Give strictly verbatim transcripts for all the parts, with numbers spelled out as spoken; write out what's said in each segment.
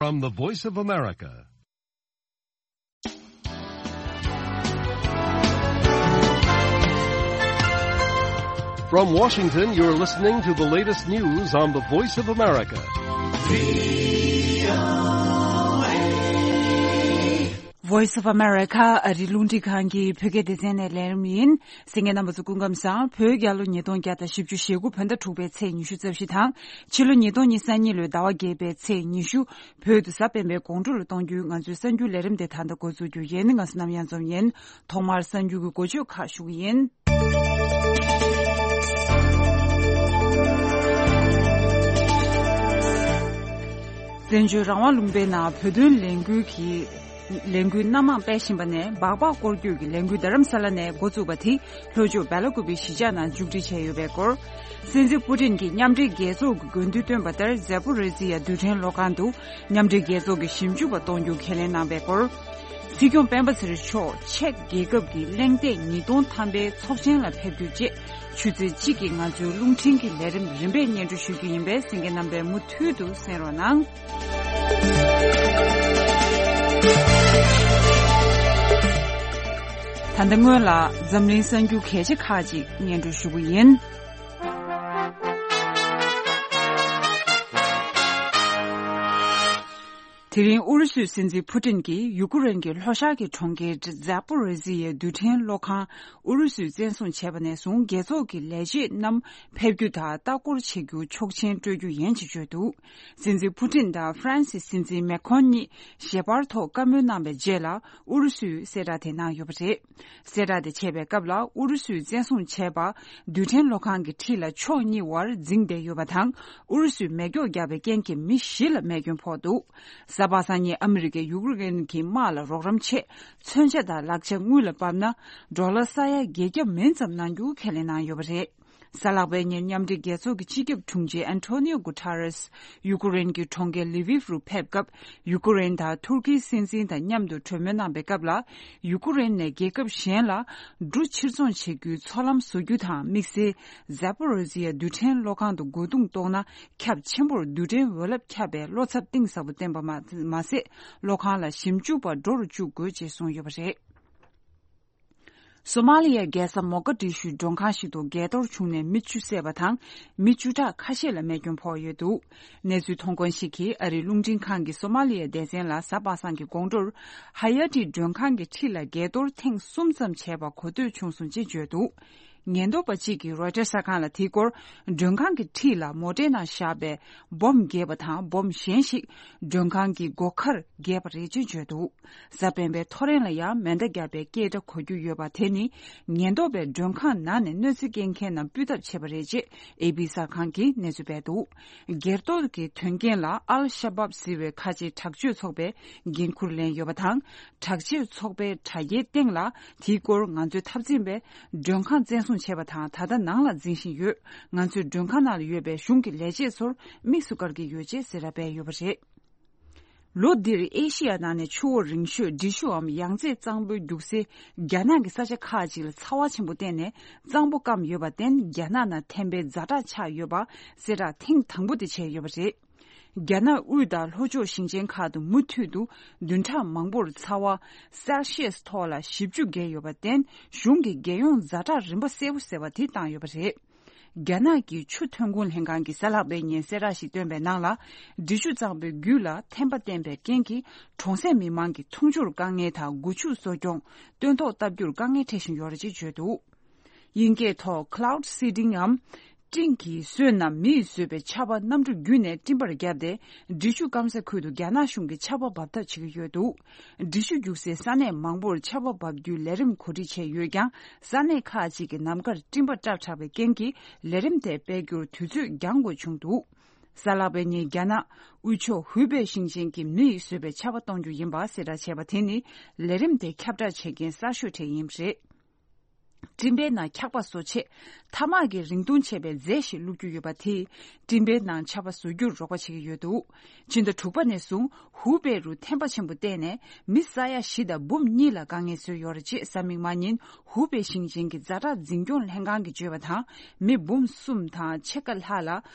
From the Voice of America. From Washington, you're listening to the latest news on the Voice of America. Voice of America ཨ་རི་རླུང་འཕྲིན་ཁང་གི་བོད་སྐད་སྡེ་ཚན་ནས་ལེན་རིམ་ཡིན། གསན་མཁན་རྣམ་པ་ཚོ་སྐུ་ཁམས་བཟང་། བོད་རྒྱལ་ལོ་ཉིས་སྟོང་བརྒྱ་དང་བཞི་བཅུ་ཞེ་དགུ་བོད་ཟླ་དྲུག་པའི་ཚེས་ཉི་ཤུ་རྩ་བཞི་དང་། ཕྱི་ལོ་ཉིས་སྟོང་ཉི་ཤུ་རྩ་གཉིས་ལོའི་ཟླ་བ་བརྒྱད་པའི་ཚེས་ཉི་ཤུ། བོད་དུ་གཟའ་སྤེན་པའི་དགོང་དྲོ་ལ་གཏོང་རྒྱུའི་ང་ཚོའི་གསར་འགྱུར་ལས་རིམ་དེ་ད་ལྟ་འགོ་འཛུགས་རྒྱུ་ཡིན། ང་ཚོ་ནམ་ཡང་འཛོམས་ཡིན། ཐོག་མར་གསར་འགྱུར་གྱི་འགོ་བརྗོད་ཁག་ཞུ་གི་ཡིན། བཙན་བྱོལ་རང་དབང་ལུང་པའི་ནང་བོད་དོན་ལས་འགུལ་གྱི་ལས་འགུལ་སྣ་མང་སྤེལ་བཞིན་པ་ནས་སྦག་སྦག་སྐོར་སྐྱོད་ཀྱི་ལས་འགུལ་རྡ་རམ་ས་ལ་ནས་འགོ་བཙུགས་པ་དེ་ལྷོ་ཕྱོགས་སྦེ་ལ་ཀུ་པེ་གཞིས་ཆགས་ནང་མཇུག་སྒྲིལ་བྱས་ཡོད་པའི་སྐོར། སྲིད་འཛིན་པུ་ཏིན་གྱིས་མཉམ་འབྲེལ་རྒྱལ་ཚོགས་ཀྱི་དགོས་འདུན་བཏོན་པ་ལྟར་ཛ་པོ་རི་ཟི་ཡ་རྡུལ་ཕྲན་གློག་ཁང་དུ་མཉམ་འབྲེལ་རྒྱལ་ཚོགས་ཀྱི་ཞིབ་འཇུག་པ་གཏོང་རྒྱུ་ཁས་ལེན་གནང་པའི་སྐོར། སྲིད་སྐྱོང་སྤེན་པ་ཚེ་རིང་མཆོག་ཅེཀ་རྒྱལ་ཁབ་ཀྱི་གླེང་སྟེགས་ཉིས་སྟོང་ཐམ་པའི་ཚོགས་ཆེན་ལ་ཕེབས་རྒྱུ་བཅས་ཆུ་ཚོད་གཅིག་གིས་ང་ཚོའི་རླུང་འཕྲིན་གྱི་ལས་རིམ་རིམ་པས་སྙན་སྒྲོན་ཞུ་རྒྱུ་ཡིན་པས་གསན་མཁན་རྣམ་པས་མུ་མཐུད་དུ་གསན་རོགས་གནང་། ད་ལྟ་སྔོན་ལ་འཛམ་གླིང་གསར་འགྱུར་གལ་ཆེ་ཁག་ཅིག་སྙན་སྒྲོན་ཞུ་གི་ཡིན། དེ་རིང་ཨུ་རུ་སུའི་སྲིད་འཛིན་ཕུ་ཏིན་གྱིས་ཡུ་ཀེ་རེན་གྱི་ལྷོ་ཤར་གྱི་གྲོང་ཁྱེར་ཛ་པོ་རི་ཟི་ཡའི་རྡུལ་ཕྲན་གློག་ཁང་ཨུ་རུ་སུས་བཙན་བཟུང་བྱས་པ་ནས་བཟུང་རྒྱལ་ཚོགས་ཀྱི་ལས་བྱེད་རྣམས་ཕེབས་རྒྱུ་དང་ལྟ་སྐོར་བྱེད་རྒྱུ་ཆོག་མཆན་སྤྲོད་རྒྱུ་ཡིན་ཞེས་བརྗོད་འདུག་སྲིད་འཛིན་ཕུ་ཏིན་དང་ཧྥ་རན་སིའི་སྲིད་འཛིན་མེ་ཁོན་གཉིས་ཞལ་པར་ཐོག་བཀའ་མོལ་གནང་བའི་རྗེས་ལ་ཨུ་རུ་སུས་གསལ་བསྒྲགས་དེ་གནང་ཡོད་པ་རེད། གསལ་བསྒྲགས་དེ་བྱས་པའི་སྐབས་ལ་ཨུ་རུ་སུས་བཙན་བཟུང་བྱས་པ་རྡུལ་ཕྲན་གློག་ཁང་གི་འཁྲིས་ལ་ཕྱོགས་གཉིས་བར་འཛིང་བསྡད་ཡོད་པ་དང་ཨུ་རུ་སུས་མེ་སྒྱོགས་བརྒྱབ་པའི་རྐྱེན་གྱིས་མི་བཞི་ལ་རྨས་སྐྱོན་ཕོག་འདུག་གཟའ་པ་སངས་ཉིན་ཨ་མི་རི་ཀས་ཡུ་ཀེ་རེན་གྱི་དམག་ལ་རོགས་རམ་ཆེད་མཚོན་ཆ་དང་ལག་ཆ་དངུལ་ལ་དཔག་ན་ཌོ་ལར་ས་ཡ་བརྒྱད་བརྒྱ་མིན་ཙམ་གནང་རྒྱུ་ཁས་ལེན་གནང་ཡོད་པ་རེད། གཟའ་ལྷག་པའི་ཉིན་མཉམ་འབྲེལ་རྒྱལ་ཚོགས་ཀྱི་སྤྱི་ཁྱབ་དྲུང་ཆེ་ཨན་ཐོ་ནིའོ་གུ་ཐ་རེས་ཡུ་ཀེ་རེན་གྱི་གྲོང་ཁྱེར་ལི་བིབ་རུ་ཕེབས་སྐབས་ཡུ་ཀེ་རེན་དང་ཐུར་ཁིའི་སྲིད་འཛིན་དང་མཉམ་དུ་གྲོས་མོལ་གནང་པའི་སྐབས་ལ་ཡུ་ཀེ་རེན་ནས་རྒྱལ་ཁབ་གཞན་ལ་འབྲུ་ཕྱིར་ཚོང་བྱེད་རྒྱུའི་ཚོང་ལམ་བཟོ་རྒྱུ་དང་དམིགས་བསལ་ཛ་པོ་རི་ཟི་ཡ་རྡུལ་ཕྲན་གློག་ཁང་དུ་རྒོལ་རྡུང་གཏོང་ན། ཁྱབ་ཆེན་པོར་རྡུལ་ཕྲན་འོད་རླབས་ཁྱབ་པའི་བློ་འཚབ་གཏིང་ཟབ་པོ་བསྟན་པ་མ་མ་ཟད་གློག་ཁང་ལ་ཞིབ་འཇུག་པ་འགྲོ་རུ་བཅུག་དགོས་ཅེས་གསུངས་ཡོད་པ་རེད། སོ་མ་ལི་ཡའི་རྒྱལ་ས་མོ་ཀ་ཏི་ཤུའི་མགྲོན་ཁང་ཞིག་ཏུ་འགས་གཏོར་བྱུང་ནས་མི་བཅུ་བསད་པ་དང་མི་བཅུ་ཕྲག་ཁ་ཤས་ལ་རྨས་སྐྱོན་ཕོག་ཡོད་འདུག་གནས་ཚུལ་མཐོང་མཁན་ཞིག་གིས་ཨ་རིའི་རླུང་འཕྲིན་ཁང་གི་སོ་མ་ལི་ཡའི་སྡེ་ཚན་ལ་གཟའ་པ་སངས་ཀྱི་དགོང་དྲོར་ཧ་ཡ་ཏི་མགྲོན་ཁང་གི་འཁྲིས་ལ་འགས་གཏོར་ཐེངས་གསུམ་ཙམ་བྱས་པ་གོ་ཐོས་བྱུང་སོང་ཅེས་བརྗོད་འདུག་ཉེན་རྟོག་པ་གཅིག་གིས་རོའི་ཊར་གསར་ཁང་ལ་དེའི་སྐོར་མགྲོན་ཁང་གི་འཁྲིས་ལ་མོ་ཊའི་ནང་བཞག་པའི་སྦོམ་འགས་པ་དང་སྦོམ་གཞན་ཞིག་མགྲོན་ཁང་གི་སྒོ་ཁར་འགས་པ་རེད་ཅེས་བརྗོད་འདུག་གཟའ་སྤེན་པའི་ཐོ་རེངས་ལ་ཡང་མེ་མདའ་བརྒྱབ་པའི་སྐད་སྒྲ་གོ་རྒྱུ་ཡོད་པ་དེ་ནི་ཉེན་རྟོག་པས་མགྲོན་ཁང་ནང་ནས་གནོད་འཚེ་སྐྱེལ་མཁན་རྣམས་སྤུས་ཐབས་བྱས་པ་རེད་ཅེས་ཨེ་པི་གསར་ཁང་གིས་གནས་ཚུལ་སྤེལ་འདུག་འགས་གཏོར་གྱི་དོན་རྐྱེན་ལ་ཨལ་ཤ་བབ་ཟེར་བའི་ཁ་ཆེའི་དྲག་སྤྱོད་ཚོགས་པས་འགན་འཁུར་ལེན་ཡོད་པ་དང་། དྲག་སྤྱོད་ཚོགས་པའི་དྲ་རྒྱའི་སྟེང་ལ་དེའི་སྐོར་ང་ཚོའི་འཐབ་འཛིང་པས་མགྲོན་ཁང་བཙན་བཟུང་བྱས་པ་དང་ད་ལྟ་ནང་ལ་འཛིན་བཞིན་ཡོད། ང་ཚོས་མགྲོན་ཁང་ནང་ལ་ཡོད་པའི་གཞུང་གི་ལས་བྱེད་ཚོར་དམིགས་སུ་བཀར་གྱི་ཡོད་ཅེས་གསལ་བསྒྲགས་སྤེལ་ཡོད་པ་རེད། ལོ་འདིར་ཨེ་ཤི་ཡ་ནང་ནས་ཆུ་བོ་རིང་ཤོས་འབྲི་ཆུའམ་ཡང་རྩེ་གཙང་པོའི་རྒྱུག་སའི་རྒྱ་ནག་གི་ས་ཆ་ཁག་ཅིག་ལ་ཚ་བ་ཆེན་པོ་བརྟེན་ནས་གཙང་པོ་སྐམ་ཡོད་པར་བརྟེན་རྒྱ་ནག་ནང་ཐན་པའི་ཛ་དྲག་ཆགས་ཡོད་པ་གསལ་བསྒྲགས་ཐེངས་དང་པོ་དེ་བྱས་ཡོད་པ་རེད། རྒྱ་ནག་དབུས་དང་ལྷོ་ཕྱོགས་ཞིང་ཆེན་ཁག་ཏུ་མུ་མཐུད་དུ་བདུན་ཕྲག་མང་པོར་ཚ་བ་སེལ་ཤི་ཡས་ཐོག་ལ་བཞི་བཅུ་བརྒལ་ཡོད་པར་བརྟེན་གཞུང་གིས་རྒྱལ་ཡོངས་ཛ་དྲག་རིམ་པ་གསལ་པོ་ཟེར་བ་དེ་བཏང་ཡོད་པ་རེད། རྒྱ་ནག་གི་ཆུ་ཐོན་ཁུངས་ལྷན་ཁང་གིས་གཟའ་ལྷག་པའི་ཉིན་གསལ་བསྒྲགས་ཤིག་བཏོན་པའི་ནང་ལ། འབྲི་ཆུ་གཙང་པོའི་རྒྱུད་ལ་ཐན་པ་བསྟེན་པའི་རྐྱེན་གྱིས་གྲོང་གསེབ་མི་མང་གི་འཐུང་ཆུར་དཀའ་ངལ་དང་སྒོ་ཕྱུགས་གསོ་སྐྱོང་སྟོན་ཐོག་བཏབ་རྒྱུར་དཀའ་ངལ་འཕྲད་བཞིན་ཡོད་རེད་ཅེས་བརྗོད་འདུག་དབྱིན་སྐད་ཐོག་Cloud Seeding་འམ། སྤྲིན་གྱིས་གསོས་ནམ་མི་ཡིས་བཟོས་པའི་ཆར་པ་གནམ་གྲུ་བརྒྱུད་ནས་སྤྲིན་པར་བརྒྱབ་སྟེ། འབྲི་ཆུ་སྐམ་ས་ཁུལ་དུ་རྒྱ་ནག་གཞུང་གིས་ཆར་པ་འབབ་ཐབས་བྱེད་ཀྱི་ཡོད་འདུག་འབྲི་ཆུ་རྒྱུག་སའི་ས་གནས་མང་པོར་ཆར་པ་འབབ་རྒྱུའི་ལས་རིམ་གོ་སྒྲིག་བྱས་ཡོད་ཀྱང་། ས་གནས་ཁག་ཅིག་གི་ནམ་མཁར་སྤྲིན་པ་བཀྲག་དྲགས་པའི་རྐྱེན་གྱིས་ལས་རིམ་དེ་སྤེལ་རྒྱུར་དུས་ཚོད་འགྱངས་དགོས་བྱུང་འདུག་གཟའ་ལྷག་པའི་ཉིན་རྒྱ་ནག་དབུས་ཕྱོགས་ཧུའུ་པེ་ཞིང་ཆེན་གྱི་མི་ཡིས་བཟོས་པའི་ཆར་པ་གཏོང་རྒྱུ་ཡིན་པ་གསལ་བསྒྲགས་བྱས་པ་དེ་ནི་ལས་རིམ་དེ་ཁྱབ་བསྒྲགས་བྱེད་མཁན་གསར་ཤོས་གྲས་ཡིན་པ་རེད། སྤྲིན་པའི་ནང་འཁྱག་པ་བཟོ་ཆེད་ཐ་མག་གི་རིང་ཐུང་ཆེ་བའི་རྫས་ཤིག་བླུགས་རྒྱུ་ཡོད་པ་དེས་སྤྲིན་པའི་ནང་ཆར་པ་བཟོ་རྒྱུར་རོགས་པ་བྱེད་ཀྱི་ཡོད་འདུག་སྤྱི་ཟླ་དྲུག་པ་ནས་བཟུང་ཧུའུ་པེ་རུ་ཐན་པ་ཆེན་པོ་བརྟེན་ནས་མི་ས་ཡ་བཞི་དང་འབུམ་གཉིས་ལ་དཀའ་ངལ་བཟོས་ཡོད་རེད་ཅེས་གཟའ་མིག་དམར་ཉིན་ཧུའུ་པེ་ཞིང་ཆེན་གྱི་ཛ་དྲག་འཛིན་སྐྱོང་ལྷན་ཁང་གིས་བརྗོད་པ་དང་། མི་འབུམ་གསུམ་དང་ཕྱེད་ཀ་ལྷག་ལ་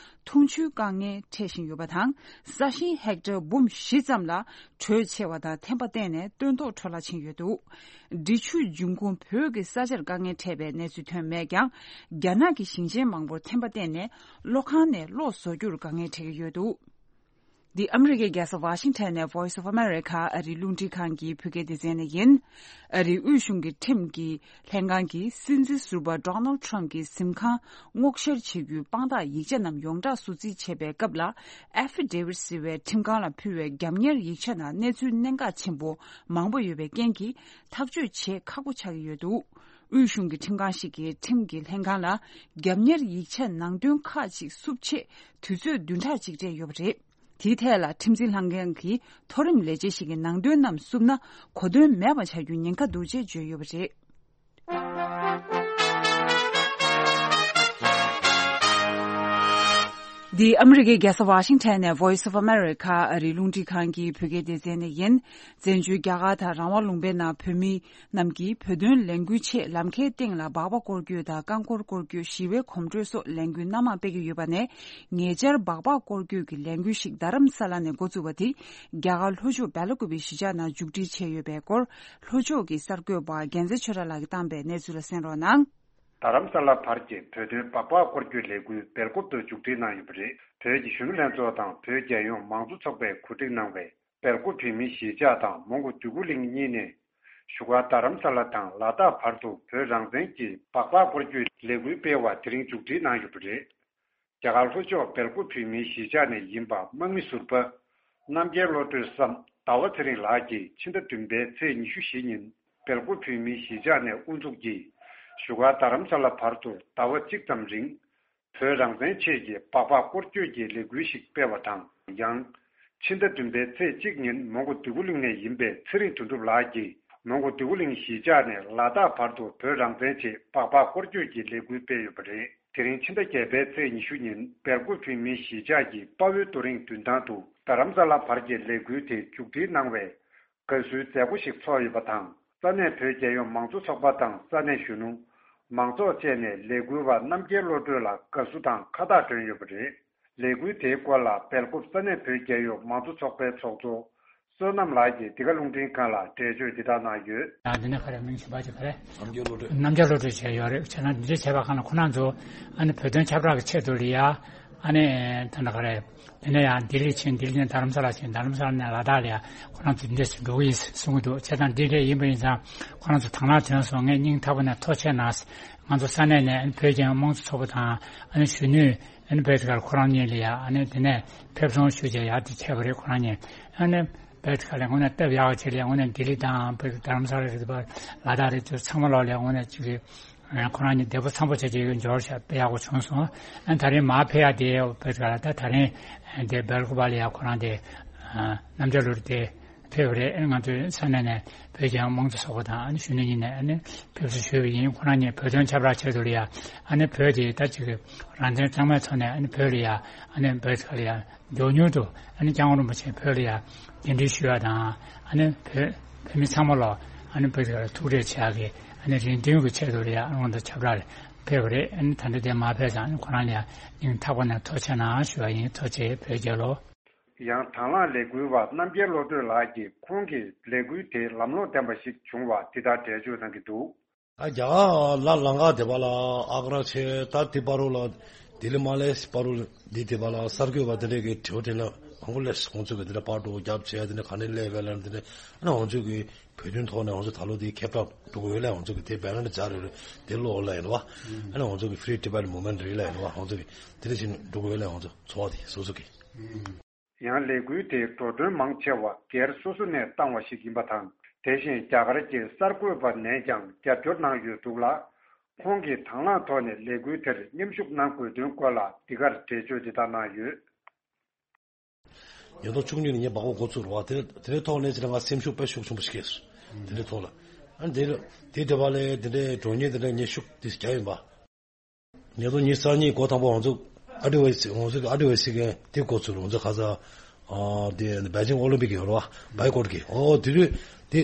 འཐུང་ཆུའི་དཀའ་ངལ་འཕྲད་བཞིན་ཡོད་པ་དང་། ས་ཞིང་ཧེག་ཊར་འབུམ་བཞི་ཙམ་ལ་དྲོད་ཆེ་བ་དང་ཐན་པ་བརྟེན་ནས་སྟོན་ཐོག་འཕྲོ་བརླག་ཕྱིན་ཡོད་འདུག་འབྲི་ཆུའི་འབྱུང་ཁུངས་བོད་ཀྱི་ས་ཆར་དཀའ་ངལ་འཕྲད་པའི་གནས་ཚུལ་ཐོན་མེད་ཀྱང་། རྒྱ་ནག་གི་ཞིང་ཆེན་མང་པོར་ཐན་པ་བརྟེན་ནས་གློག་ཁང་ནས་གློག་བཟོ་རྒྱུར་དཀའ་ངལ་འཕྲད་ཀྱི་ཡོད་འདུག་འདི་ཨ་མི་རི་ཀའི་རྒྱལ་ས་ཝ་ཤིང་ཊོན་ནས་Voice of America ཨ་རིའི་རླུང་འཕྲིན་ཁང་གི་བོད་སྐད་སྡེ་ཚན་ནས་ཡིན། ཨ་རིའི་དབུས་གཞུང་གི་ཁྲིམས་ཀྱི་ལྷན་ཁང་གིས་སྲིད་འཛིན་ཟུར་པ་Donald Trump གྱི་གཟིམ་ཁང་སྔོག་བཤེར་བྱེད་རྒྱུའི་དཔང་རྟགས་ཡིག་ཆ་རྣམས་ཡོངས་བསྒྲགས་སུ་རྩིས་བྱེད་པའི་སྐབས་ལ། Affidavit ཟེར་བའི་ཁྲིམས་ཁང་ལ་ཕུལ་བའི་རྒྱབ་གཉེར་ཡིག་ཆ་ནང་གནས་ཚུལ་གནད་འགག་ཆེན་པོ་མང་པོ་ཡོད་པའི་རྐྱེན་གྱིས་ཐག་གཅོད་བྱེད་ཁག་པོ་ཆགས་ཀྱི་ཡོད་འདུག་དབུས་གཞུང་གི་ཁྲིམས་ཁང་ཞིག་གིས་ཁྲིམས་ཀྱི་ལྷན་ཁང་ལ་རྒྱབ་གཉེར་ཡིག་ཆ་ནང་དོན་ཁག་ཅིག་བསུབ་ཆེད་དུས་ཚོད་བདུན་ཕྲག་ཅིག་སྤྲད་ཡོད་པ་རེད། དེའི་ཐད་ལ་ཁྲིམས་འཛིན་ལྷན་ཁང་གི་མཐོ་རིམ་ལས་བྱེད་ཞིག་གི་ནང་དོན་རྣམས་བསུབ་ན་གོ་དོན་མེད་པ་ཆགས་རྒྱུའི་ཉེན་ཁ་འདུག་ཅེས་བརྗོད་ཡོད་པ་རེད། འདི་ཨ་མི་རི་ཀའི་རྒྱལ་ས་ཝ་ཤིང་ཊོན་ནས་Voice of America ཨ་རིའི་རླུང་འཕྲིན་ཁང་གི་བོད་སྐད་སྡེ་ཚན་ནས་ཡིན། བཙན་བྱོལ་རྒྱ་གར་དང་རང་དབང་ལུང་པའི་ནང་བོད་མི་རྣམས་ཀྱིས་བོད་དོན་ལས་འགུལ་ཆེད་ལམ་ཁའི་སྟེང་ལ་སྦག་སྦག་སྐོར་སྐྱོད་དང་རྐང་འཁོར་སྐོར་སྐྱོད་ཞི་བའི་གོམ་བགྲོད་སོགས་ལས་འགུལ་སྣ་མང་སྤེལ་གྱི་ཡོད་པ་ནས། ཉེ་ཆར་སྦག་སྦག་སྐོར་སྐྱོད་ཀྱི་ལས་འགུལ་ཞིག་རྡ་རམ་ས་ལ་ནས་འགོ་བཙུགས་པ་དེ་རྒྱ་གར་ལྷོ་ཕྱོགས་སྦེལ་ཀུ་པེ་གཞིས་ཆགས་ནང་མཇུག་སྒྲིལ་བྱས་ཡོད་པའི་སྐོར། ལྷོ་ཕྱོགས་ཀྱི་གསར་འགོད་པ་རྒྱལ་མཚན་ཆོས་གྲགས་ལགས་ཀྱིས་བཏང་པའི་གནས་ཚུལ་ལ་གསན་རོགས་གནང་། རྡ་རམ་ས་ལ་བར་གྱི་བོད་དོན་སྦག་སྦག་སྐོར་སྐྱོད་ལས་འགུལ་སྦེལ་ཀོབ་ཏུ་མཇུག་སྒྲིལ་གནང་ཡོད་པ་རེད། བོད་ཀྱི་གཞོན་ནུ་ལྷན་ཚོགས་དང་བོད་རྒྱལ་ཡོངས་མང་གཙོ་ཚོགས་པས་གོ་སྒྲིག་གནང་བའི་སྦེལ་ཀོབ་བོད་མིའི་གཞིས་ཆགས་དང་མོན་གྷོ་འདོད་རྒུ་གླིང་གཉིས་ནས་བཞུགས་སྒར་རྡ་རམ་ས་ལ་དང་ལ་དྭགས་བར་དུ་བོད་རང་བཙན་གྱི་སྦག་སྦག་སྐོར་སྐྱོད་ལས་འགུལ་སྤེལ་བ་དེ་རིང་མཇུག་སྒྲིལ་གནང་ཡོད་པ་རེད། རྒྱ་གར་ལྷོ་ཕྱོགས་སྦེལ་ཀོབ་བོད་མིའི་གཞིས་ཆགས་ནས་ཡིན་པ་དམག་མི་ཟུར་པ་རྣམ་རྒྱལ་བློ་གྲོས་སམ་ཟླ་བ་ཚེ་རིང་ལགས་ཀྱིས་ཕྱི་ཟླ་བདུན་པའི་ཚེས་ཉི་ཤུ་བཞི་ཉིན་སྦེལ་ཀོབ་བོད་མིའི་གཞིས་ཆགས་ནས་དབུ་འཛུགས་ཀྱིས་བཞུགས་སྒར་རྡ་རམ་ས་ལ་བར་དུ་ཟླ་བ་གཅིག་ཙམ་རིང་བོད་རང་བཙན་ཆེད་ཀྱི་སྦག་སྦག་སྐོར་སྐྱོད་ཀྱི་ལས་འགུལ་ཞིག་སྤེལ་བ་དང་། ཡང་ཕྱི་ཟླ་བདུན་པའི་ཚེས་གཅིག་ཉིན་མོན་གྷོ་འདོད་རྒུ་གླིང་ནས་ཡིན་པའི་ཚེ་རིང་དོན་གྲུབ་ལགས་ཀྱིས་མོན་གྷོ་འདོད་རྒུ་གླིང་གཞིས་ཆགས་ནས་ལ་དྭགས་བར་དུ་བོད་རང་བཙན་ཆེད་སྦག་སྦག་སྐོར་སྐྱོད་ཀྱི་ལས་འགུལ་སྤེལ་ཡོད་པ་རེད། དེ་རིང་ཕྱི་ཟླ་བརྒྱད་པའི་ཚེས་ཉི་ཤུ་ཉིན་སྦེལ་ཀོབ་བོད་མིའི་གཞིས་ཆགས་ཀྱི་དཔའ་བོའི་རྡོ་རིང་མདུན་ཐང་དུ་རྡ་རམ་ས་ལ་བར་གྱི་ལས་འགུལ་དེ་མཇུག་སྒྲིལ་གནང་བའི་དགའ་བསུའི་མཛད་སྒོ་ཞིག་ཚོགས་ཡོད་པ་དང་། ས་གནས་བོད་རྒྱལ་ཡོངས་མང་གཙོ་ཚོགས་པ་དང་ས་གནས་གཞོན་ནུ། མང་ཚོགས་བཅས་ནས་ལས་འགུལ་བ་རྣམ་རྒྱལ་བློ་གྲོས་ལ་དགའ་བསུ་དང་ཁ་བཏགས་སྒྲོན་ཡོད་པ་རེད། ལས་འགུལ་དེའི་སྐོར་ལ་སྦེལ་ཀོབ་ས་གནས་བོད་རྒྱལ་ཡོངས་མང་གཙོ་ཚོགས་པའི་ཚོགས་གཙོ་བསོད་ནམས་ལགས་ཀྱིས་འདི་ག་རླུང་འཕྲིན་ཁང་ལ་འགྲེལ་བརྗོད་འདི་ལྟར་གནང་ཡོད། ཡང་འདི་ནས་ག་རེ་མིང་གཞན་པ་ཅིག་ག་རེ། རྣམ་རྒྱལ་བློ་གྲོས། རྣམ་རྒྱལ་བློ་གྲོས་བྱས་ཡོད་རེད། བྱས་ན་འདི་འདྲ་བྱས་པ་གང་ལ་ཁོ་རང་ཚོ་ཨ་ནི་བོད་དོན་ཁྱབ་བསྒྲགས་ཀྱི་ཆེད་དུ་ལ་ཡ་ཨ་ནི་ད་ནི་ག་རེ། དེ་ནས་ཡང་ལྡི་ལི་ཕྱིན། ལྡི་ལི་ནས་རྡ་རམ་ས་ལ་ཕྱིན། རྡ་རམ་ས་ལ་ནས་ལ་དྭགས་ལ་ཡ་ཁོ་རང་ཚོ་འདི་འདྲ་ཞིག་འགྲོ་གི་ཡིན་གསུང་གི་འདུག་བྱས་ཙང་འདི་འདྲ་ཡིན་པ་ཡིན་ཙང་ཁོ་རང་ཚོ་དང་བླངས་ཐོན་སོང་། ངས་སྙིང་ཐག་པ་ནས་ཐུགས་རྗེ་གནང་། ང་ཚོ་ས་གནས་ནས་ཨ་ནི་བོད་རྒྱལ་ཡོངས་མང་གཙོ་ཚོགས་པ་དང་ཨ་ནི་གཞོན་ནུས་ཨ་ནི་བོད་དེ་གར་ཁོ་རང་གཉིས་ལ་ཡ་ཨ་ནི་དེ་ནས་ཕེབས་སོང་ཞུས་བྱས་ཡར་དེ་ཕེབས་པ་རེད། ཁོ་རང་གཉིས་ཨ་ནི་བོད་དེ་གར་ལ་དངོས་གནས་སྟབས་ཡག་པ་ཅིག་ལ་དངོས་གནས་ལྡི་ལི་དང་བོད་རྡ་རམ་ས་ལ་རེད་པ། ལ་དྭགས་རེད། དེ་ཚང་མ་ལོག་ལ་དངོས་གནས་ཅིག་གི་ཁོ་རང་གཉིས་བདེ་པོ་འཚམ་པོ་བྱས་བྱས་འབྱོར་ཤག་དཔེ་ཡག་པོ་བྱུང་སོང་། ཨ་ནི་ད་རིང་མར་ཕེབས་ཡ་དེ་བོད་དེ་གར་ལ་ད་ད་རིང་དེ་སྦེལ་ཀོབ་ལ་ཡ་ཁོ་རང་དེ་རྣམ་རྒྱལ་བློ་གྲོས་དེ། ཕེབས་རེད། ང་ཚོའི་ས་གནས་ནས་བོད་རྒྱལ་ཡོངས་མང་གཙོ་ཚོགས་པ་དང་ཨ་ནི་གཞོན་ནུ་གཉིས་ནས་ཨ་ནི་ཕེབས་བསུ་ཞུས་པ་ཡིན། ཁོ་རང་གཉིས་བོད་དོན་ཁྱབ་བསྒྲགས་ཆེད་དུ་ལ་ཡ་ཨ་ནི་བོད་དེ་ད་ཅིག་རང་བཙན་གཙང་མའི་ཐོག་ནས་ཨ་ནི་བོད་ལ་ཡ་ཨ་ནི་བོད་ཁ་ལ་ཡ་མགྱོགས་མྱུར་དུ་ཨ་ནི་སྐྱབས་མགོན་རིན་པོ་ཆེ་བོད་ལ་ཡ་གདན་འདྲེན་ཞུ་ཡ་དང་ཨ་ནི་བོད་བོད་མི་ཚང་མ་ལ་ཨ་ནི་བོད་ཁ་ལ་ཐུག་འཕྲད་བྱེད་ཡ་གི་ཨ་ནི་རེ་འདུན་གྱི་ཆེད་དུ་ལ་ཡ་ཨ་ནི་ཁོང་ཚོ་ཁྱབ་བསྒྲགས་ཕེབས་པ་རེད། ཨ་ནི་ད་ལྟ་དེ་མར་ཕེབས་ཙང་ཨ་ནི་ཁོ་རང་ལ་ཡ་སྙིང་ཐག་པ་ནས་ཐུགས་རྗེ་གནང་ཞུ་བ་ཡིན། ཐུགས་རྗེ་ཆེ། བོད་རྒྱལ་ལོ། ཡང་དང་བླངས་ལས་འགུལ་བ་རྣམ་རྒྱལ་བློ་གྲོས་ལགས་ཀྱིས་ཁོང་གིས་ལས་འགུལ་དེ་ལམ་ལྷོང་ལྡན་པ་ཞིག་བྱུང་བ་འདི་ལྟར་འགྲེལ་བརྗོད་གནང་གི་འདུག་ཨ་རྒྱ་གར་ལ་ལང་ཀ་དེ་པ་ལ་ཨག་ར་བྱས། ད་དེ་པ་རུ་ལ་ལྡི་ལི་མ་ལེ་སི་པ་རུ་འདི་དེ་པ་ལ་གསར་འགོད་པ་དེ་འདྲས་ཀྱི་དྲི་བ་དྲིས་ན་ཧང་གོ་ལས་ཁོང་ཚོ་གི་དེ་འདྲ་པར་འགྲོ་རྒྱབ་བྱས། དེ་འདྲ་ག་ནས་སླེབས་པས་ལབ་དེ་འདྲ་ཨ་ནི་ང་ཚོ་གི་བོད་དོན་ཐོག་ནས་ང་ཚོ་ད་ལོ་དེ་ཁྱབ་བསྒྲགས་འགྲོ་དགོས་ལས་ང་ཚོ་གི་དེ་བེ་ནར་འདྲ་སྦྱར་ཡོད་རེད། དེ་ལོ་ལ་ཡིན་བ། ཨ་ནི་ང་ཚོ་གི་Free Tibet Movement རེད་ལ་ཡིན་བ། ང་ཚོ་གི་དེ་འདྲ་བྱས་ནས་འགྲོ་དགོས་ལས་ང་ཚོ་ཚོགས་པ་དེ་སོ་སོ་གི། ཡང་ལས་འགུལ་དེའི་འགྲོ་གྲོན་མང་ཆེ་བ་སྒེར་སོ་སོ་ནས་བཏང་བ་ཞིག་ཡིན་པ་དང་། དེ་བཞིན་རྒྱ་གར་གྱི་གསར་འགོད་པ་ནས་ཀྱང་རྒྱབ་སྐྱོར་གནང་ཡོད་འདུག་ལ། ཁོང་གིས་དང་བླངས་ཐོག་ནས་ལས་འགུལ་དེར་མཉམ་ཞུགས་གནང་དགོས་དོན་སྐོར་ལ་འདི་གར་འགྲེལ་བརྗོད་འདི་ལྟར་གནང་ཡོད། ཉིས་སྟོང་བཅུ་གཉིས་ནས་ངས་སྦག་སྦག་འགོ་བཙུགས་རེད་བ། དེ་དེའི་ཐོག་ནས་ཅི་ལ་ང་སེམས་ཤུགས་དཔེ་ཤུགས་ཆེན་པོ་ཞིག་སྐྱེས་སོང་། དེ་འདྲའི་ཐོག་ལ་ ཨ་ནི་དེ་དེ་དེ་བ་ལས་དེ་འདྲའི་གྲོང་ཉེ་དེ་འདྲ་ངས་ཤུགས་དེ་རྒྱག་ཡིན་པ། ཉིས་སྟོང་ཉི་ཤུ་རྩ་གཉིས་འགོ་དང་པོ་ང་ཚོ་ཨ་ཏི་ཝེ་སི་ང་ཚོ་ཨ་ཏི་ཝེ་སི་གི་དེ་འགོ་ཚུགས་ང་ཚོ་ཁ་ས་ཨ་དེ་བེ་ཅིང་ཨོ་ལིམ་པིག་ཡོད་རེད་བ། བའི་ཀོཊ་གི་ཨོ་དེ་དུས་དེ་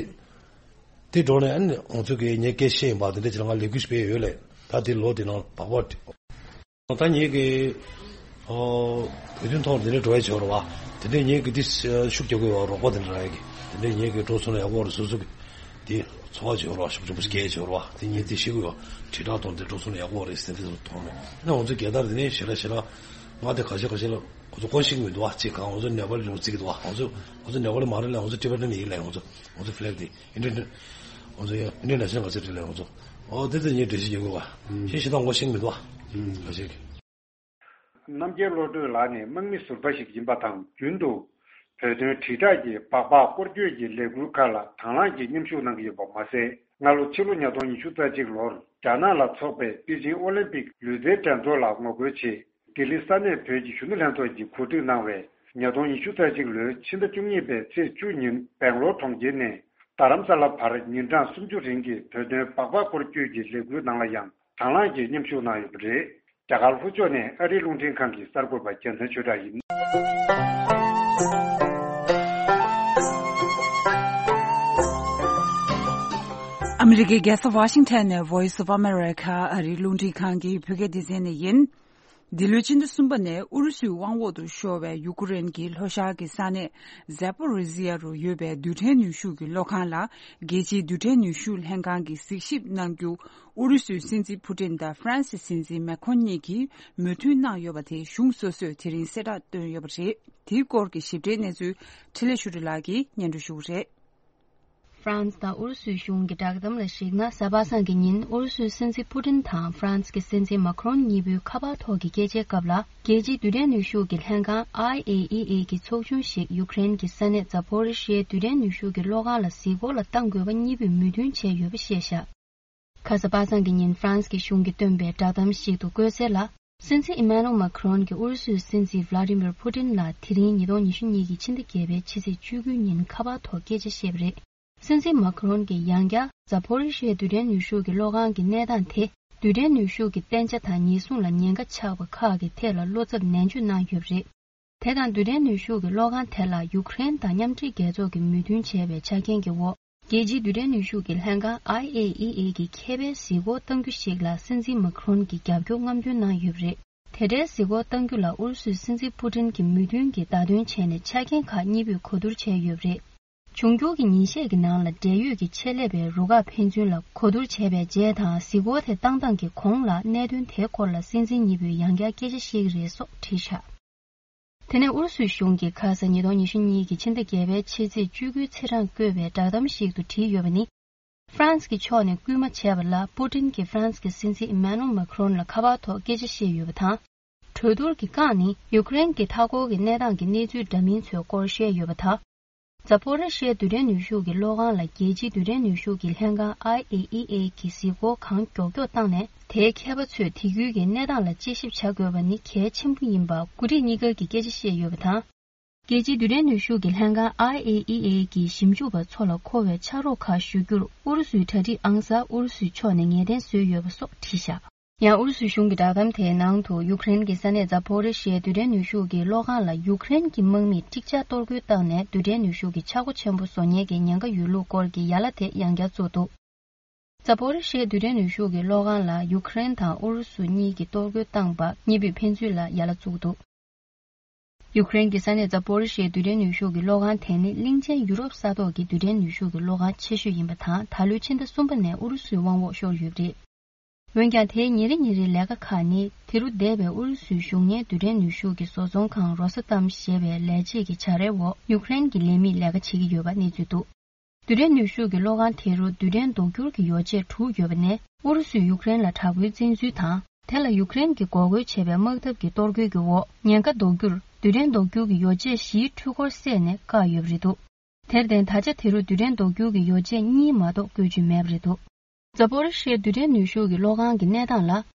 དེ་འགྲོ་ནས་ཨ་ནི་ང་ཚོ་གི་ངས་སྐད་བཤད་ཡིན་པ་དེ་འདྲ་ཅིག་ལ་ང་ལས་འགུལ་ཞིག་སྤེལ་ཡོད་ལས། ད་དེ་ལོ་དེ་ནང་བག་བག་ད་ངེད་ཀྱི་ཨོ་བོད་དོན་ཐོག་དེ་འདྲའི་འགྲོ་ཡ་བྱེད་རེད་བ། དེ་འདྲའི་ངེད་ཀྱི་དེ་ཤུགས་རྒྱག་དགོས་བ་རོགས་པ་དེ་འདྲ་རག་ཡ་གི་དེ་འདྲའི་ངེད་ཀྱི་འགྲོ་སོང་ན་ཡག་པོ་རེད། སོ་སོ་གི་དེ་ཚོར་བ་བྱེད་རོགས། ཤུགས་ཆེན་པོ་སྐྱེ་བྱེད་རོགས། དེ་ངས་དེ་ཤེས་ཀྱི་ཡོད། དྲིལ་བསྒྲགས་གཏོང་དེ་འགྲོ་སོང་ན་ཡག་པོ་རེད་ཟེར་དེ་ཚོ་མཐོང་ནས་ན་ང་ཚོ་རྒྱལ་དར་དེ་ནས་ཞེ་དྲག་ཞེ་དྲག་ང་དེ་ཁ་ཤས་ཁ་ཤས་ལ་ཁོ་ཚོ་གོ་ཤེས་ཀྱི་མི་འདུག་བ། ཅིག་གང་ང་ཚོ་ནེ་པ་ལི་ལུང་རྩིས་ཀྱི་འདུག་བ། ང་ཚོ་ང་ཚོ་ནེ་པ་ལི་མ་རེད་ལ། ང་ཚོ་ཊི་བེ་ཊན་ཡིན་ལ། ང་ཚོ་ང་ཚོ་ཕི་ལེག་དེ་ཨིན་ཌི་ཡན་ང་ཚོ་ཡང་ཨིན་ཌི་ཡན་ནེ་ཤ་ནལ་ག་ཚོད་རེད་ལ། ང་ཚོ་ཨོ་དེ་ཚོ་ངས་འགྲེལ་བཤད་རྒྱག་དགོས་བ། ཤེས་ཤེས་དང་ངོ་ཤེས་ཀྱི་མི་འདུག་བ། ཁ་ཤས་ཀྱི་རྣམ་རྒྱལ་བློ་གྲོས་ལགས་ནི་དམག་མི་ཟུར་པ་ཞིག་ཡིན་པ་དང་། རྒྱུན་དུ་བོད་དོན་དྲིལ་བསྒྲགས་ཀྱི་སྦག་སྦག་སྐོར་སྐྱོད་ཀྱི་ལས་འགུལ་ཁག་ལ་དང་བླངས་ཀྱིས་མཉམ་ཞུགས་གནང་གི་ཡོད་པ་མ་ཟད། སྔ་ལོ་ཕྱི་ལོ་ཉིས་སྟོང་ཉི་ཤུ་རྩ་གཅིག་ལོར་རྒྱ་ནག་ལ་འཚོགས་པའི་པེ་ཅིང་ཨོ་ལིམ་པིག་ལུས་རྩལ་འགྲན་ཚོགས་ལ་ངོ་རྒོལ་ཆེད་ལྡི་ལི་ས་གནས་བོད་ཀྱི་གཞོན་ནུ་ལྷན་ཚོགས་ཀྱིས་གོ་སྒྲིག་གནང་བའི་ཉིས་སྟོང་ཉི་ཤུ་རྩ་གཅིག་ལོའི་ཕྱི་ཟླ་བཅུ་གཉིས་པའི་ཚེས་བཅུ་ཉིན་སྦེང་ལོར་གྲོང་ཁྱེར་ནས་རྡ་རམ་ས་ལ་བར་ཉིན་གྲངས་སུམ་ཅུ་རིང་གི་བོད་དོན་སྦག་སྦག་སྐོར་སྐྱོད་ཀྱི་ལས་འགུལ་ནང་ལ་ཡང་དང་བླངས་ཀྱིས་མཉམ་ཞུགས་གནང་ཡོད་པ་རེད། རྒྱ་གར་ལྷོ་ཕྱོགས་ནས་ཨ་རིའི་རླུང་འཕྲིན་ཁང་གི་གསར་འགོད་པ་རྒྱལ་མཚན་ཆོས་གྲགས་ཡིན། ཨ་མི་རི་ཀའི་རྒྱལ་ས་ཝ་ཤིང་ཊོན་ནས་Voice of America ཨ་རིའི་རླུང་འཕྲིན་ཁང་གི་བོད་སྐད་སྡེ་ཚན་ནས་ཡིན། འདི་ལོའི་སྤྱི་ཟླ་གསུམ་པ་ནས་ཨུ་རུ་སུའི་དབང་འོག་ཏུ་ཤོར་བའི་ཡུ་ཀེ་རེན་གྱི་ལྷོ་ཤར་གྱི་ས་གནས་ཛ་པོ་རི་ཟི་ཡ་རུ་ཡོད་པའི་རྡུལ་ཕྲན་ནུས་ཤུགས་ཀྱི་གློག་ཁང་ལ་རྒྱལ་སྤྱིའི་རྡུལ་ཕྲན་ནུས་ཤུགས་ལྷན་ཁང་གིས་གཟིགས་ཞིབ་གནང་རྒྱུ། ཨུ་རུ་སུའི་སྲིད་འཛིན་ཕུ་ཏིན་དང་ཧྥ་རན་སིའི་སྲིད་འཛིན་མེ་ཁོན་གཉིས་ཀྱིས་མོས་མཐུན་གནང་ཡོད་པ་དེ་གཞུང་སོ་སོས་དེ་རིང་གསལ་བསྒྲགས་བཏོན་ཡོད་པ་རེད། དེའི་སྐོར་གྱི་ཞིབ་ཕྲའི་གནས་ཚུལ་འཕྲིན་ལས་ཆོས་སྒྲོན་ལགས་ཀྱིས་སྙན་སྒྲོན་ཞུ་གི་རེད། ཧྥ་རན་སི་དང་ཨུ་རུ་སུའི་གཞུང་གི་བསྒྲགས་གཏམ་ལ་གཞིགས་ན། གཟའ་པ་སངས་ཀྱི་ཉིན་ཨུ་རུ་སུའི་སྲིད་འཛིན་ཕུ་ཏིན་དང་ཧྥ་རན་སི་གི་སྲིད་འཛིན་མཱ་ཁི་རོན་གཉིས་པོའི་ཁ་པར་ཐོག་གི་སྐད་ཆའི་སྐབས་ལ། རྒྱལ་སྤྱིའི་རྡུལ་ཕྲན་ནུས་ཤུགས་ཀྱི་ལྷན་ཁང་ཨའི་ཨེ་ཨི་ཨེ་གི་ཚོགས་ཆུང་ཞིག་ཡུ་ཀེ་རེན་གྱི་ས་གནས་ཛ་པོ་རི་ཤི་ཡའི་རྡུལ་ཕྲན་ནུས་ཤུགས་ཀྱི་གློག་ཁང་ལ་གཟིགས་སྐོར་ལ་གཏང་དགོས་པ་གཉིས་པོས་མོས་མཐུན་བྱས་ཡོད་པ་བཤད་བཞག་གཟའ་པ་སངས་ཀྱི་ཉིན་ཧྥ་རན་སི་གི་གཞུང་གིས་བཏོན་པའི་བསྒྲགས་གཏམ་ཞིག་ཏུ་བཀོད་གསལ་ལ། སྲིད་འཛིན་ཨི་མ་ནུ་ཨེལ་མཱ་ཁི་རོན་གྱིས་ཨུ་རུ་སུའི་སྲིད་འཛིན་ཝ་ལ་ཏི་མིར་ཕུ་ཏིན་ལ་དེ་རིང་ཉིས་སྟོང་ཉི་ཤུ་གཉིས་ཀྱི་ཕྱི་ཟླ་བརྒྱད་པའི་ཕྱི་ཚེས་བཅུ་དགུའི་ཉིན་ཁ་པར་ཐོག་སྐད་ཆ་བཤད་པ་རེད། སྲིད་འཛིན་མཱ་ཁི་རོན་གྱིས་ཡང་བསྐྱར་ཛ་པོ་རི་ཤི་ཡའི་རྡུལ་ཕྲན་ནུས་ཤུགས་ཀྱི་གློག་ཁང་གི་གནས་སྟངས་དེ། རྡུལ་ཕྲན་ནུས་ཤུགས་ཀྱི་གཏན་འཇགས་དང་ཉེན་སྲུང་ལ་ཉེན་ཁ་ཆགས་པ་ཁག་གི་ཐད་ལ་བློ་འཚབ་ནན་བརྗོད་གནང་ཡོད་པ་རེད། དེ་དང་རྡུལ་ཕྲན་ནུས་ཤུགས་ཀྱི་གློག་ཁང་དེ་ལ་ཡུ་ཀེ་རེན་དང་མཉམ་འབྲེལ་རྒྱལ་ཚོགས་ཀྱིས་མོས་མཐུན་བྱས་པའི་ཆ་རྐྱེན་གྱི་འོག་རྒྱལ་སྤྱིའི་རྡུལ་ཕྲན་ནུས་ཤུགས་ཀྱི་ལྷན་ཁང་ཨའི་ཨེ་ཨི་ཨེ་གིས་ཁྱད་པར་གཟིགས་སྐོར་གཏང་རྒྱུ་ཞིག་ལ་སྲིད་འཛིན་མཱ་ཁི་རོན་གྱིས་རྒྱབ་སྐྱོར་རྔམ་སྟོན་གནང་ཡོད་པ་རེད། དེ་འདྲའི་གཟིགས་སྐོར་གཏང་རྒྱུ་ལ་ཨུ་རུ་སུའི་སྲིད་འཛིན་ཕུ་ཏིན་གྱིས་མོས་མཐུན་གྱིས་བརྡ་སྟོན་བྱས་ནས་ཆ་རྐྱེན་ཁག་གཉིས་པོས་གོ་བསྡུར་བྱས་ཡོད་པ་རེད། འབྱུང་འགྱུར་གྱི་ཉིན་ཤས་ཀྱི་ནང་ལ་འབྲེལ་ཡོད་ཀྱི་ཆེད་ལས་པའི་རུ་ཁག་ཕན་ཚུན་ལ་གོ་བསྡུར་བྱས་པའི་རྗེས་དང་། གཟིགས་སྐོར་དེ་བཏང་སྟངས་ཀྱི་གོང་ལ་གནད་དོན་དེའི་སྐོར་ལ་སྲིད་འཛིན་གཉིས་པོས་ཡང་བསྐྱར་སྐད་ཆ་བཤད་ཀྱི་རེད་སོགས་བྲིས་བཞག་དེ་ནས་ཨུ་རུ་སུའི་གཞུང་གིས་ཁ་ས་ཉིས་སྟོང་ཉི་ཤུ་གཉིས་ཀྱི་ཕྱི་ཟླ་བརྒྱད་པའི་ཕྱི་ཚེས་བཅུ་དགུའི་ཚེས་གྲངས་བཀོད་པའི་བསྒྲགས་གཏམ་ཞིག་ཏུ་བྲིས་ཡོད་པ་ནི། ཧྥ་རན་སི་གི་ཕྱོགས་ནས་སྐུལ་མ་བྱས་པ་ལ་པུ་ཏིན་གྱིས་ཧྥ་རན་སི་གི་སྲིད་འཛིན་ཨི་མ་ནུ་ཨེལ་མཱ་ཁི་རོན་ལ་ཁ་པར་ཐོག་སྐད་ཆ་བཤད་ཡོད་པ་དང་། གྲོས་བསྡུར་གྱི་རྐང་ནི་ཡུ་ཀེ་རེན་གྱི་མཐའ་འཁོར་གྱི་གནས་སྟངས་ཀྱི་གནས་ཚུལ་འདྲ་མིན་ཚོའི་སྐོར་བཤད་ཡོད་པ་དང་། ཛ་པོ་རི་ཤི་ཡའི་རྡུལ་ཕྲན་ནུས་ཤུགས་ཀྱི་གློག་ཁང་ལ་རྒྱལ་སྤྱིའི་རྡུལ་ཕྲན་ནུས་ཤུགས་ཀྱི་ལྷན་ཁང་ཨའི་ཨེ་ཨི་ཨེ་གིས་གཟིགས་སྐོར་གང་མགྱོགས་མགྱོགས་བཏང་ནས། དེའི་མཁས་པ་ཚོས་དེ་ཁུལ་གྱི་གནས་སྟངས་ལ་དཔྱད་ཞིབ་བྱ་དགོས་པ་ནི་གལ་ཆེན་པོ་ཡིན་པ་འགོ་ཁྲིད་གཉིས་ཀ་གིས་སྐད་ཆ་བཤད་ཡོད་པ་དང་། རྒྱལ་སྤྱིའི་རྡུལ་ཕྲན་ནུས་ཤུགས་ཀྱི་ལྷན་ཁང་ཨའི་ཨེ་ཨི་ཨེ་གི་ཞིབ་འཇུག་པ་ཚོ་ལ་མཁོ་བའི་ཕྱག་རོགས་ཁག་ཞུ་རྒྱུར་ཨུ་རུ་སུའི་གྲ་སྒྲིག་ཨང་གསར་ཨུ་རུ་སུའི་ཕྱོགས་ནས་ངེས་གཏན་བཟོས་ཡོད་པ་སོགས་བྲིས་བཞག་ཡང་ཨུ་རུ་སུའི་གཞུང་གི་བསྒྲགས་གཏམ་དེའི་ནང་དུ། ཡུ་ཀེ་རེན་གྱི་ས་གནས་ཛ་པོ་རི་ཤི་ཡའི་རྡུལ་ཕྲན་ནུས་ཤུགས་ཀྱི་གློག་ཁང་ལ་ཡུ་ཀེ་རེན་གྱི་དམག་མིས་འགྲིག་ཆགས་གཏོར་རྒོལ་བཏང་ནས། རྡུལ་ཕྲན་ནུས་ཤུགས་ཀྱི་ཆག་སྒོ་ཆེན་པོ་བཟོ་མཁན་གྱི་ཉེན་ཁ་ཡོད་ལུགས་སྐོར་གྱི་ཡ་ལ་དེ་ཡང་བསྐྱར་བཙུགས་འདུག་ཛ་པོ་རི་ཤི་ཡའི་རྡུལ་ཕྲན་ནུས་ཤུགས་ཀྱི་གློག་ཁང་ལ་ཡུ་ཀེ་རེན་དང་ཨུ་རུ་སུ་གཉིས་ཀྱིས་གཏོར་རྒོལ་བཏང་པ་གཉིས་པོས་ཕན་ཚུན་ལ་ཡ་ལ་བཙུགས་འདུག་ཡུ་ཀེ་རེན་གྱི་ས་གནས་ཛ་པོ་རི་ཤི་ཡའི་རྡུལ་ཕྲན་ནུས་ཤུགས་ཀྱི་གློག་ཁང་དེ་ནི་གླིང་ཆེན་ཡུ་རོབ་ས་ཐོག་གི་རྡུལ་ཕྲན་ནུས་ཤུགས་ཀྱི་གློག་ཁང་ཆེ་ཤོས་ཡིན་པ་དང་། ད་ལོའི་ཕྱི་ཟླ་གསུམ་པ་ནས་ཨུ་རུ་སུའི་དབང་འོག་ཤོར་ཡོད་པ་རེད། འོན་ཀྱང་། དེའི་ཉིན་རེ་ཉིན་རེའི་ལས་ཀ་ཁག་ནི། དེ་རུ་འདས་པའི་ཨུ་རུ་སུའི་གཞུང་གཉེར་རྡུལ་ཕྲན་ནུས་ཤུགས་ཀྱི་བཟོ་ཚོང་ཁང་རོ་སི་ཏམ་ཞེས་པའི་ལས་བྱེད་ཀྱི་བྱ་རའི་འོག་ཡུ་ཀེ་རེན་གྱི་ལས་མིས་ལས་ཀ་བྱེད་ཀྱི་ཡོད་པ་གནས་ཚུལ་འདུག་རྡུལ་ཕྲན་ནུས་ཤུགས་ཀྱི་གློག་ཁང་དེ་རུ་རྡུལ་ཕྲན་ལྡོག་འགྱུར་གྱི་ཡོ་བྱད་དྲུག་ཡོད་པ་ནས། ཨུ་རུ་སུས་ཡུཀ་རེན་ལ་དྲག་པོའི་བཙན་འཛུལ་དང་། དེ་ལ་ཡུཀ་རེན་གྱིས་འགོག་རྒོལ་བྱས་པའི་དམག་འཐབ་ཀྱི་གཏོར་རྒོལ་གྱི་འོག་ཉེན་ཁ་ལྡོག་རྒྱུར། རྡུལ་ཕྲན་ལྡོག་འགྱུར་གྱི་ཡོ་བྱད་བཞིའི་འཕྲུལ་འཁོར་བསད་ནས་བཀག་ཡོད་པ་རེད་འདུག་དེར་བརྟེན། ད་ཆ་དེ་རུ་རྡུལ་ཕྲན་ལྡོག་འགྱུར་གྱི་ཡོ་བྱད་གཉིས་མ་གཏོགས་བཀོལ་རྒྱུ་མེད་པ་རེད་འདུག་ཛ་པོ་རི་ཤི་ཡའི་རྡུལ་ཕྲན་ནུས་ཤུགས་ཀྱི་གློག་ཁང་གི་གནས་སྟངས་ལ།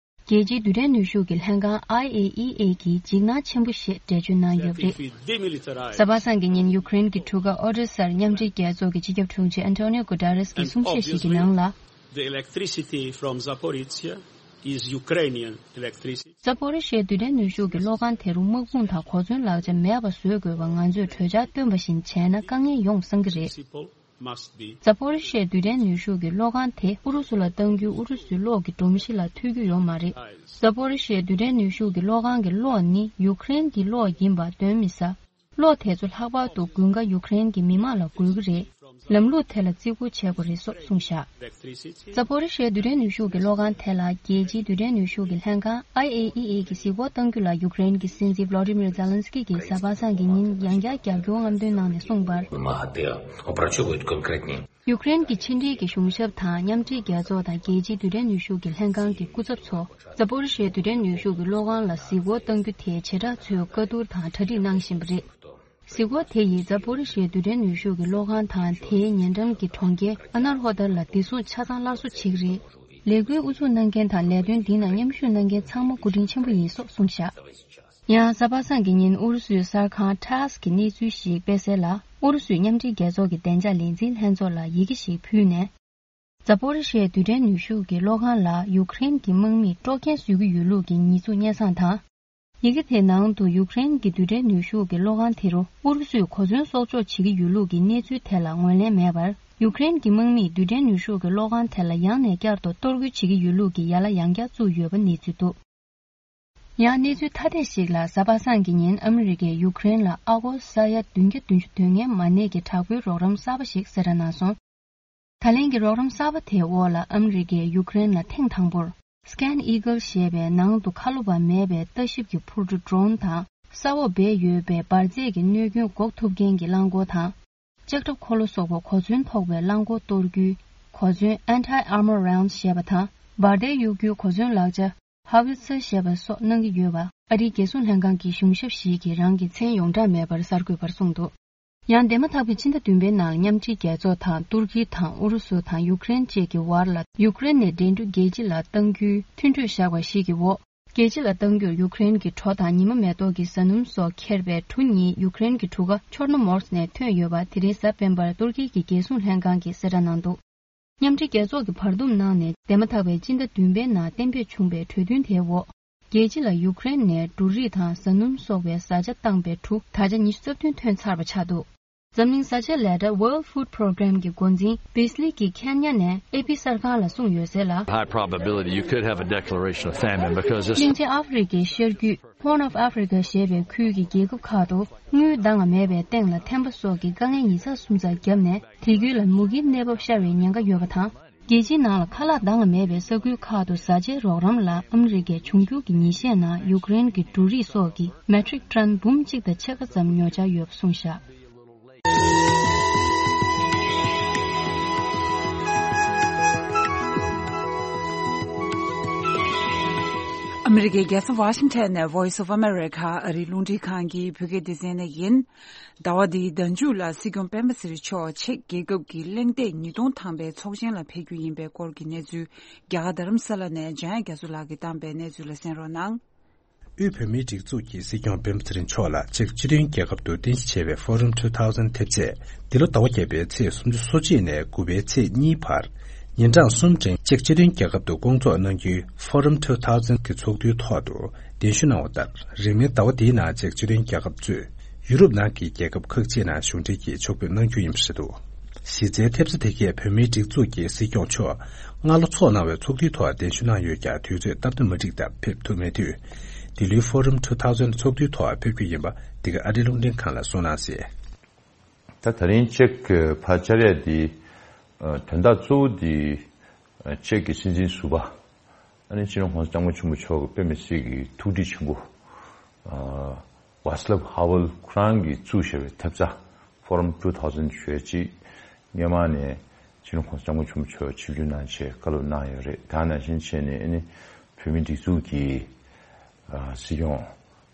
རྒྱལ་སྤྱིའི་རྡུལ་ཕྲན་ནུས་ཤུགས་ཀྱི་ལྷན་ཁང་I A E A གིས་འཇིགས་སྣང་ཆེན་པོ་ཞེས་འགྲེལ་བརྗོད་གནང་ཡོད་པ་རེད། གཟའ་པ་སངས་ཀྱི་ཉིན་ཡུཀ་རེན་གྱི་གྲུ་ཁ་ཨོ་ཌེ་སར་མཉམ་འབྲེལ་རྒྱལ་ཚོགས་ཀྱི་སྤྱི་ཁྱབ་དྲུང་ཆེ་ཨན་ཊོ་ནིའོ་གུ་ཏེ་རེས་ཀྱིས་གསུང་བཤད་ཞིག་གི་ནང་ལ། The electricity from Zaporizhia is Ukrainian electricity. ཛ་པོ་རི་ཤའི་རྡུལ་ཕྲན་ནུས་ཤུགས་ཀྱི་གློག་ཁང་དེ་རུ་དམག་དཔུང་དང་གོ་མཚོན་ལག་ཆ་མེད་པ་བཟོ་དགོས་པ་ང་ཚོས་གྲོས་འཆར་བཏོན་པ་བཞིན་བྱས་ན་དཀའ་ངལ་ཡོང་བསམ་གྱི་རེད། Must be. ཛ་པོ་རི་ཤའི་རྡུལ་ཕྲན་ནུས་ཤུགས་ཀྱི་གློག་ཁང་དེ་ཨུ་རུ་སུ་ལ་གཏང་རྒྱུའི་ཨུ་རུ་སུའི་གློག་གི་སྒྲོམ་གཞི་ལ་ཐུག་རྒྱུ་ཡོད་མ་རེད། ཛ་པོ་རི་ཤའི་རྡུལ་ཕྲན་ནུས་ཤུགས་ཀྱི་གློག་ཁང་གི་གློག་ནི་ཡུཀ་རེན་གྱི་གློག་ཡིན་པ་གདོན་མི་ཟ། གློག་དེ་ཚོ་ལྷག་པར་དུ་དགུན་ཁ་ཡུཀ་རེན་གྱི་མི་མང་ལ་དགོས་ཀྱི་རེད། ལམ་ལུགས་དེ་ལ་བརྩི་བཀུར་བྱེད་དགོས་རེད་སོགས་གསུངས་བཞག། ཛ་པོ་རི་ཤའི་རྡུལ་ཕྲན་ནུས་ཤུགས་ཀྱི་གློག་ཁང་དེ་ལ་རྒྱལ་སྤྱིའི་རྡུལ་ཕྲན་ནུས་ཤུགས་ཀྱི་ལྷན་ཁང་I A E A གིས་གཟིགས་སྐོར་གཏང་རྒྱུ་ལ་ཡུཀ་རེན་གྱི་སྲིད་འཛིན་ཝོ་ལོ་ཌི་མིར་ཛེ་ལན་སི་ཀི་གིས་གཟའ་པ་སངས་ཀྱི་ཉིན་ཡང་བསྐྱར་རྒྱབ་སྐྱོར་རྔམ་སྟོན་གནང་ནས་གསུངས་པར། Мати, опрацьовують конкретні. ཡུཀ་རེན་གྱི་ཕྱི་འབྲེལ་གྱི་གཞུང་ཞབས་དང་མཉམ་འབྲེལ་རྒྱལ་ཚོགས་དང་རྒྱལ་སྤྱིའི་རྡུལ་ཕྲན་ནུས་ཤུགས་ཀྱི་ལྷན་ཁང་གི་སྐུ་ཚབ་ཚོ་ཛ་པོ་རི་ཤའི་རྡུལ་ཕྲན་ནུས་ཤུགས་ཀྱི་གློག་ཁང་ལ་གཟིགས་སྐོར་གཏང་རྒྱུ་དེ་བྱེ་བྲག་ཚོས་བཀའ་བསྡུར་དང་གྲ་སྒྲིག་གནང་བཞིན་པ་རེད། གཟིགས་སྐོར་དེ་ཡིས་ཛ་པོ་རི་ཤའི་རྡུལ་ཕྲན་ནུས་ཤུགས་ཀྱི་གློག་ཁང་དང་དེའི་ཉེ་འགྲམ་གྱི་གྲོང་ཁྱེར་ཨ་ན་རོ་ཏར་ལ་བདེ་སྲུང་ཆ་ཚང་སླར་གསོ་བྱེད་ཀྱི་རེད། ལས་འགུལ་དབུ་འཛུགས་གནང་མཁན་དང་ལས་དོན་འདི་ནང་མཉམ་ཞུགས་གནང་མཁན་ཚང་མ་སྐུ་དྲིན་ཆེན་པོ་ཡིན་སོགས་གསུངས་བཞག། ཡང་གཟའ་པ་སངས་ཀྱི་ཉིན་ཨུ་རུ་སུའི་གསར་ཁང་ཊཱས་ཀྱིས་གནས་ཚུལ་ཞིག་སྤེལ་གསལ་ལ། ཨུ་རུ་སུས་མཉམ་འབྲེལ་རྒྱལ་ཚོགས་ཀྱི་བདེ་འཇགས་ལས་འཛིན་ལྷན་ཚོགས་ལ་ཡི་གེ་ཞིག་ཕུལ་ནས། ཛ་པོ་རི་ཤའི་རྡུལ་ཕྲན་ནུས་ཤུགས་ཀྱི་གློག་ཁང་ལ་ཡུཀ་རེན་གྱི་དམག་མིས་དཀྲོག་རྐྱེན་བཟོ་གི་ཡོད་ལུགས་ཀྱི་ཉེས་འཛུགས་སྙན་སེང་དང་། ཡི་གེ་དེའི་ནང་དུ་ཡུཀ་རེན་གྱི་རྡུལ་ཕྲན་ནུས་ཤུགས་ཀྱི་གློག་ཁང་དེ་རུ་ཨུ་རུ་སུས་གོ་མཚོན་གསོག་འཇོག་བྱེད་ཀྱི་ཡོད་ལུགས་ཀྱི་གནས་ཚུལ་དེ་ལ་ངོས་ལེན་མེད་པར། ཡུཀ་རེན་གྱི་དམག་མིས་རྡུལ་ཕྲན་ནུས་ཤུགས་ཀྱི་གློག་ཁང་དེ་ལ་ཡང་ནས་བསྐྱར་དུ་གཏོར་རྒོལ་བྱེད་ཀྱི་ཡོད་ལུགས་ཀྱི་ཡ་ལ་ཡང་བསྐྱར་བཙུགས་ཡོད་པ་གནས་ཚུལ་འདུག། ཡང་གནས་ཚུལ་ཐ་དད་ཞིག་ལ་གཟའ་པ་སངས་ཀྱི་ཉིན་ཨ་མི་རི་ཀས་ཡུཀ་རེན་ལ་ཨ་སྒོར་ས་ཡ་བདུན་བརྒྱ་བདུན་ཅུ་དོན་ལྔའི་མ་གནས་ཀྱི་དྲག་པོའི་རོགས་རམ་གསར་པ་ཞིག་གསལ་བསྒྲགས་གནང་སོང་། ད་ལན་གྱི་རོགས་རམ་གསར་པ་དེའི་འོག་ལ་ཨ་མི་རི་ཀས་ཡུཀ་རེན་ལ་ཐེངས་དང་པོར་Scan Eagle ཞེས་པའི་ནང་དུ་ཁ་ལོ་བ་མེད་པའི་ལྟ་ཞིབ་ཀྱི་འཕུར་གྲུ་ཌོ་རོན་དང་། ས་འོག་སྦས་ཡོད་པའི་འབར་རྫས་ཀྱི་གནོད་སྐྱོན་འགོག་ཐུབ་མཁན་གྱི་རླངས་འཁོར་དང་། ལྕགས་ཁྲབ་འཁོར་ལོ་སོགས་པ་གོ་མཚོན་ཐོགས་པའི་རླངས་འཁོར་གཏོར་རྒྱུའི་གོ་མཚོན་Anti-Armor Rounds ཞེས་པ་དང་། འབར་མདེལ་གཡུག་རྒྱུའི་གོ་མཚོན་ལག་ཆ་Howitzer ཞེས་པ་སོགས་གནང་གི་ཡོད་པ་ཨ་རིའི་རྒྱལ་སྲུང་ལྷན་ཁང་གི་གཞུང་ཞབས་ཤིག་གིས་རང་གི་མཚན་ཡོངས་གྲགས་མེད་པར་གསར་འགོད་པར་གསུངས་འདུག། ཡང་འདས་མ་ཐག་པའི་ཕྱི་ཟླ་བདུན་པའི་ནང་མཉམ་འབྲེལ་རྒྱལ་ཚོགས་དང་ཏུར་ཀི་དང་ཨུ་རུ་སུ་དང་ཡུཀ་རེན་བཅས་ཀྱི་བར་ལ་ཡུཀ་རེན་ནས་འགྲན་བསྡུར་རྒྱལ་སྤྱི་ལ་གཏང་རྒྱུའི་མཐུན་གྲོས་བཞག་པ་ཞིག་གི་འོག། རྒྱལ་སྤྱི་ལ་གཏང་རྒྱུར་ཡུཀ་རེན་གྱི་གྲོ་དང་ཉི་མ་མེ་ཏོག་གི་ཟ་སྣུམ་སོགས་འཁྱེར་བའི་གྲུ་གཉིས་ཡུཀ་རེན་གྱི་གྲུ་ཁ་ཆོར་ནོ་མོར་སི་ནས་ཐོན་ཡོད་པ་དེ་རིང་གཟའ་སྤེན་པར་ཏུར་ཀི་གི་རྒྱལ་སྲུང་ལྷན་ཁང་གིས་གསལ་བསྒྲགས་གནང་འདུག། མཉམ་འབྲེལ་རྒྱལ་ཚོགས་ཀྱིས་བར་འདུམ་གནང་ནས་འདས་མ་ཐག་པའི་སྤྱི་ཟླ་བདུན་པའི་ནང་གཏན་འབེབས་བྱུང་བའི་གྲོས་མཐུན་དེའི་འོག། རྒྱལ་སྤྱི་ལ་ཡུཀ་རེན་ནས་འབྲུ་རིགས་དང་ཟ་སྣུམ་སོགས་པའི་བཟའ་བཅའ་བཏང་པའི་གྲུ་ད་ཆ་ཉི་ཤུ་རྩ་བདུན་ཐོན་ཚར་བ་ཆགས་འདུག། འཛམ་གླིང་བཟའ་བཅའི་ལས་གྲྭ་World Food Program གྱི་འགོ་འཛིན་Beasley གྱིས་ཁེན་ཡ་ནས་ཨེ་པི་གསར་ཁང་ལ་གསུངས་ཡོད་གསལ་ལ། High probability you could have a declaration of famine because this. གླིང་ཆེན་ཨ་ཧྥེ་རི་ཁའི་ཤར་རྒྱུད་Horn of Africa ཞེས་པའི་ཁུལ་གྱི་རྒྱལ་ཁབ་ཁག་ཏུ་དངུལ་འདང་བ་མེད་པའི་སྟེང་ལ་ཐན་པ་སོགས་ཀྱི་དཀའ་ངལ་ཉིས་ཚགས་སུམ་ཚགས་བརྒྱབ་ནས་དེ་ཁུལ་ལ་མུ་གེའི་གནས་བབ་ཤར་བའི་ཉེན་ཁ་ཡོད་པ་དང་། རྒྱལ་སྤྱིའི་ནང་ལ་ཁ་ལག་འདང་བ་མེད་པའི་ས་ཁུལ་ཁག་ཏུ་བཟའ་བཅའི་རོགས་རམ་ལ་ཨ་མི་རི་ཀས་འབྱུང་འགྱུར་གྱི་ཉིན་ཤས་ནང་ཡུཀ་རེན་གྱི་འབྲུ་རིགས་སོགས་ཀྱི་མེ་ཊིག་ཊོན་འབུམ་གཅིག་དང་ཕྱེད་ཀ་ཙམ་ཉོ་འཆར་ཡོད་པ་གསུངས་བཞག། ཨ་མི་རི་ཀའི་རྒྱལ་ས་ཝ་ཤིང་ཊོན་ནས་Voice of America ཨ་རིའི་རླུང་འཕྲིན་ཁང་གི་བོད་སྐད་སྡེ་ཚན་ནས་ཡིན། ཟླ་བ་འདིའི་ཟླ་མཇུག་ལ་སྲིད་སྐྱོང་སྤེན་པ་ཚེ་རིང་མཆོག་ཅེཀ་རྒྱལ་ཁབ་ཀྱི་གླེང་སྟེགས་ཉིས་སྟོང་ཐམ་པའི་ཚོགས་ཆེན་ལ་ཕེབས་རྒྱུ་ཡིན་པའི་སྐོར་གྱི་གནས་ཚུལ། རྒྱ་གར་རྡ་རམ་ས་ལ་ནས་འཇམ་དབྱངས་རྒྱ་མཚོ་ལགས་ཀྱིས་བཏང་པའི་གནས་ཚུལ་ལ་གསན་རོགས་གནང་། དབུས་བོད་མིའི་སྒྲིག་འཛུགས་ཀྱིས་སྲིད་སྐྱོང་སྤེན་པ་ཚེ་རིང་མཆོག་ལ་ཅེཀ་སྤྱི་མཐུན་རྒྱལ་ཁབ་ཏུ་རྟེན་གཞི་བྱས་པའི་Forum two thousand ཐེབས་རྩས་འདི་ལོ་ཟླ་བ་བརྒྱད་པའི་ཚེས་སུམ་ཅུ་སོ་གཅིག་ནས་དགུ་པའི་ཚེས་གཉིས་བར་ཉིན་གྲངས་གསུམ་རིང་ཅེཀ་སྤྱི་མཐུན་རྒྱལ་ཁབ་ཏུ་སྐོང་ཚོགས་གནང་རྒྱུའི་Forum two thousand གི་ཚོགས་འདུའི་ཐོག་ཏུ་གདན་ཞུ་གནང་བ་ལྟར། རིང་མིན་ཟླ་བ་འདིའི་ནང་ཅེཀ་སྤྱི་མཐུན་རྒྱལ་ཁབ་གཙོས་ཡུ་རོབ་ནང་གི་རྒྱལ་ཁབ་ཁག་ཅིག་ནང་གཞུང་འབྲེལ་གྱིས་ཕྱོགས་ཕེབས་གནང་རྒྱུ་ཡིན་པ་རེད་འདུག། གཞི་རྩའི་ཐེབས་རྩ་དེ་གས་བོད་མིའི་སྒྲིག་འཛུགས་ཀྱི་སྲིད་སྐྱོང་མཆོག་སྔ་ལོ་འཚོགས་གནང་བའི་ཚོགས་འདུའི་ཐོག་གདན་ཞུ་གནང་ཡོད་ཀྱང་དུས་ཚོད་སྟབས་བདེ་མ་འགྲིག་སྟབས་ཕེབས་ཐུབ་མེད་དུས། འདི་ལོའི་Forum two thousand ཚོགས་འདུའི་ཐོག་ཕེབས་རྒྱུ་ཡིན་པ་འདི་ག་ཨ་རིའི་རླུང་འཕྲིན་ཁང་ལ་གསུངས་གནང་གསལ། ད་ད་རིང་ཅེཀ་ཕར་བཅར་ཡ་འདི་དོན་དག་གཙོ་བོ་འདི་ཅེཀ་གི་སྲིད་འཛིན་ཟུར་པ་ཨ་ནི་སྤྱི་ནོར་༸གོང་ས་༸སྐྱབས་མགོན་ཆེན་པོ་མཆོག་གི་དཔེ་མི་སྲིད་ཀྱི་ཐུགས་འདྲིས་ཆེན་པོ། Václav Havel ཁོ་རང་གིས་བཙུགས་བཞག་པའི་ཐེབས་རྩ་Forum two thousand ཞེས་ཅིག་སྔོན་མ་ནས་སྤྱི་ནོར་༸གོང་ས་༸སྐྱབས་མགོན་ཆེན་པོ་མཆོག་ཆིབས་བསྒྱུར་གནང་བྱས་བཀའ་སློབ་གནང་ཡོད་རེད། ད་ནང་བཞིན་བྱས་ནས་ཨ་ནི་བོད་མིའི་སྒྲིག་འཛུགས་ཀྱི་སྲིད་སྐྱོང་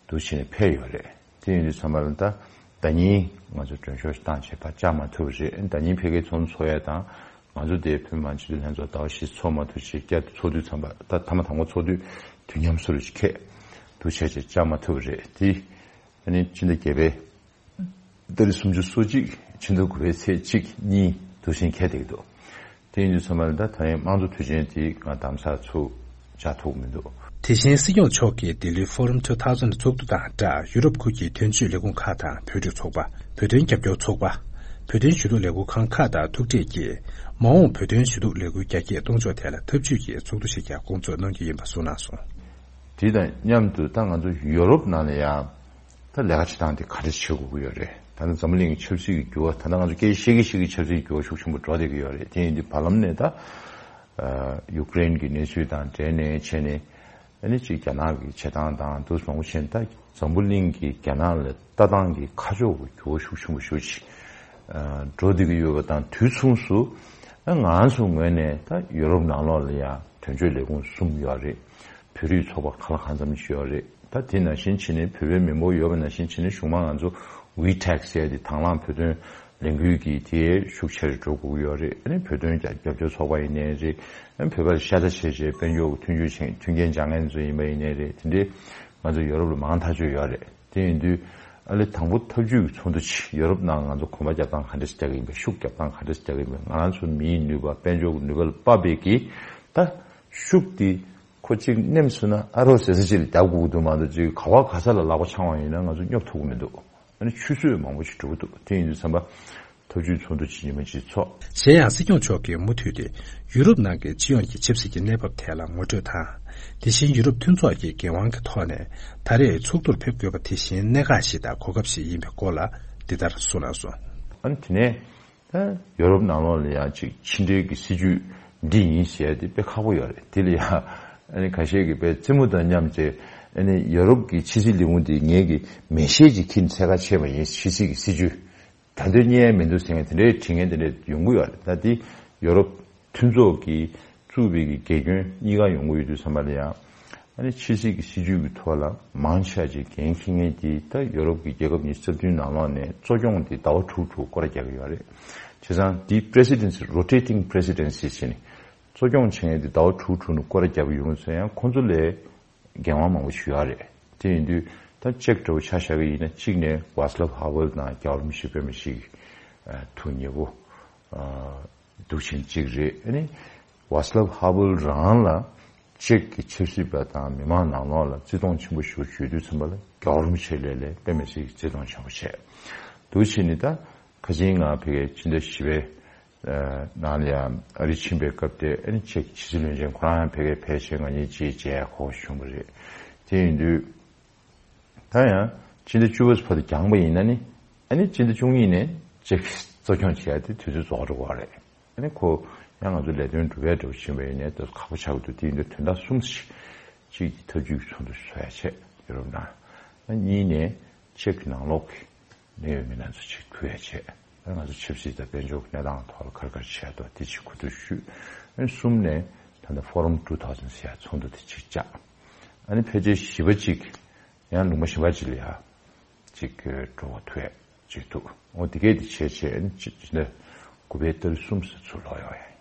འདུག་བྱས་ནས་ཕེབས་ཡོད་རེད། དེ་ཡིན་དུས་ཚང་མ་ལ་ད་ཟླ་ཉིན་ང་ཚོ་མགྲོན་ཤོག་ཞིག་བཏང་བྱས་ཕར་བཅར་མ་ཐུབ་པ་རེད། ཟླ་ཉིན་ཕ་གིར་ཚོགས་འདུ་ཚོགས་ཡ་དང་། ང་ཚོ་དེ་བོད་མི་མང་སྤྱི་འཐུས་ལྷན་ཚོགས་ཟླ་བ་བཞི་ཚོགས་མ་ཐུབ་ཅིག་བསྐྱར་དུ་ཚོགས་དུས་ཙམ་པ་ད་ཐ་མ་དང་པོ་ཚོགས་དུས་ དུས་མཉམ་སུ་རུ་ཁེ་དུ་བྱས་བྱས་བཅར་མ་ཐུབ་རེད། དེ་ཨ་ནི་ཕྱི་ཟླ་བརྒྱད་པའི་ཏ་རིག་སུམ་ཅུ་སོ་གཅིག་ཕྱི་ཟླ་དགུ་པའི་ཚེས་གཅིག་གཉིས་དུ་ཕྱིན་ཁེ་བསྡད་ཀྱི་འདུག་དེ་ཡིན་དུས་ཚང་མ་ལ་ད་ད་ཡིན་དམངས་གཙོ་དུས་ཆེན་དེ་ང་དམ་ས་ཚུགས་བཅར་ཐུབ་མི་འདུག་དེ་བཞིན་སྲིད་སྐྱོང་མཆོག་གིས་ལྡི་ལིའི་Forum two thousand ཚོགས་འདུ་དང་སྦྲགས་ཡུ་རོབ་ཁུལ་གྱི་དོན་གཅོད་ལས་ཁུངས་ཁག་དང་བོད་ཕྲུག་ཚོགས་པ། བོད་དོན་རྒྱབ་སྐྱོར་ཚོགས་པ། བོད་དོན་ཞུ་གཏུག་ལས་ཁུངས་ཁང་ཁག་དང་ཐུག་འཕྲད་ཀྱིས་མ་འོངས་བོད་དོན་ཞུ་གཏུག་ལས་འགུལ་རྒྱ་སྐྱེད་གཏོང་ཕྱོགས་ཐད་ལ་འཐབ་ཇུས་ཀྱི་ཚོགས་འདུ་ཞིག་ཀྱང་སྐོང་ཚོགས་གནང་རྒྱུ་ཡིན་པ་གསུངས་གནང་སོང་། དེ་དང་མཉམ་དུ་ད་ང་ཚོ་ཡོ་རོབ་ནང་ལ་ཡང་ད་ལས་ཀ་བྱེད་སྟངས་དེ་ག་འདྲ་བྱེད་དགོས་ཀྱི་ཡོད་རེད། ད་ནི་འཛམ་བུ་གླིང་གི་ཆབ་སྲིད་ཀྱི་འགྱུར་བ། ད་ལྟ་ང་ཚོ་སྐད་ཆ་བཤད་ཀྱི་བཤད་ཀྱི་ཆབ་སྲིད་ཀྱི་འགྱུར་བ་ཤུགས་ཆེན་པོ་འགྲོ་བསྡད་ཀྱི་ཡོད་རེད། དེ་ཡིན་དུས་བར་ལམ་ནས་ད་ཡུཀ་རེན་གྱི་གནས་ཚུལ་དང་འབྲེལ་ནས་བྱས་ནས། ཨ་ནི་གཅིག་རྒྱ་ནག་གི་བྱེད་སྟངས་དང་དུ་མང་པོ་བྱས་ནས་ད་འཛམ་བུ་གླིང་གི་རྒྱ་ནག་ལ་ལྟ་སྟངས་ཀྱི་ཁ་ཕྱོགས་ཀྱི་འགྱུར་བ་ཤུགས་ཆེན་པོ་ཞེ་པོ་ཅིག་འགྲོ་བསྡད་ཀྱི་ཡོད་པ་དང་། དུས་མཚུངས་སུ་ང་ཚོ་ངོས་ནས་ད་ཡོ་རོབ་ནང་ལོགས་ལ་ཡང་དོན་གཅོད་ལས་ཁུངས་གསུམ་ཡོད་རེད། བོད་རིགས་ཚོགས་པ་གང་ལ་གང་འཚམ་ཞིག་ཡོད་རེད། ད་དེ་ནང་བཞིན་བྱས་ནས་བོད་པའི་མི་འབོར་ཡོད་པ་ནང་བཞིན་བྱས་ནས་གཞུང་མང་ང་ཚོ་ཝི་ཊེག་ཟེར་ཡ་དེ་དང་བླངས་བོད་དོན་ལས་འགུལ་གྱི་དེ་ཤུགས་ཆེ་རུ་འགྲོ་དགོས་ཀྱི་ཡོད་རེད། ཨ་ནི་བོད་དོན་རྒྱབ་སྐྱོར་ཚོགས་པ་ཡིན་ནའི་རེད། ཨ་ནི་བོད་པར་ཤ་ཚ་བྱས་བྱས་དཔལ་འབྱོར་གྱི་མཐུན་འགྱུར་བྱེད་མཐུན་རྐྱེན་སྦྱང་མཁན་ཚོ་ཡིན་པ་ཡིན་ནའི་རེད། དེ་འདྲའི་ང་ཚོ་ཡོ་རོབ་ལ་མང་ཐག་ཆོད་ཡོད་རེད། དེ་ཡིན་དུས་ཨ་ལེ་དང་པོ་འཐབ་ཇུས་ཀྱི་ཚོགས་འདུ་ཆེ་ཡོ་རོབ་ནང་ང་ཚོ་གོམ་པ་རྒྱབ་སྟངས་ག་འདྲ་ཞིག་རྒྱག་གི་ཡིན་པ། ཤུགས་རྒྱབ་སྟངས་ག་འདྲ་ཞིག་རྒྱག་གི་ཡིན་པ། ང་ཚོ་མིའི་ནུས་པ་དཔལ་འབྱོར་གྱི་ནུས་པ་ལ་དཔག་པའི་གི་ད་ཤུགས་དེ་ཁོ་གཅིག་ནེམ་སོང་ན་ཨ་རོགས་ཟེར་ས་ཅིག་ལ་རྒྱབ་དགོས་ཀྱི་འདུག་མ་གཏོགས་ཅིག་ག་བ་ག་ས་ལ་ལག་པ་འཆང་བ་ཡིན་ན་ང་ཚོ་སྙོབ་ཐུབ་ཀྱི་མི་འདུག་ཨ་ནི་ཆུད་ཟོས་མང་པོ་ཞིག་འགྲོ་གི་འདུག་དེ་ཡིན་དུས་ཙམ་པ་འཐབ་ཇུས་ཚོགས་འདུ་ཇི་མ་ཇི་ཚོགས། གཞན་ཡང་སྲིད་སྐྱོང་མཆོག་གིས་མུ་མཐུད་དེ་ཡུ་རོབ་ནང་གི་སྤྱི་ཡོངས་ཀྱི་ཆབ་སྲིད་ཀྱི་གནས་བབ་ཐད་ལ་ངོ་སྤྲོད་དང་། དེ་བཞིན་ཡུ་རོབ་མཐུན་ཚོགས་ཀྱི་འགན་དབང་གི་ཐོག་ནས་ད་རེས་ཚོགས་འདུར་ཕེབས་དགོས་པ་དེ་བཞིན་གནད་འགག་ཞིག་དང་གོ་སྐབས་ཤིག་ཡིན་པའི་སྐོར་ལ་འདི་ལྟར་གསུངས་གནང་སོང་། ཨ་ནི་དེ་ནས། ད་ཡོ་རོབ་ནང་ལོགས་ལ་ཡང་ཅིག་ཕྱི་འབྲེལ་གྱི་སྲིད་ཇུས་འདི་ཡིན་ཟེར་ཡ་དེ་དཔེ་ཁག་པོ་ཡོད་རེད། དེ་ལ་ཡང་ཨ་ནི་ཁ་ཤས་ཀྱིས་དཔེ་རྩེད་མོ་དང་མཉམ་བྱས། ཨ་ནི་ཡོ་རོབ་ཀྱི་ཕྱི་སྲིད་ལས་ཁུངས་དེ་ངེད་ཀྱི་མེ་ཤེལ་ཅིག་འཁྱེར་ནས་འཚོལ་ག་ཕྱིན་པ་ཡིན། ཕྱི་སྲིད་ཀྱི་སྲིད་ཇུས་ད་དུང་རྙེད་ཡ་མི་འདུག་ཟེར་མཁན་དེ་འདྲའི་བྲིས་མཁན་དེ་འདྲ་ཡོང་གི་ཡོད་རེད། ད་དེ་ཡོ་རོབ་མཐུན་ཚོགས་ཀྱི་བཙུགས་པའི་གི་དགེ་སྐྱོན་གཉིས་ཀ་ཡོང་གི་ཡོད་དུས་ཙམ་པ་ལ་ཡང་། ཨ་ནི་ཕྱི་སྲིད་ཀྱི་སྲིད་ཇུས་ཀྱི་ཐོག་ལ་མང་ཆེ་བ་ཅིག་འགན་འཁྱེར་མཁན་དེ་ད་ཡོ་རོབ་ཀྱི་རྒྱལ་ཁབ་ཉི་ཤུ་རྩ་བདུན་ནང་ལོགས་ནས་གཙོ་སྐྱོང་དེ་ཟླ་བ་དྲུག་དྲུག་སྐོར་ར་རྒྱག་གི་ཡོད་རེད། བྱས་ཙང་དེ་presidency rotating presidency་བྱས་ནས་གཙོ་སྐྱོང་བྱེད་མཁན་དེ་ཟླ་བ་དྲུག་དྲུག་ནས་སྐོར་ར་རྒྱབ་ཡོང་ཚེ་ཡང་ཁོང་ཚོ་ལས་འགན་དབང་མང་པོ་ཞིག་ཡོད་རེད། དེ་ཡིན་དུས་ད་ཅེཀ་འདྲ་བོ་ཆ་བཞག་གི་ཡིན་ན་གཅིག་ནས་ཝཱ་སི་ལབ་ཧ་ཝེལ་དང་རྒྱལ་བ་རིན་པོ་ཆེ་དཔེ་མི་སྲིད་ཀྱི་ཐུགས་མཉེས་པོ་འདུག་ཕྱིན་གཅིག་རེད། ཨ་ནི། ཝཱ་སི་ལབ་ཧ་ཝེལ་རང་ལ་ཅེཀ་གི་ཆབ་སྲིད་པ་དང་མི་མང་ནང་ལོགས་ལ་བརྩི་མཐོང་ཆེན་པོ་ཞིག་བྱེད་དུས་ཙམ་པ་ལ་རྒྱལ་བ་རིན་པོ་ཆེ་ལས་ལས་དཔེ་མི་སྲིད་ཀྱི་བརྩི་མཐོང་ཆེན་པོ་བྱས་འདུག་ཕྱིན་ནི། ད་ཁ་ཆེན་ང་ཕ་གིའི་ཕྱི་ཟླ་བཞི་པའི་ནང་ལ་ཡང་ཨ་རི་ཕྱིན་པའི་སྐབས་དེ། ཨ་ནི་ཅེཀ་ཕྱི་སྲིད་བློན་ཆེན་ཁོ་རང་ཡང་ཕ་གིར་ཕེབས་བྱས་ང་གཉིས་ཅིག་མཇལ་ཡག་གོ་བྱུང་བ་རེད། དེ་ཡིན་དུས། ད་ཡང་སྤྱི་ཟླ་བཅུ་པ་བར་དུ་འགྱངས་པ་ཡིན་ན་ནི། ཨ་ནི་སྤྱི་ཟླ་བཅུ་གཉིས་ནས་ཅེཀ་གཙོ་སྐྱོང་བྱེད་ཡ་དེ་དུས་ཚོད་རྫོགས་འགྲོ་གི་རེད། ཨ་ནི་ཁོ་ཡང་ང་ཚོ་ལས་དོན་སྒྲུབ་ཡ་འགྲོ་བཞིན་པ་ཡིན་ནའི་ད་ཁག་པོ་ཆགས་ཀྱི་འདུག་དེ་ཡིན་དུས་དོན་དག་གསུམ་ཞིག་གཅིག་གི་འཐབ་ཇུས་ཀྱི་ཚོགས་འདུ་བཟོ་ཡ་བྱས་ཡོ་རོབ་ནང་། ཨ་གཉིས་ནས་ཅེཀ་གི་ནང་ལོགས་ཀྱི་གནད་ཡོད་མི་སྣ་ཚོ་ཅིག་ཐུག་ཡ་བྱས། ཨ་ང་ཚོ་ཆབ་སྲིད་དང་དཔལ་འབྱོར་གྱི་གནས་སྟངས་ཐོག་ལ་ག་རེ་ག་རེ་བྱས་འདུག་དེ་ཅིག་གོ་བསྡུར་ཞུས། ཨ་གསུམ་ནས་ད་ལྟ་Forum two thousand ཟེར་ཡ་ཚོགས་འདུ་དེ་ཅིག་བཅག་ཨ་ནི་ཕལ་ཆེར་བཞི་པ་ཅིག་ཡང་ལུང་པ་གཞན་པ་ཅིག་ལ་ཡ་ཅིག་འགྲོ་བ་ཐུག་ཡ་ཅིག་འདུག་འོ་དེ་གས་དེ་བྱས་བྱས་ཨ་ནི་ཅིག་ཅིག་ནས་དགུ་པའི་ཏ་རིག་གསུམ་ཙམ་ཚུར་ལོག་ཡོང་ཡ་ཡིན།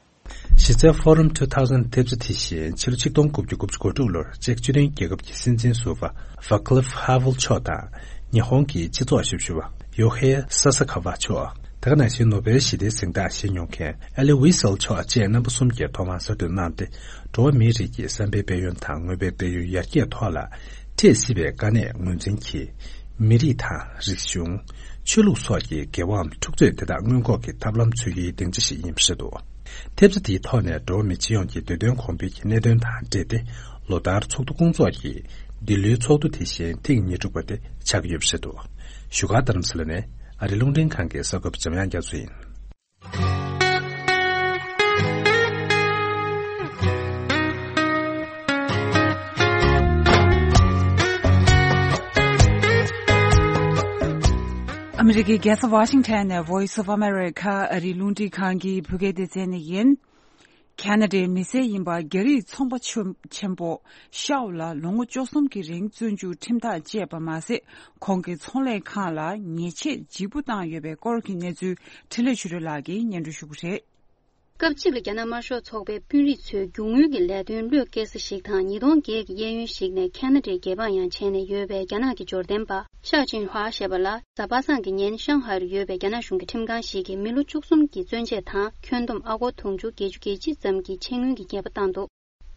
གཞི་རྩའི་Forum two thousand ཐེབས་རྩ་དེ་བཞིན་ཕྱི་ལོ་ཆིག་སྟོང་དགུ་བརྒྱ་དགུ་བཅུ་གོ་དྲུག་ལོར་ཅེཀ་སྤྱི་མཐུན་རྒྱལ་ཁབ་ཀྱི་སྲིད་འཛིན་ཟུར་པ་Václav Havel མཆོག་དང་ཉི་ཧོང་གི་སྤྱི་ཚོགས་ཞབས་ཞུ་བ་Jorge Sasakawa མཆོག་དེ་ག་ནང་བཞིན་ནོ་བེལ་ཞི་བདེའི་གཟེངས་རྟགས་བཞེས་མྱོང་མཁན་Elie Wiesel མཆོག་བཅས་རྣམ་པ་གསུམ་གྱིས་ཐོག་མར་གསར་འགོད་གནང་སྟེ། འགྲོ་བ་མིའི་རིགས་ཀྱི་བསམ་པའི་དཔལ་ཡོན་དང་དངོས་པོའི་དཔལ་ཡོན་ཡར་རྒྱས་ཐོག་ལ་འཕྲད་སྲིད་པའི་དཀའ་གནད་ངོས་འཛིན་གྱིས། མི་རིགས་དང་། རིག་གཞུང་། ཆོས་ལུགས་སོགས་ཀྱི་འགལ་བའམ་འཁྲུག་རྩོད་དེ་དག་སྔོན་འགོག་གི་ཐབས་ལམ་འཚོལ་རྒྱུའི་སྡིངས་ཆ་ཞིག་ཡིན་པ་རེད་འདུག་ཐེབས་རྩ་དེའི་ཐོག་ནས་འགྲོ་བ་མི་སྤྱི་ཡོངས་ཀྱི་བདེ་དོན་གོང་འཕེལ་གྱི་གནད་དོན་དང་འབྲེལ་ཏེ། ལོ་ལྟར་ཚོགས་འདུ་སྐོང་ཚོགས་ཀྱིས་འདི་ལོའི་ཚོགས་འདུ་དེ་བཞིན་ཐེངས་ཉེར་དྲུག་པ་དེ་ཆགས་ཀྱི་ཡོད་པ་རེད་འདུག་བཞུགས་སྒར་རྡ་རམ་ས་ལ་ནས་ཨ་རི་རླུང་འཕྲིན་ཁང་གི་གསར་འགོད་པ་འཇམ་དབྱངས་རྒྱ་མཚོ་ཡིན། ཨ་མི་རི་ཀའི་རྒྱལ་ས་ཝ་ཤིང་ཊོན་ནས་Voice of America ཨ་རིའི་རླུང་འཕྲིན་ཁང་གི་བོད་སྐད་སྡེ་ཚན་ནས་ཡིན། ཁ་ན་ཌའི་མི་སེར་ཡིན་པ་རྒྱ་རིགས་ཚོང་པ་ཆེན་པོ་ཤའོ་ལ་ལོ་ངོ་བཅུ་གསུམ་གྱི་རིང་བཙོན་འཇུག་ཁྲིམས་ཐག་བཅད་པ་མ་ཟད། ཁོང་གི་ཚོང་ལས་ཁང་ལ་ཉེས་ཆད་ལྗིད་པོ་བཏང་ཡོད་པའི་སྐོར་གྱི་གནས་ཚུལ་འཕྲིན་ལས་ཆོས་སྒྲོན་ལགས་ཀྱིས་སྙན་སྒྲོན་ཞུ་གི་རེད། སྐབས་གཅིག་ལ་རྒྱ་ནག་དམར་ཤོག་ཚོགས་པའི་དཔོན་རིགས་ཚོས་རྒྱུ་དངུལ་གྱི་ལས་དོན་བློས་བཀལ་ས་ཞིག་དང་། ཉིས་སྟོང་བརྒྱད་ཀྱི་གཡས་གཡོན་ཞིག་ནས་ཁ་ན་ཌའི་རྒྱལ་འབངས་ཡང་བྱས་ནས་ཡོད་པའི་རྒྱ་ནག་གི་འབྱོར་ལྡན་པ་ཤའོ་ཅིན་ཧྭ་ཞེས་པ་ལ་གཟའ་པ་སངས་ཀྱི་ཉིན་ཤང་ཧའེ་རུ་ཡོད་པའི་རྒྱ་ནག་གཞུང་གི་ཁྲིམས་ཁང་ཞིག་གིས་མི་ལོ་བཅུ་གསུམ་གྱི་བཙོན་ཆས་དང་ཁྱོན་བསྡོམས་ཨ་སྒོར་དུང་ཕྱུར་བརྒྱད་ཅུ་གྱ་གཅིག་ཙམ་གྱི་ཆེད་དངུལ་གྱི་ཉེས་པ་བཏང་འདུག་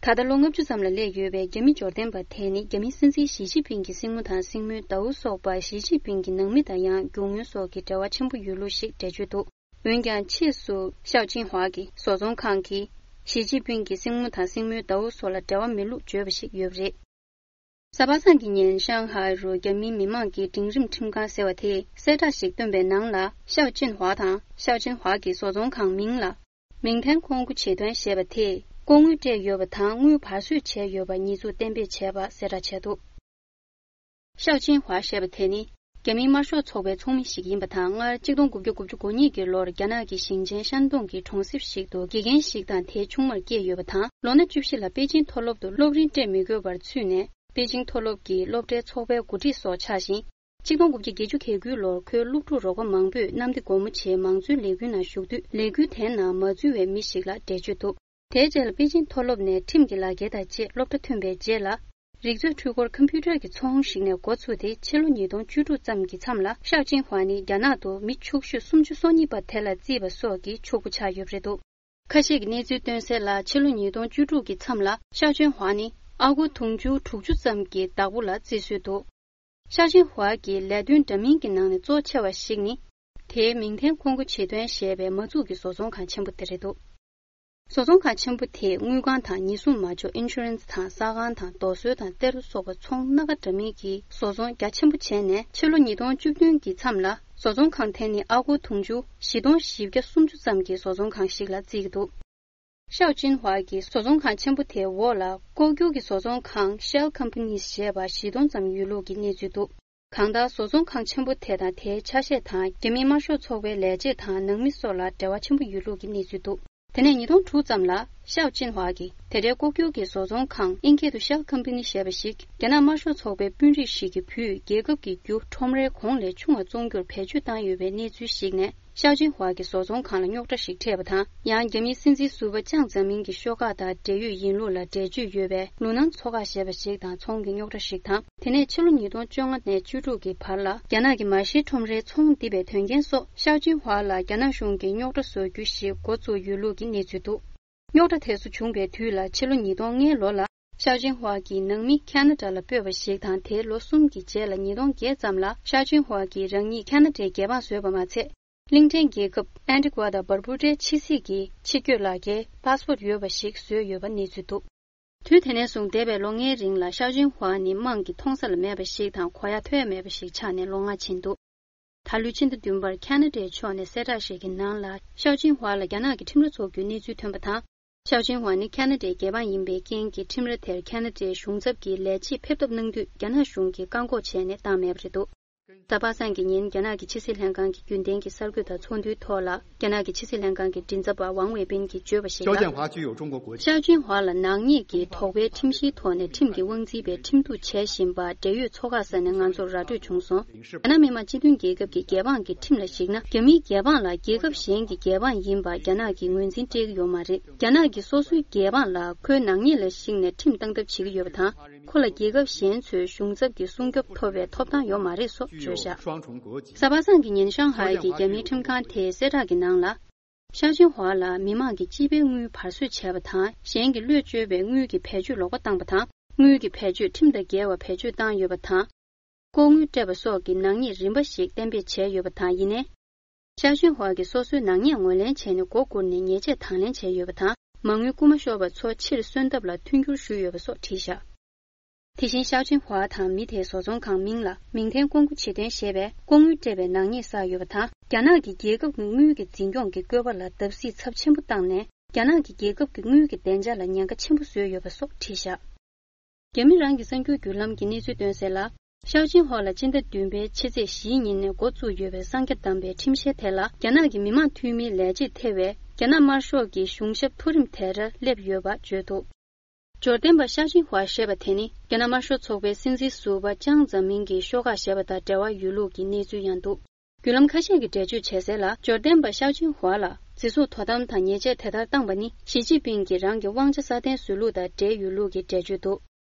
ད་ལྟ་ལོ་ལྔ་བཅུ་ཙམ་ལ་སླེབས་ཡོད་པའི་རྒྱ་མི་འབྱོར་ལྡན་པ་དེ་ནི་རྒྱ་མིའི་སྲིད་འཛིན་ཞི་ཅིན་ཕིང་གི་སྲིང་མོ་དང་སྲིང་མོའི་ཟླ་བོ་སོགས་པ། ཞི་ཅིན་ཕིང་གི་ནང་མི་དང་ཡང་རྒྱུ་དངུལ་སོགས་ཀྱི་འབྲེལ་བ་ཆེན་པོ་ཡོད་ལུགས་ཤིག་འགྲེལ་བརྗོད་འདུག་འོན་ཀྱང་ཕྱིས་སུ་ཤའོ་ཅིན་ཧྭ་གིས་བཟོ་ཚོང་ཁང་གིས་ཞི་ཅིན་ཕིང་གི་སྲིང་མོ་དང་སྲིང་མོའི་ཟླ་བོ་སོགས་ལ་འབྲེལ་བ་མེད་ལུགས་བརྗོད་པ་ཞིག་ཡོད་པ་རེད། གཟའ་པ་སངས་ཀྱི་ཉིན་ཤང་ཧའེ་རུ་རྒྱ་མིའི་མི་མང་གི་འབྲིང་རིམ་ཁྲིམས་ཁང་ཟེར་བ་དེས་གསལ་བསྒྲགས་ཤིག་བཏོན་པའི་ནང་ལ། ཤའོ་ཅིན་ཧྭ་དང་ཤའོ་ཅིན་ཧྭ་གི་བཟོ་ཚོང་ཁང་མིང་ལ་མིང་ཐེན་ཀོང་ཀུ་བྱེད་དོན་ཞེས་པ་དེས་ལྐོག་དངུལ་སྤྲད་ཡོད་པ་དང་། དངུལ་བར་གསོད་བྱས་ཡོད་པ་ཉེས་འཛུགས་གཏན་འབེབས་བྱས་པ་གསལ་བསྒྲགས་བྱས་འདུག་ཤའོ་ཅིན་ཧྭ་ཞེས་པ་དེ་ནི་རྒྱ་མིའི་དམར་ཤོག་ཚོགས་པའི་ཚོགས་མི་ཞིག་ཡིན་པ་དང་། སྔར་གཅིག་སྟོང་དགུ་བརྒྱ་དགུ་བཅུ་གོ་གཉིས་ཀྱི་ལོར་རྒྱ་ནག་གི་ཞིང་ཆེན་ཤན་ཏུང་གི་གྲོང་གསེབ་ཞིག་ཏུ་དགེ་རྒན་ཞིག་དང་དེའི་ཆུང་མར་སྐྱེས་ཡོད་པ་དང་། ལོ་ན་བཅུ་བཞི་ལ་པེ་ཅིང་མཐོ་སློབ་ཏུ་སློབ་རིམ་སྤྲད་མི་དགོས་པར་ཚུད་ནས། པེ་ཅིང་མཐོ་སློབ་ཀྱི་སློབ་གྲྭའི་ཚོགས་པའི་འགོ་ཁྲིད་སོགས་ཆགས་ཤིང་། གཅིག་སྟོང་དགུ་བརྒྱ་བརྒྱད་ཅུ་གྱ་དགུའི་ལོར་ཁོའི་སློབ་ཕྲུག་རོགས་པ་མང་པོས་གནམ་བདེ་སྒོ་མོ་ཆེའི་མང་གཙོའི་ལས་འགུལ་ནང་ཞུགས་དུས། ལས་འགུལ་དེའི་ནང་མ་འཛུལ་བའི་མི་ཞིག་ལ་འགྲེལ་བརྗོད་འདུག་དེའི་རྗེས་ལ་པེ་ཅིང་མཐོ་སློབ་ནས་ཁྲིམས་ཀྱི་ལག་འཁྱེར་དང་བཅས་སློབ་གྲྭ་ཐོན་པའི་རྗེས་ལ། རིག་མཛོད་འཕྲུལ་འཁོར་ཀམ་པུ་ཊར་གྱི་ཚོང་ཞིག་ནས་འགོ་ཚུགས་ཏེ། ཕྱི་ལོ་ཉིས་སྟོང་བཅུ་དྲུག་ཙམ་གྱི་མཚམས་ལ་ཤའོ་ཅིན་ཧྭ་ནི་རྒྱ་ནག་ཏུ་མི་ཕྱུག་ཤོས་སུམ་ཅུ་སོ་གཉིས་པ་དེ་ལ་བརྩིས་པ་སོགས་ཀྱི་ཕྱུག་པོ་ཆགས་ཡོད་པ་རེད་འདུག་ཁ་ཤས་ཀྱིས་གནས་ཚུལ་བཏོན་གསལ་ལ། ཕྱི་ལོ་ཉིས་སྟོང་བཅུ་དྲུག་གི་མཚམས་ལ་ཤའོ་ཅིན་ཧྭ་ནི་ཨ་སྒོར་དུང་ཕྱུར་དྲུག་ཅུ་ཙམ་གྱི་བདག་པོ་ལ་བརྩི་སྲོལ་འདུག་ཤའོ་ཅིན་ཧྭ་གྱི་ལས་དོན་འདྲ་མིན་གྱི་ནང་ནས་གཙོ་ཆེ་བ་ཞིག་ནི། དེའི་མིང་ཐེན་ཀོང་ཀུ་བྱེད་དོན་ཞེས་པའི་མ་འཛུགས་ཀྱི་བཟོ་ཚོང་ཁང་ཆེན་པོ་དེ་རེད་འདུག་བཟོ་ཚོང་ཁང་ཆེན་པོ་དེས་དངུལ་ཁང་དང་ཉེན་སྲུང་མ་འཇོག་ཨིན་ཤུ་རན་སི་དང་ཟ་ཁང་དང་རྡོ་སོལ་དང་གཏེར་ལོ་སོགས་པ་ཚོང་སྣ་ཁ་འདྲ་མིན་གྱི་བཟོ་ཚོང་རྒྱ་ཆེན་པོ་བྱས་ནས། ཕྱི་ལོ་ཉིས་སྟོང་བཅུ་བདུན་གྱི་མཚམས་ལ་བཟོ་ཚོང་ཁང་དེ་ནི་ཨ་སྒོར་དུང་ཕྱུར་བཞི་སྟོང་བཞི་བརྒྱ་སུམ་ཅུ་ཙམ་གྱི་བཟོ་ཚོང་ཁང་ཞིག་ལ་བརྩི་གི་འདུག་ཤའོ་ཅིན་ཧྭ་གྱི་བཟོ་ཚོང་ཁང་ཆེན་པོ་དེའི་འོག་ལ་ལྐོག་གྱུར་གྱི་བཟོ་ཚོང་ཁང་Shell Companies ཞེས་པ་བཞི་སྟོང་ཙམ་ཡོད་ལུགས་ཀྱི་གནས་ཚུལ་འདུག་གང་ལྟར། བཟོ་ཚོང་ཁང་ཆེན་པོ་དེ་དང་དེའི་ཆ་ཤས་དང་། རྒྱ་མིའི་དམར་ཤོག་ཚོགས་པའི་ལས་བྱེད་དང་ནང་མི་སོགས་ལ་འབྲེལ་བ་ཆེན་པོ་ཡོད་ལུགས་ཀྱི་གནས་ཚུལ་འདུག་དེ་ནས་ཉིས་སྟོང་དྲུག་ཙམ་ལ་ཤའོ་ཅིན་ཧྭ་གིས་དེ་འདྲའི་ལྐོག་གྱུར་གྱི་བཟོ་ཚོང་ཁང་ཨིན་སྐད་དུ་Shell Company ཞེས་པ་ཞིག་རྒྱ་ནག་དམར་ཤོག་ཚོགས་པའི་དཔོན་རིགས་ཤིག་གི་བུས་རྒྱལ་ཁབ་ཀྱི་རྒྱུ་ཁྲོམ་རའི་གོང་ལས་ཆུང་བ་བཙོང་རྒྱུར་བེད་སྤྱོད་བཏང་ཡོད་པའི་གནས་ཚུལ་ཞིག་ནས། ཤའོ་ཅིན་ཧྭ་གྱི་བཟོ་ཚོང་ཁང་ལ་རྙོག་དྲ་ཞིག་འཕྲད་པ་དང་། ཡང་རྒྱ་མིའི་སྲིད་འཛིན་ཟུར་པ་ཅང་ཙེ་མིན་གྱི་ཤོག་ཁག་དང་འབྲེལ་ཡོད་ཡིན་ལུགས་ལ་འགྲེལ་བརྗོད་ཡོད་པའི་ལུ་ནན་ཚོ་ཁག་ཞེས་པ་ཞིག་དང་ཚོང་གི་རྙོག་དྲ་ཞིག་དང་། དེ་ནས་ཕྱི་ལོ་ཉིས་སྟོང་བཅོ་ལྔ་ནས་བཅུ་དྲུག་གི་བར་ལ། རྒྱ་ནག་གི་མ་ཤེས་ཁྲོམ་རའི་ཚོང་བསྡུ་བའི་དོན་རྐྱེན་སོགས་ཤའོ་ཅིན་ཧྭ་ལ་རྒྱ་ནག་གཞུང་གིས་རྙོག་དྲ་བཟོ་རྒྱུ་ཞིག་འགོ་བཙུགས་ཡོད་ལུགས་ཀྱི་གནས་ཚུལ་འདུག་རྙོག་དྲ་དེ་ཚོ་བྱུང་བའི་དུས་ལ་ཕྱི་ལོ་ཉིས་སྟོང་ལྔའི་ལོ་ལ། ཤའོ་ཅིན་ཧྭ་གྱི་ནང་མི་ཁ་ན་ཌ་ལ་སྤོས་པ་ཞིག་དང་། དེའི་ལོ་གསུམ་གྱི་རྗེས་ལ་ཉིས་སྟོང་བརྒྱད་ཙམ་ལ་ཤའོ་ཅིན་ཧྭ་གྱིས་རང་ཉིད་ཁ་ན་ཌའི་རྒྱལ་འབངས་བཟོས་པ་མ་ཚད། གླིང་ཕྲན་རྒྱལ་ཁབ་ཨན་ཏི་ཀུ་ཝ་དང་བར་པུ་ཏའི་ཕྱི་སྲིད་ཀྱི་ཕྱི་སྐྱོད་ལག་འཁྱེར་པཱ་སི་པོར་ཡོད་པ་ཞིག་བཟོས་ཡོད་པ་གནས་ཚུལ་འདུག་དུས་དེ་ནས་བཟུང་འདས་པའི་ལོ་ལྔའི་རིང་ལ་ཤའོ་ཅིན་ཧྭ་ནི་དམངས་ཀྱིས་མཐོང་ས་ལ་མེད་པ་ཞིག་དང་། གོ་ཡ་ཐོས་ཡ་མེད་པ་ཞིག་ཆགས་ནས་ལོ་ལྔ་ཕྱིན་འདུག་ད་ལོའི་ཕྱི་ཟླ་བདུན་པར་ཁ་ན་ཌའི་ཕྱོགས་ནས་གསལ་བསྒྲགས་ཤིག་གི་ནང་ལ། ཤའོ་ཅིན་ཧྭ་ལ་རྒྱ་ནག་གི་ཁྲིམས་ར་འཚོགས་རྒྱུའི་གནས་ཚུལ་ཐོན་པ་དང་། ཤའོ་ཅིན་ཧྭ་ནི་ཁ་ན་ཌའི་རྒྱལ་འབངས་ཡིན་པའི་རྐྱེན་གྱིས། ཁྲིམས་ར་དེར་ཁ་ན་ཌའི་གཞུང་ཚབ་ཀྱི་ལས་བྱེད་ཕེབས་ཐབས་གནང་དུས། རྒྱ་ནག་གཞུང་གིས་བཀག་འགོག་བྱས་ནས་བཏང་མེད་པ་རེད་འདུག་གཟའ་པ་སངས་ཀྱི་ཉིན་རྒྱ་ནག་གི་ཕྱི་སྲིད་ལྷན་ཁང་གི་རྒྱུན་ལྡན་གྱི་གསར་འགོད་དང་ཚོགས་འདུའི་ཐོག་ལ། རྒྱ་ནག་གི་ཕྱི་སྲིད་ལྷན་ཁང་གི་མགྲིན་ཚབ་པ་ཝང་ཝེ་པིན་གྱིས་བརྗོད་པར་གཞིགས་ན། ཤའོ་ཅིན་ཧྭ་ལ་ནག་ཉེས་ཀྱི་དོགས་པའི་ཁྲིམས་གཞིའི་ཐོག་ནས་ཁྲིམས་ཀྱི་དབང་འཛིན་པའི་ཁྲིམས་གཏུག་བྱེད་བཞིན་པ་འབྲེལ་ཡོད་ཚོགས་ཁག་ས་ནས་ང་ཚོར་ར་སྤྲོད་བྱུང་སོང་། རྒྱ་ནག་མི་དམངས་སྤྱི་མཐུན་རྒྱལ་ཁབ་ཀྱི་རྒྱལ་འབངས་ཀྱི་ཁྲིམས་ལ་གཞིགས་ན། རྒྱ་མིའི་རྒྱལ་འབངས་ལ་རྒྱལ་ཁབ་གཞན་གྱི་རྒྱལ་འབངས་ཡིན་པ་རྒྱ་ནག་གིས་ངོས་འཛིན་སྤྲད་ཀྱི་ཡོད་མ་རེད། རྒྱ་ནག་གིས་སོ་སོའི་རྒྱལ་འབངས་ལ་ཁོའི་ནག་ཉེས་ལ་གཞིགས་ནས་ཁྲིམས་བཏང་ཐབས་བྱེད་ཀྱི་ཡོད་པ་དང་། ཁོ་ལ་རྒྱལ་ཁབ་གཞན་ཚོའི་གཞུང་ཚབ་ཀྱི་སྲུང་སྐྱོབ་ཐོབ་པའི་ཐོབ་ཐང་ཡོད་མ་རེད་སོགས་བརྗོད་བཞག་གཟའ་པ་སངས་ཀྱི་ཉིན་ཤང་ཧའེ་གྱི་རྒྱ་མིའི་ཁྲིམས་ཁང་དེའི་གསལ་བསྒྲགས་ཀྱི་ནང་ལ། ཤའོ་ཅིན་ཧྭ་ལ་མི་མང་གི་སྤྱི་པའི་དངུལ་བར་གསོད་བྱས་པ་དང་། གཞན་གྱི་བློས་བཅོལ་བའི་དངུལ་གྱི་བེད་སྤྱོད་ལོག་པ་བཏང་བ་དང་། དངུལ་གྱི་བེད་སྤྱོད་ཁྲིམས་དང་འགལ་བ་བེད་སྤྱོད་བཏང་ཡོད་པ་དང་། ལྐོག་དངུལ་སྤྲད་པ་སོགས་ཀྱི་ནག་ཉེས་རིམ་པ་ཞིག་གཏན་འབེབས་བྱས་ཡོད་པ་དང་། ཡིན་ནའི། ཤའོ་ཅིན་ཧྭ་གིས་སོ་སོའི་ནག་ཉེས་ངོས་ལེན་བྱས་ནས་མགོ་སྒུར་ནས་ཉེས་ཆད་དང་ལེན་བྱས་ཡོད་པ་དང་། མ་དངུལ་རྐུ་མ་ཤོར་བ་ཚོ་ཕྱིར་གསོན་ཐབས་ལ་མཐུན་འགྱུར་ཞུས་ཡོད་པ་སོགས་བྲིས་བཞག་དེ་བཞིན་ཤའོ་ཅིན་ཧྭ་དང་མི་དེའི་བཟོ་ཚོང་ཁང་མིང་ལ་མིང་ཐེན་ཀོང་ཀུ་བྱེད་དོན་ཞེས་པའི་ལྐོག་དངུལ་སྤྲད་པའི་ནག་ཉེས་བསགས་ཡོད་པ་དང་། རྒྱ་ནག་གིས་རྒྱལ་ཁབ་ཀྱི་དངུལ་གྱི་འཛིན་སྐྱོང་གི་བཀོད་པ་ལ་བརྡབ་གསིག་ཚབས་ཆེན་པོ་བཏང་ནས། རྒྱ་ནག་གིས་རྒྱལ་ཁབ་ཀྱི་དངུལ་གྱི་བདེ་འཇགས་ལ་ཉེན་ཁ་ཆེན་པོ་བཟོས་ཡོད་པ་སོགས་བྲིས་བཞག་རྒྱ་མི་རང་གི་གསར་འགྱུར་བརྒྱུད་ལམ་གྱིས་གནས་ཚུལ་བཏོན་གསལ་ལ། ཤའོ་ཅིན་ཧྭ་ལ་སྤྱི་ཟླ་བདུན་པའི་ཕྱི་ཚེས་བཞིའི་ཉིན་ནས་འགོ་བཙུགས་ཡོད་པའི་གསང་རྒྱ་བསྡམས་པའི་ཁྲིམས་གཞི་དེ་ལ། རྒྱ་ནག་གི་མི་དམངས་འཐུས་མིའི་ལས་བྱེད་ཐེ་བའི་རྒྱ་ནག་དམར་ཤོག་གི་གཞུང་ཞབས་མཐོ་རིམ་དེར་སླེབས་ཡོད་པ་བརྗོད་འདུག་འབྱོར་ལྡན་པ་ཤའོ་ཅིན་ཧྭ་ཞེས་པ་དེ་ནི། རྒྱ་ནག་དམར་ཤོག་ཚོགས་པའི་སྲིད་འཛིན་ཟུར་པ་ཅང་ཙེ་མིན་གྱི་ཤོག་ཁག་ཞེས་པ་དང་འབྲེལ་བ་ཡོད་ལུགས་ཀྱི་གནས་ཚུལ་ཡང་འདུག་བརྒྱུད་ལམ་ཁ་ཤས་ཀྱིས་འགྲེལ་བརྗོད་བྱས་གསལ་ལ། འབྱོར་ལྡན་པ་ཤའོ་ཅིན་ཧྭ་ལ་ སྲིད་ཟུར་དོ་དམ་དང་ཉེས་ཆད་དེ་ལྟར་བཏང་པ་ནི་ཞི་ཅིན་ཕིང་གིས་རང་གི་དབང་ཆ་སྲ་བརྟན་བཟོས་ལུགས་དང་འབྲེལ་ཡོད་ལུགས་ཀྱི་འགྲེལ་བརྗོད་འདུག་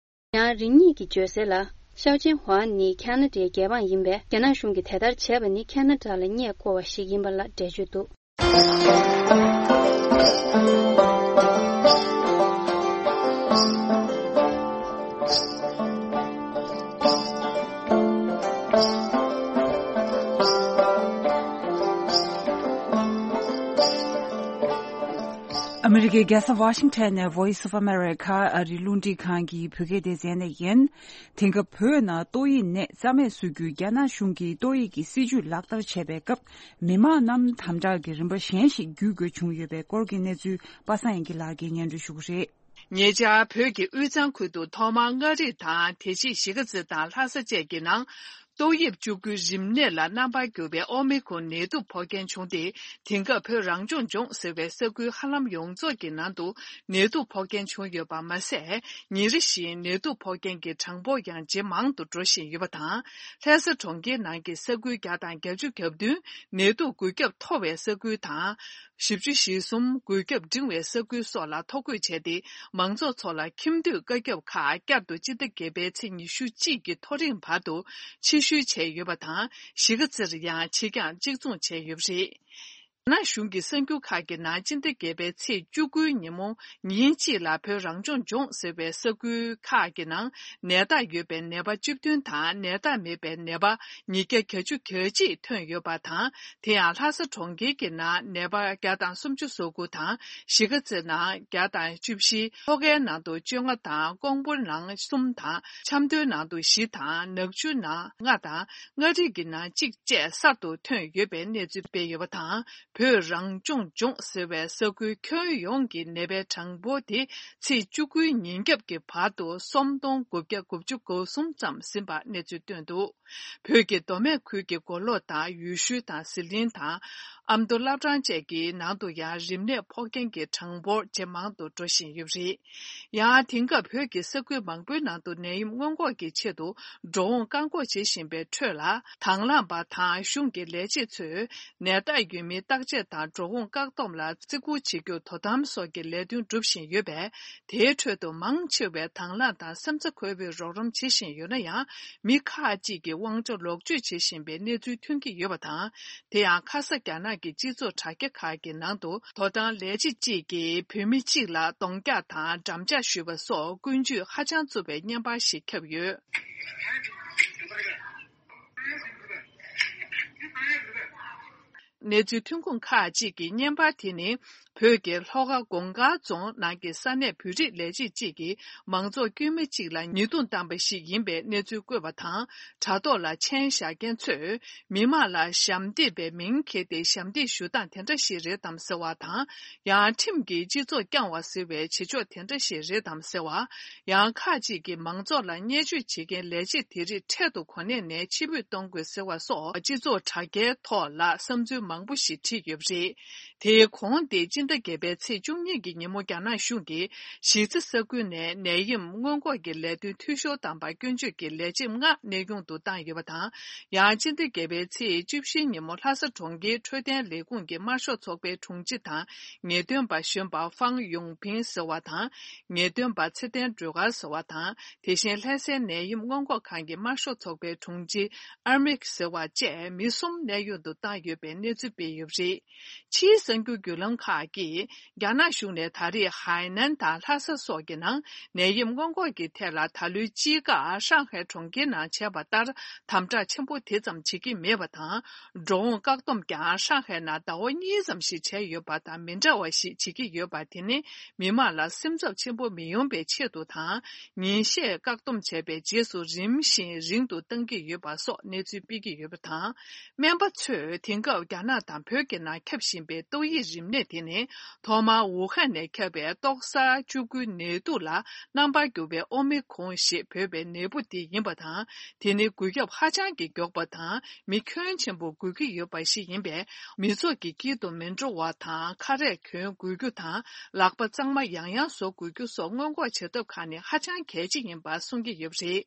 ཡང་རིང་གཉིས་ཀྱི་བརྗོད་གསལ་ལ། ཤའོ་ཅན་ཧུའང་ནི་ཁ་ན་ཌའི་རྒྱལ་འབངས་ཡིན་པས། རྒྱ་ནག་གཞུང་གིས་དེ་ལྟར་བྱས་པ་ནི་ཁ་ན་ཌ་ལ་བརྙས་བསྐོར་བ་ཞིག་ཡིན་པ་ལ་འགྲེལ་བརྗོད་འདུག་ཨ་མི་རི་ཀའི་རྒྱལ་ས་ཝ་ཤིང་ཊོན་ནས་Voice of America ཨ་རིའི་རླུང་འཕྲིན་ཁང་གི་བོད་སྐད་སྡེ་ཚན་ནས་ཡིན། དེང་སྐབས་བོད་ནང་ཏོག་དབྱིབས་ནད་རྩ་མེད་བཟོ་རྒྱུའི་རྒྱ་ནག་གཞུང་གིས་ཏོག་དབྱིབས་ཀྱི་སྲིད་ཇུས་ལག་བསྟར་བྱས་པའི་སྐབས། མི་མང་རྣམས་དམ་དྲག་གི་རིམ་པ་གཞན་ཞིག་བརྒྱུད་དགོས་བྱུང་ཡོད་པའི་སྐོར་གྱི་གནས་ཚུལ་པ་སངས་དབྱངས་སྐྱིད་ལགས་ཀྱིས་སྙན་སྒྲོན་ཞུ་གི་རེད། ཉེ་ཆར་བོད་ཀྱི་དབུས་གཙང་ཁུལ་དུ་ཐོག་མར་མངའ་རིས་དང་དེ་རྗེས་གཞིས་ཀ་རྩེ་དང་ལྷ་ས་བཅས་ཀྱི་ནང་ཏོག་དབྱིབས་བཅུ་དགུའི་རིམས་ནད་ལ་རྣམ་པར་གྱུར་པའི་ཨོ་མི་ཁོན་ནད་དུག་ཕོག་མཁན་བྱུང་སྟེ། དེང་སྐབས་བོད་རང་སྐྱོང་ལྗོངས་ཟེར་བའི་ས་ཁུལ་ཧ་ལམ་ཡོངས་རྫོགས་ཀྱི་ནང་དུ་ནད་དུག་ཕོག་མཁན་བྱུང་ཡོད་པ་མ་ཟད། ཉིན་རེ་བཞིན་ནད་དུག་ཕོག་མཁན་གྱི་གྲངས་འབོར་ཡང་ཇེ་མང་དུ་འགྲོ་བཞིན་ཡོད་པ་དང་། ལྷ་ས་གྲོང་ཁྱེར་ནང་གི་ས་ཁུལ་བརྒྱ་དང་བརྒྱད་ཅུ་གྱ་བདུན་ནད་དུག་འགོས་ཁྱབ་མཐོ་བའི་ས་ཁུལ་དང་། བཞི་བཅུ་ཞེ་གསུམ་འགོས་ཁྱབ་འབྲིང་བའི་ས་ཁུལ་སོགས་ལ་ཐོ་འགོད་བྱས་ཏེ། མང་ཚོགས་ཚོ་ལ་ཁྱིམ་སྡོད་བཀའ་ཁྱབ་ཁག་བསྐྱར་དུ་སྤྱི་ཟླ་བརྒྱད་པའི་ཚེས་ཉི་ཤུ་གཅིག་གི་མཐོ་རིམ་བར་དུ་ཕྱིར་བཤོལ་བྱས་ཡོད་པ་དང་། གཞིས་ཀ་རྩེར་ཡང་ཕྱིར་འགྱངས་གཅིག་མཚུངས་བྱས་ཡོད་པ་རེད། རྒྱ་ནག་གཞུང་གི་གསར་འགྱུར་ཁག་གི་ནང་སྤྱི་ཟླ་བརྒྱད་པའི་ཚེས་བཅུ་དགུའི་ཉིན་མོ་ཉིན་གཅིག་ལ་བོད་རང་སྐྱོང་ལྗོངས་ཟེར་བའི་ས་ཁུལ་ཁག་གི་ནང་ནད་རྟགས་ཡོད་པའི་ནད་པ་བཅུ་བདུན་དང་ནད་རྟགས་མེད་པའི་ནད་པ་ཉིས་བརྒྱ་གྱ་གཅིག་ཐོན་ཡོད་པ་དང་། དེ་ཡང་ལྷ་ས་གྲོང་ཁྱེར་གྱི་ནང་ནད་པ་བརྒྱ་དང་སུམ་ཅུ་སོ་དགུ་དང་། གཞིས་ཀ་རྩེ་ནང་བརྒྱ་དང་བཅུ་བཞི། ལྷོ་ཁའི་ནང་དུ་བཅོ་ལྔ་དང་། ཀོང་པོའི་ནང་གསུམ་དང་། ཆབ་མདོའི་ནང་དུ་བཞི་དང་། ནག་ཆུའི་ནང་ལྔ་དང་། མངའ་རིས་ཀྱི་ནང་གཅིག་བཅས་གསར་དུ་ཐོན་ཡོད་པའི་གནས་ཚུལ་སྤེལ་ཡོད་པ་དང་། བོད་རང་སྐྱོང་ལྗོངས་ཟེར་བའི་ས་ཁུལ་ཁྱོན་ཡོངས་ཀྱི་ནད་པའི་གྲངས་འབོར་དེ་ཚེས་བཅུ་དགུའི་ཉིན་རྒྱབ་ཀྱི་བར་དུ་སུམ་སྟོང་དགུ་བརྒྱ་དགུ་བཅུ་གོ་གསུམ་ཙམ་ཟིན་པ་གནས་ཚུལ་བཏོན་འདུག་བོད་ཀྱི་མདོ་སྨད་ཁུལ་གྱི་མགོ་ལོག་དང་ཡུལ་ཤུལ་དང་ཟི་ལིང་དང་ཨ་མདོ་བླ་བྲང་བཅས་ཀྱི་ནང་དུ་ཡང་རིམས་ནད་ཕོག་མཁན་གྱི་གྲངས་འབོར་ཇེ་མང་དུ་འགྲོ་བཞིན་ཡོད་པ་རེད། ཡང་དེང་སྐབས་བོད་ཀྱི་ས་ཁུལ་མང་པོའི་ནང་དུ་ནད་ཡམས་སྔོན་འགོག་གི་ཆེད་དུ་འགྲོ་འོང་བཀག་འགོག་བྱེད་བཞིན་པའི་ཁྲོད་ལ། དང་བླངས་པ་དང་གཞུང་གི་ལས་བྱེད་ཚོས་ནད་རྟགས་ཡོད་མིན་བརྟག་དཔྱད་དང་འགྲོ་འོང་བཀག་སྡོམ་ལ་བརྩི་བཀུར་བྱེད་རྒྱུ་དོ་དམ་སོགས་ཀྱི་ལས་དོན་སྒྲུབ་བཞིན་ཡོད་པས། དེའི་ཁྲོད་དུ་མང་ཆེ་བས་དང་བླངས་དང་སེམས་རྩ་འཁོལ་པོས་རོགས་རམ་བྱེད་བཞིན་ཡོད་ན་ཡང་། མི་ཁག་ཅིག་གིས་དབང་ཆ་ལོག་སྤྱོད་བྱེད་བཞིན་པའི་གནས་ཚུལ་ཐོན་གྱི་ཡོད་པ་དང་། དེ་ཡང་ཁ་ས་རྒྱ་ནག་གི་སྤྱི་ཚོགས་དྲ་རྒྱ་ཁག་གི་ནང་དུ། དོ་དམ་ལས་བྱེད་ཅིག་གིས་བོད་མི་གཅིག་ལ་གདོང་རྒྱག་དང་འགྲམ་ལྕག་གཞུས་པ་སོགས་ཀུན་སྤྱོད་ཧ་ཅང་རྩུབ་པའི་བརྙན་པར་ཞིག་ཁྱབ་ཡོད། གནས་ཚུལ་ཐོན་ཁུངས་ཁག་ཅིག་གིས་བརྙན་པར་དེ་ནི། བོད་ཀྱི་ལྷོ་ཁ་གོང་དཀར་རྫོང་ནང་གི་ས་གནས་བོད་རིགས་ལས་བྱེད་ཅིག་གིས་མང་ཚོགས་དཀྱུས་མ་གཅིག་ལ་ཉེས་རྡུང་བཏང་པ་ཞིག་ཡིན་པའི་གནས་ཚུལ་བཀོད་པ་དང་། དྲ་ཐོག་ལ་མཆན་བཞག་མཁན་ཚོས། མི་མང་ལ་ཞབས་འདེགས་པའི་མིང་འཁྱེར་ཏེ་ཞབས་འདེགས་ཞུ་སྟངས་དེ་འདྲ་ཞིག་རེད་དམ་ཟེར་བ་དང་། ཡང་ཁྲིམས་ཀྱིས་སྤྱི་ཚོགས་བསྐྱང་བ་ཟེར་བའི་བྱེད་ཕྱོགས་དེ་འདྲ་ཞིག་རེད་དམ་ཟེར་བ། ཡང་ཁག་ཅིག་གིས་མང་ཚོགས་ལ་བརྙས་བཅོས་བྱེད་མཁན་ལས་བྱེད་དེ་རིགས་འཕྲལ་དུ་གོ་གནས་ནས་ཕྱིར་འབུད་གཏོང་དགོས་ཟེར་བ་སོགས་སྤྱི་ཚོགས་དྲ་རྒྱའི་ཐོག་ལ་བསམ་ཚུལ་མང་པོ་ཞིག་བྲིས་ཡོད་པ་རེད། དེའི་གོང་དེ་སྤྱི་ཟླ་བརྒྱད་པའི་ཚེས་བཅུ་གཉིས་ཀྱི་ཉིན་མོ་རྒྱ་ནག་གཞུང་གིས་གཞིས་རྩེ་ས་ཁུལ་ནས་ནད་ཡམས་སྔོན་འགོག་གི་ལས་དོན་འཐུས་ཤོར་བཏང་པར་སྐྱོན་བརྗོད་ཀྱི་ལས་བྱེད་ལྔ་གནས་དབྱུང་དུ་བཏང་ཡོད་པ་དང་། ཡང་སྤྱི་ཟླ་བརྒྱད་པའི་ཚེས་བཅུ་བཞིའི་ཉིན་མོ་ལྷ་ས་གྲོང་ཁྱེར་འཕྲོད་བསྟེན་ལས་ཁུངས་ཀྱི་དམར་ཤོག་ཚོགས་པའི་དྲུང་ཆེ་དང་ངེས་སྟོན་པ་གཞོན་པ་ཧྥང་ཡུང་ཕིང་ཟེར་བ་དང་། ངེས་སྟོན་པ་ཚེ་བརྟན་སྒྲོལ་དཀར་ཟེར་བ་དང་། དེ་བཞིན་ལྷ་སའི་ནད་ཡམས་སྔོན་འགོག་ཁང་གི་དམར་ཤོག་ཚོགས་པའི་དྲུང་ཆེ་ཨར་མིག་ཟེར་བ་བཅས་མི་གསུམ་གནས་དབྱུང་དུ་བཏང་ཡོད་པའི་གནས་ཚུལ་སྤེལ་ཡོད་པ་རེད། ཕྱིའི་གསར་འགྱུར་བརྒྱུད་ལམ་ཁག་གིས། རྒྱ་ནག་གཞུང་ནས་ད་རེས་ཧའེ་ནན་དང་ལྷ་ས་སོགས་ཀྱི་ནང་ནད་ཡམས་སྔོན་འགོག་གི་ཐད་ལ་ད་ལོའི་དཔྱིད་ཀར་ཧྲང་ཧའེ་གྲོང་ཁྱེར་ནང་བྱས་པ་ལྟར་དམ་དྲག་ཆེན་པོ་དེ་ཙམ་བྱེད་ཀྱི་མེད་པ་དང་། འགྲོ་འོང་བཀག་སྡོམ་ཀྱང་ཧྲང་ཧའེ་ནང་ཟླ་བ་གཉིས་ཙམ་ཞིག་བྱས་ཡོད་པ་དང་མི་འདྲ་བ་ཞིག་བྱེད་ཀྱི་ཡོད་པ་དེ་ནི་མི་མང་ལ་སེམས་འཚབ་ཆེན་པོ་མི་ཡོང་བའི་ཆེད་དུ་དང་། ཉིན་ཤས་བཀག་སྡོམ་བྱས་པའི་རྗེས་སུ་རིམ་བཞིན་རིང་དུ་གཏང་གི་ཡོད་པ་སོགས་གནས་ཚུལ་སྤེལ་གྱི་ཡོད་པ་དང་། སྨན་པ་ཚོས་དེང་སྐབས་རྒྱ་ནག་དང་བོད་ཀྱི་ནང་ཁྱབ་བཞིན་པའི་ཏོག་དབྱིབས་རིམས་ནད་དེ་ནི་ཐོག་མར་ཝུ་ཧན་ནས་ཁྱབ་པའི་ཏོག་གསར་ཆུ་ཁོལ་ནད་དུག་ལ་རྣམ་པར་གྱུར་པའི་ཨོ་མི་ཁོང་ཞེས་འབོད་པའི་ནད་འབུ་དེ་ཡིན་པ་དང་། དེ་ནི་འགོས་ཁྱབ་ཧ་ཅང་གི་མགྱོགས་པ་དང་མི་ཁྱོན་ཆེན་པོ་འགོས་ཀྱི་ཡོད་པ་ཞིག་ཡིན་པས། མི་ཚོགས་ཀྱི་དཀྱིལ་དུ་མི་འགྲོ་བ་དང་། ཁ་རས་གྱོན་དགོས་རྒྱུ་དང་། ལག་པ་གཙང་མ་ཡང་ཡང་བཟོ་དགོས་རྒྱུ་སོགས་སྔོན་འགོག་བྱ་ཐབས་ཁག་ནི་ཧ་ཅང་གལ་ཆེ་ཡིན་པ་གསུང་གི་ཡོད་པ་རེད།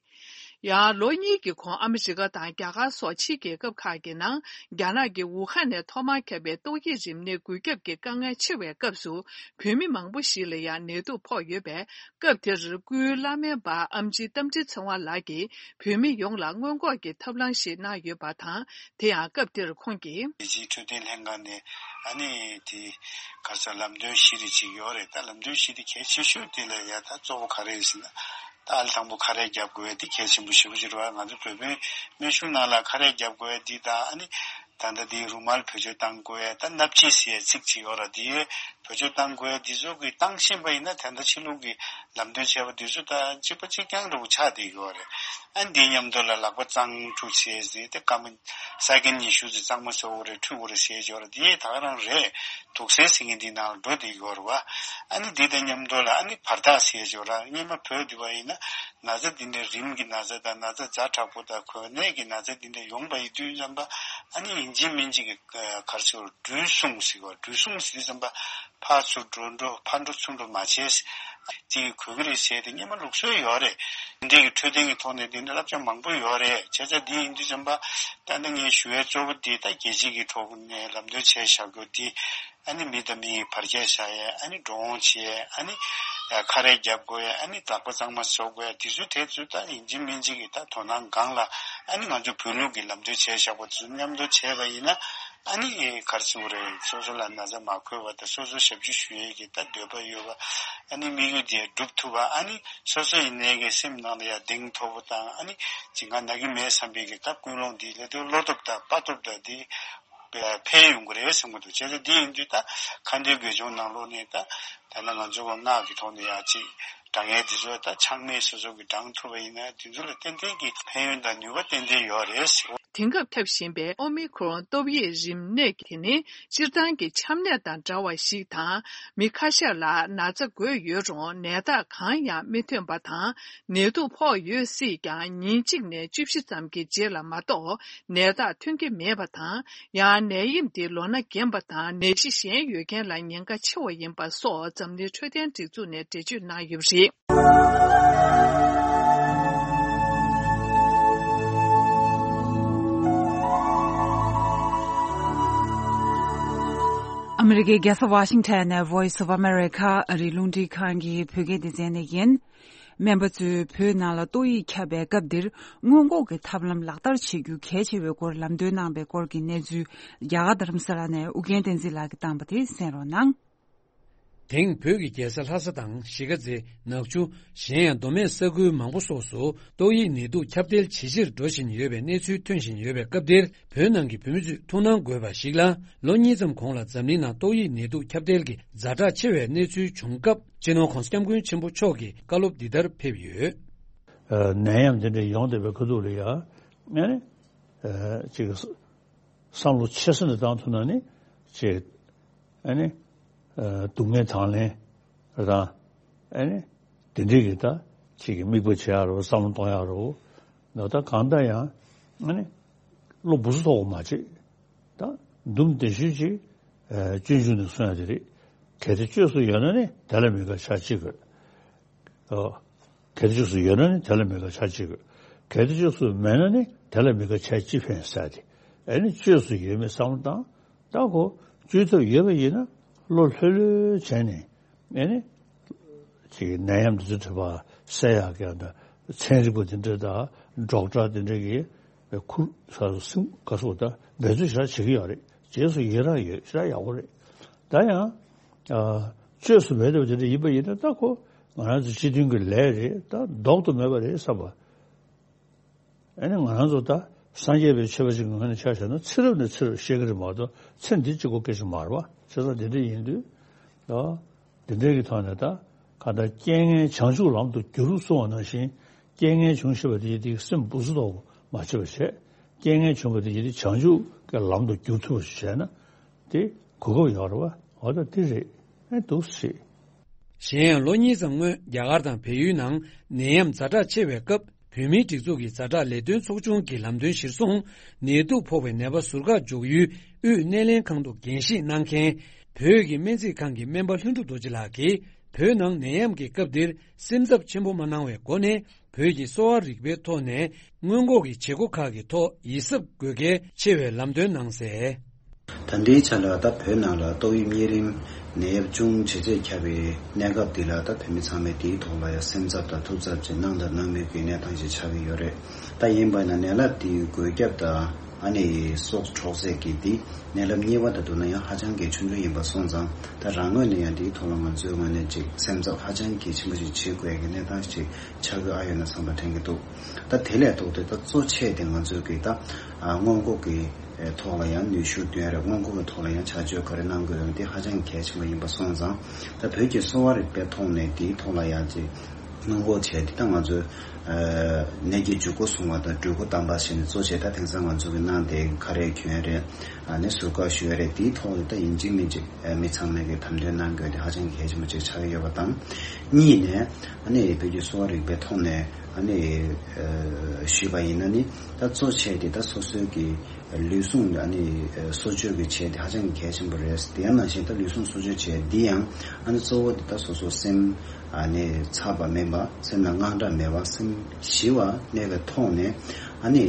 ཡང་ལོ་གཉིས་ཀྱི་གོང་ཨ་མི་རི་ཀ་དང་རྒྱ་གར་སོགས་ཕྱིའི་རྒྱལ་ཁབ་ཁག་གི་ནང་རྒྱ་ནག་གི་ཝུ་ཧན་ནས་ཐོག་མར་ཁྱབ་པའི་ཏོག་དབྱིབས་རིམས་ནད་འགོས་ཁྱབ་ཀྱི་དཀའ་ངལ་ཆེ་བའི་སྐབས་སུ། བོད་མི་མང་པོ་ཞིག་ལ་ཡང་ནད་དུག་ཕོག་ཡོད་པས། སྐབས་དེར་སྐུའི་བླ་སྨན་པ་ཨམ་ཆི་རྟ་མགྲིན་ཚེ་དབང་ལགས་ཀྱིས་བོད་མི་ཡོངས་ལ་སྔོན་འགོག་གི་ཐབས་ལམ་ཞིག་གནང་ཡོད་པ་དང་། དེ་ཡང་སྐབས་དེར་ཁོང་གིས། རྒྱལ་སྤྱིའི་འཕྲོད་བསྟེན་ལྷན་ཁང་ནས་ཨ་ནི་དེ་ག་ས་ལམ་སྟོན་བཞི་རེ་ཅིག་ཡོད་རེད། ད་ལམ་སྟོན་བཞི་དེ་གལ་ཆེ་ཤོས་དེ་ལ་ཡ་ད་གཙོ་བོ་ག་རེ་རེད་ཟེར་ན། ད་ཨ་ལ་དང་པོ་ཁ་རས་རྒྱབ་དགོས་ཡ་དེ་གལ་ཆེན་པོ་ཞེ་པོ་ཅིག་རེད་བ། ང་ཚོ་བོད་པའི་སྨན་གཞུང་ནང་ལ་ཁ་རས་རྒྱབ་དགོས་ཡ་འདི་དང་ཨ་ནི། ད་ལྟ་འདི་རུ་མལ་བེད་སྤྱོད་བཏང་དགོས་ཡ། ད་སྣབས་ཕྱི་ཟེར་ཡ་ཚིག་ཅིག་ཡོད་ར། འདི་བེད་སྤྱོད་བཏང་དགོས་ཡ་འདི་ཚོ་གི་བཏང་ཤེས་པ་ཡིན་ན་ད་ལྟ་ཕྱི་ལུགས་ཀྱི་ལམ་སྟོན་བྱས་པ་འདི་ཚོ་ད་གཅིག་པ་གཅིག་རྐྱང་འདྲ་བོ་ཆགས་བསྡད་ཡོད་རེད། ཨ་ནི་འདིའི་མཉམ་དུ་ལ་ལག་པ་གཙང་ཁྲུ་བྱས་ཟེར་ཏེ་སྐར་མ་ས་ཀན་ཉི་ཤུ་ཙམ་གཙང་མ་བཟོ་དགོས་རེད། འཁྲུད་དགོས་རེད་ཟེར་ཡོད་ར། འདི་ད་ག་རང་རེད། དུག་སེལ་ཟེར་མཁན་འདི་ནང་ལ་འགྲོ་བསྡད་ཡོད་རེད་བ། ཨ་ནི་འདི་དང་མཉམ་དུ་ལ་ཨ་ནི་བར་ཐག་ཟེར་ཡོད་ར། སྔོན་མ་བོད་འདི་བ་ཡིན་ན་ན་ཚ་འདི་འདྲའི་རིམས་ཀྱི་ན་ཚ་དང་ན་ཚ་ཛ་དྲག་པོ་དང་གོ་ནད་ཀྱི་ན་ཚ་འདི་འདྲ་ཡོང་བ་ཡིན་དུས་ཙམ་པ། ཨ་ནི་ཡིན་གཅིག་མིན་གཅིག་གི་ག་རེ་ཟེར། འགྲོ་སོང་ཟེར་བ། འགྲོ་སོང་ཟེར་དུས་ཙམ་པ་ཕར་ཚུར་འགྲོ་འགྲོ་ཕར་འགྲོ་ཚུར་འགྲོ་མ་བྱས། དེ་གི་གོ་གི་རེད་ཟེར་ཏེ་སྔོན་མ་ལུགས་སྲོལ་ཡོད་རེད། འདི་འདྲའི་གི་འཕྲོད་བསྟེན་གི་ཐོག་ནས་འདི་འདྲ་བསླབ་བྱ་མང་པོ་ཡོད་རེད། བྱས་ཙང་འདི་ཡིན་དུས་ཙམ་པ་ད་ནི་ངས་ཞུ་བའི་གཙོ་བོ་འདི་ད་རྒྱལ་སྤྱི་གི་ཐོག་ནས་ལམ་སྟོན་བྱས་བཞག་རྒྱུ་འདི། ཨ་ནི་མི་དང་མི་ཡི་བར་ཆད་བཞག་ཡས། ཨ་ནི་འགྲོ་འོང་བྱེད་ཡས། ཨ་ནི་ཁ་རས་རྒྱབ་དགོས་ཡས། ཨ་ནི་ལག་པ་གཙང་མ་བཟོ་དགོས་ཡས། དེ་ཚོ་དེ་ཚོ་ད་ཡིན་གཅིག་མིན་གཅིག་གི་ད་དོ་སྣང་སྒང་ལ། ཨ་ནི་ང་ཚོ་བོད་ལུགས་ཀྱི་ལམ་སྟོན་བྱས་བཞག་པ་དེ་ཚོ་མཉམ་དུ་བྱས་པ་ཡིན་ན། ཨ་ནི་ག་རེ་ཟེར་དགོས་རེད། སོ་སོ་ལ་ན་ཚ་མ་འཁོར་བ་དང་། སོ་སོ་ཞབས་ཕྱི་ཞུ་ཡས་ཀྱི་ད་འདོད་པ་ཡོད་པ། ཨ་ནི་དམིགས་ཡུལ་དེ་འགྲུབ་ཐུབ་པ། ཨ་ནི་སོ་སོ་ཡིན་ནའི་གི་སེམས་ནང་ལ་ཡང་གདེང་ཐོབ་པ་དང་། ཨ་ནི་ཅིག་ང་ན་གི་མེད་བསམ་པའི་གི་ད་ཀུན་སློང་འདི་ལས་དོན་བློ་སྟོབས་དང་དཔའ་སྟོབས་དང་འདི་འཕེལ་ཡོང་གི་རེད་བསམ་གི་འདུག་བྱས་ཙང་འདི་ཡིན་དུས་ད་ཁ་འདོན་དགེ་སྦྱོང་ནང་ལོགས་ནས་ད་ད་ལྟ་ང་ཚོ་གི་སྔགས་ཀྱི་ཐོག་ནས་ཡང་ཅིག་དྲང་ངེས་འདི་ཚོ་ད་ཆག་མེད་སོ་སོ་གི་དྲང་ཐུབ་པ་ཡིན་ན། འདི་ཚོ་ལ་ཏན་ཏན་གྱི་ཕན་ཡོན་དང་ནུས་པ་ཏན་ཏན་ཡོད་རེད་ཟེར། དེང་སྐབས་ཁྱབ་བཞིན་པའི་ཨོ་མི་ཁྲོན་ཏོག་དབྱིབས་རིམས་ནད་དེ་ནི་སྤྱིར་བཏང་གི་ཆམ་ནད་དང་འདྲ་བ་ཞིག་དང་། མི་ཁ་ཤས་ལ་ན་ཚ་འགོས་ཡོད་རུང་ནད་རྟགས་གང་ཡང་མི་ཐོན་པ་དང་། ནད་དུག་ཕོག་ཡོད་སྲིད་ཀྱང་ཉིན་གཅིག་ནས་བཅུ་བཞི་ཙམ་གྱི་རྗེས་ལ་མ་གཏོགས་ནད་རྟགས་ཐོན་གྱི་མེད་པ་དང་། ཡང་ནད་ཡམས་དེ་ལོ་ན་རྒན་པ་དང་ནད་གཞི་གཞན་ཡོད་མཁན་ལ་ཉེན་ཁ་ཆེ་བ་ཡིན་པ་སོགས་འཛམ་གླིང་འཕྲོད་བསྟེན་སྒྲིག་འཛུགས་ནས་འགྲེལ་བརྗོད་གནང་ཡོད་པ་རེད། ཨ་མི་རི་ཀའི་རྒྱལ་ས་ཝ་ཤིང་ཊོན་ནས་Voice of America ཨ་རིའི་རླུང་འཕྲིན་ཁང་གི་བོད་སྐད་སྡེ་ཚན་ནས་ཡིན། སྨན་པ་ཚོས་བོད་ནང་ལ་ཏོག་དབྱིབས་ཁྱབ་པའི་སྐབས་འདིར་སྔོན་འགོག་གི་ཐབས་ལམ་ལག་བསྟར་བྱེད་རྒྱུ་གལ་ཆེ་བའི་སྐོར་ལམ་སྟོན་གནང་པའི་སྐོར་གྱི་གནས་ཚུལ་རྒྱ་གར་རྡ་རམ་ས་ལ་ནས་ཨུ་རྒྱན་བསྟན་འཛིན་ལགས་ཀྱིས་བཏང་པ་དེ་གསན་རོགས་གནང་། དེང་བོད་ཀྱི་རྒྱལ་ས་ལྷ་ས་དང་གཞིས་ཀ་རྩེ། ནག་ཆུ། གཞན་ཡང་མདོ་སྨད་ས་ཁུལ་མང་པོ་སོགས་སུ་ཏོག་དབྱིབས་ནད་དུག་ཁྱབ་གདལ་ཇེ་ཆེར་འགྲོ་བཞིན་ཡོད་པའི་གནས་ཚུལ་ཐོན་བཞིན་ཡོད་པའི་སྐབས་འདིར། བོད་ནང་གི་བོད་མི་ཚོས་ཐུགས་སྣང་དགོས་པ་ཞིག་ལ། ལོ་གཉིས་ཙམ་གོང་ལ་འཛམ་གླིང་ནང་ཏོག་དབྱིབས་ནད་དུག་ཁྱབ་གདལ་གྱི་ཛ་དྲག་ཆེ་བའི་གནས་ཚུལ་བྱུང་སྐབས། སྤྱི་ནོར་༸གོང་ས་༸སྐྱབས་མགོན་ཆེན་པོ་མཆོག་གིས་བཀའ་སློབ་འདི་ལྟར་ཕེབས་ཡོད། ཨ། ནད་ཡམས་འདི་འདྲ་ཡོང་བསྡད་པའི་ཁ་ཐུག་ལ་ཡ། ཨ་ནི། ཨ། ཅིག་བསམ་བློ་ཆེ་ས་ནས་བཏང་ཐུབ་ན་ནི་ཅིག་ཨ་ནི། ཨ། སྡུག་བསྔལ་དང་ལེན་དང་། ཨ་ནི། དེ་འདྲའི་གི་ད་ཅིག་གི་དམིགས་པ་བྱེད་ཡག་རེད་བ། བསམ་བློ་གཏོང་ཡག་རེད་བ། ད་གང་ལྟར་ཡང་ཨ་ནི། བློ་སྦུག་སུ་ཐོག་མ་བྱེད། ད་འདུམ་དེ་ཤུལ་ཅིག་ཨ། སྤྱོད་འཇུག་ནས་གསུང་ཡག་དེ་རེད། གལ་ཏེ་བཅོས་སུ་ཡོད་ན་ནི་དེ་ལ་དམིགས་པ་བྱ་ཅི་དགོས། ཨོ། གལ་ཏེ་བཅོས་སུ་ཡོད་ན་ནི་དེ་ལ་དམིགས་པ་བྱ་ཅི་དགོས། གལ་ཏེ་བཅོས་སུ་མེད་ན་ནི་དེ་ལ་དམིགས་པ་བྱ་ཅི་ཕན་ཟེར་ཏེ། ཨ་ནི་བཅོས་སུ་ཡོད་མེད་བསམ་བློ་བཏང་། ད་ཁོ་བཅོས་ཐབས་ཡོད་པ་ཡིན་ན་བློ་ལྷོད་ལྷོད་བྱས་ནས། ཨ་ནི། ཅིག་ནད་ཡམས་འདི་ཚོ་དྲི་བ་སེལ་ཡག་གི་ད་ཚན་རིག་པ་དེ་འདྲ་དང་ཌོག་ཊར་དེ་འདྲ་གི་ཁུར་ས་སུ་སིམ་ག་སོགས་ད་འབད་རྩོལ་ཞེ་དྲག་བྱེད་ཀྱི་ཡོད་རེད། རྗེས་སུ་ཡི་རང་ཡོད། ཞེ་དྲག་ཡག་པོ་རེད། ད་ཡང་། ཨ། བཅོས་སུ་མེད་པ་དེ་འདྲ་ཡིན་པ་ཡིན་ན་ད་ཁོ་ང་རང་ཚོ་སྤྱི་མཐུན་གྱི་ལས་རེད། ད་ལྡོག་ཏུ་མེད་པ་རེད་བསམ་པ། ཨ་ནི་ང་རང་ཚོ་ད་སངས་རྒྱས་པའི་ཆོས་པ་ཅིག་གི་ངོས་ནས་ཆ་བཞག་ན་ཚེ་རབས་ནས་ཚེ་རབས་བཤད་ཀྱི་རེད་མ་གཏོགས་ཚེ་འདི་གཅིག་པོ་སྐད་ཆ་མ་རེད་བ། བྱས་ཙང་དེ་འདྲ་ཡིན་དུས། ད་དེ་འདྲའི་གི་ཐོག་ནས་ད་གང་ལྟར་རྐྱེན་ངན་བྱང་ཆུབ་ལམ་དུ་བསྒྱུར་གསུང་བ་ནང་བཞིན། རྐྱེན་ངན་བྱུང་ཤེས་པ་དེ་ཡིན་དུས་སེམས་སྦུག་སུ་ཐོག་མ་བྱེད་པ་བྱས། རྐྱེན་ངན་བྱུང་བ་དེ་ཡིན་དུས་བྱང་ཆུབ་ཀྱི་ལམ་དུ་བསྒྱུར་ཐུབ་པ་ཞིག་བྱས་ན་དེ་གོ་སྐབས་ཡོད་རེད་བ། འོ་ད་དེ་རེད། ཨེ་འདུག་སེ། གཞན་ཡང་ལོ་གཉིས་ཙམ་སྔོན་རྒྱ་གར་དང་བལ་ཡུལ་ནང་ནད་ཡམས་ཛ་དྲག་ཆེ་བའི་སྐབས། བོད་མིའི་སྒྲིག་འཛུགས་ཀྱི་ཛ་དྲག་ལས་དོན་ཚོགས་ཆུང་གི་ལམ་སྟོན་གཞིར་བཟུང་། ནད་དུག་ཕོག་པའི་ནད་པ་ཟུར་བཀག་འཇོག་ཡུལ་དབུས་སྣེ་ལེན་ཁང་དུ་འགན་བཞེས་གནང་མཁན། བོད་ཀྱི་སྨན་རྩིས་ཁང་གི་སྨན་པ་ལྷུན་གྲུབ་རྡོ་རྗེ་ལགས་ཀྱིས། བོད་ནང་ནད་ཡམས་ཀྱི་སྐབས་འདིར་སེམས་འཚབ་ཆེན་པོ་མ་གནང་བའི་སྒོ་ནས། བོད་ཀྱི་གསོ་བ་རིག་པའི་ཐོག་ནས་སྔོན་འགོག་གི་བྱེད་སྒོ་ཁག་གི་ཐོག་ཡིད་གཟབ་དགོས་གལ་ཆེ་བའི་ལམ་སྟོན་གནང་གསལ། ད་ལྟའི་ཆ་ལ་ད་བོད་ནང་ལ་ཏོག་དབྱིབས་གཉན་རིམས་ནད་ཡམས་ཅུང་ཇེ་ཆེར་ཁྱབ་པའི་གནས་སྐབས་འདི་ལ་ད་བོད་མི་ཚང་མས་དེའི་ཐོག་ལ་ཡང་སེམས་འཚབ་དང་ཐུགས་འཚབ་ཅིག་གནང་དང་གནང་མུས་ཀྱི་གནས་སྟངས་ཤིག་ཆགས་ཀྱི་ཡོད་རེད། ད་ཡིན་པ་ན་ནད་རླབས་འདིའི་འགོས་ཁྱབ་དང་ཨ་ནི་སྲོག་འཕྲོག་ཚད་ཀྱི་འདི་ནད་རླབས་གཉིས་པ་དང་བསྡུར་ན་ཡང་ཧ་ཅང་གི་ཆུང་ཆུང་ཡིན་པ་སོང་ཙང་ད་རང་ངོས་ནས་ཡང་འདིའི་ཐོག་ལ་ང་ཚོའི་ངོས་ནས་ཅིག་སེམས་འཚབ་ཧ་ཅང་གི་ཆེན་པོ་ཞིག་བྱེད་དགོས་ཀྱི་གནས་སྟངས་ཤིག་ཆགས་ཀྱི་ཨ་ཡོད་ན་བསམ་པ་དྲན་གྱི་འདུག་ད་དེ་ལས་ལྡོག་སྟེ་ད་གཙོ་ཆེ་དེ་ང་ཚོའི་གི་ད་ཨ་སྔོན་འགོག་གི་ཐོག་ལ་ཡང་ནུས་ཤུགས་བཏོན་རེད། སྔོན་འགོག་གི་ཐོག་ལ་ཡང་བྱ་སྤྱོད་ག་རེ་གནང་དགོས་ཡོད་དེ་ཧ་ཅང་གལ་ཆེན་པོ་ཡིན་པ་སོང་ཙང་ད་བོད་ཀྱི་གསོ་བ་རིག་པའི་ཐོག་ནས་དེའི་ཐོག་ལ་ཡང་ཅིག་སྔོན་འགོག་བྱས་ཏེ་ད་ང་ཚོས་ཨ་ནད་ཀྱི་འཇུག་སྒོ་སྲུང་བ་དང་འགྲོ་སྒོ་དམ་པ་བྱས་ནས་གཙོ་ཆེ་ད་དེང་སང་ང་ཚོ་གི་གནང་དེ་ཁ་རས་གྱོན་རེད། ཨ་ནི་ཟུར་བཀག་ཞུ་ཡ་རེད། དེའི་ཐོག་ནས་ད་ཡིན་གཅིག་མིན་གཅིག་ཨ་མི་ཚང་མས་གི་དམ་དོན་གནང་དགོས་དེ་ཧ་ཅང་གལ་ཆེན་པོ་ཅིག་ཆགས་ཀྱི་ཡོད་པ་དང་། གཉིས་ནས་ཨ་ནི་བོད་ཀྱི་གསོ་བ་རིག་པའི་ཐོག་ནས་ཨ་ནི་ཨ་ཞུས་པ་ཡིན་ན་ནི་ད་གཙོ་ཆེ་དེ་ད་སོ་སོའི་གི་ལུས་ཟུངས་ཨ་ནི་གསོ་བཅོས་ཀྱི་བྱས་དེ་ཧ་ཅང་གི་གལ་ཆེན་པོ་རེད། དེ་ཡང་ནང་བཞིན་ད་ལུས་ཟུངས་གསོ་བཅོས་བྱས་འདི་ཡང་ཨ་ནི་གཙོ་བོ་དེ་ད་སོ་སོ་སེམས་ཨ་ནི་འཚབ་པ་མེད་པ་སེམས་ལ་དངངས་སྐྲག་མེད་པ་སེམས་ཞི་བ་གནས་པའི་ཐོག་ནས་ཨ་ནི་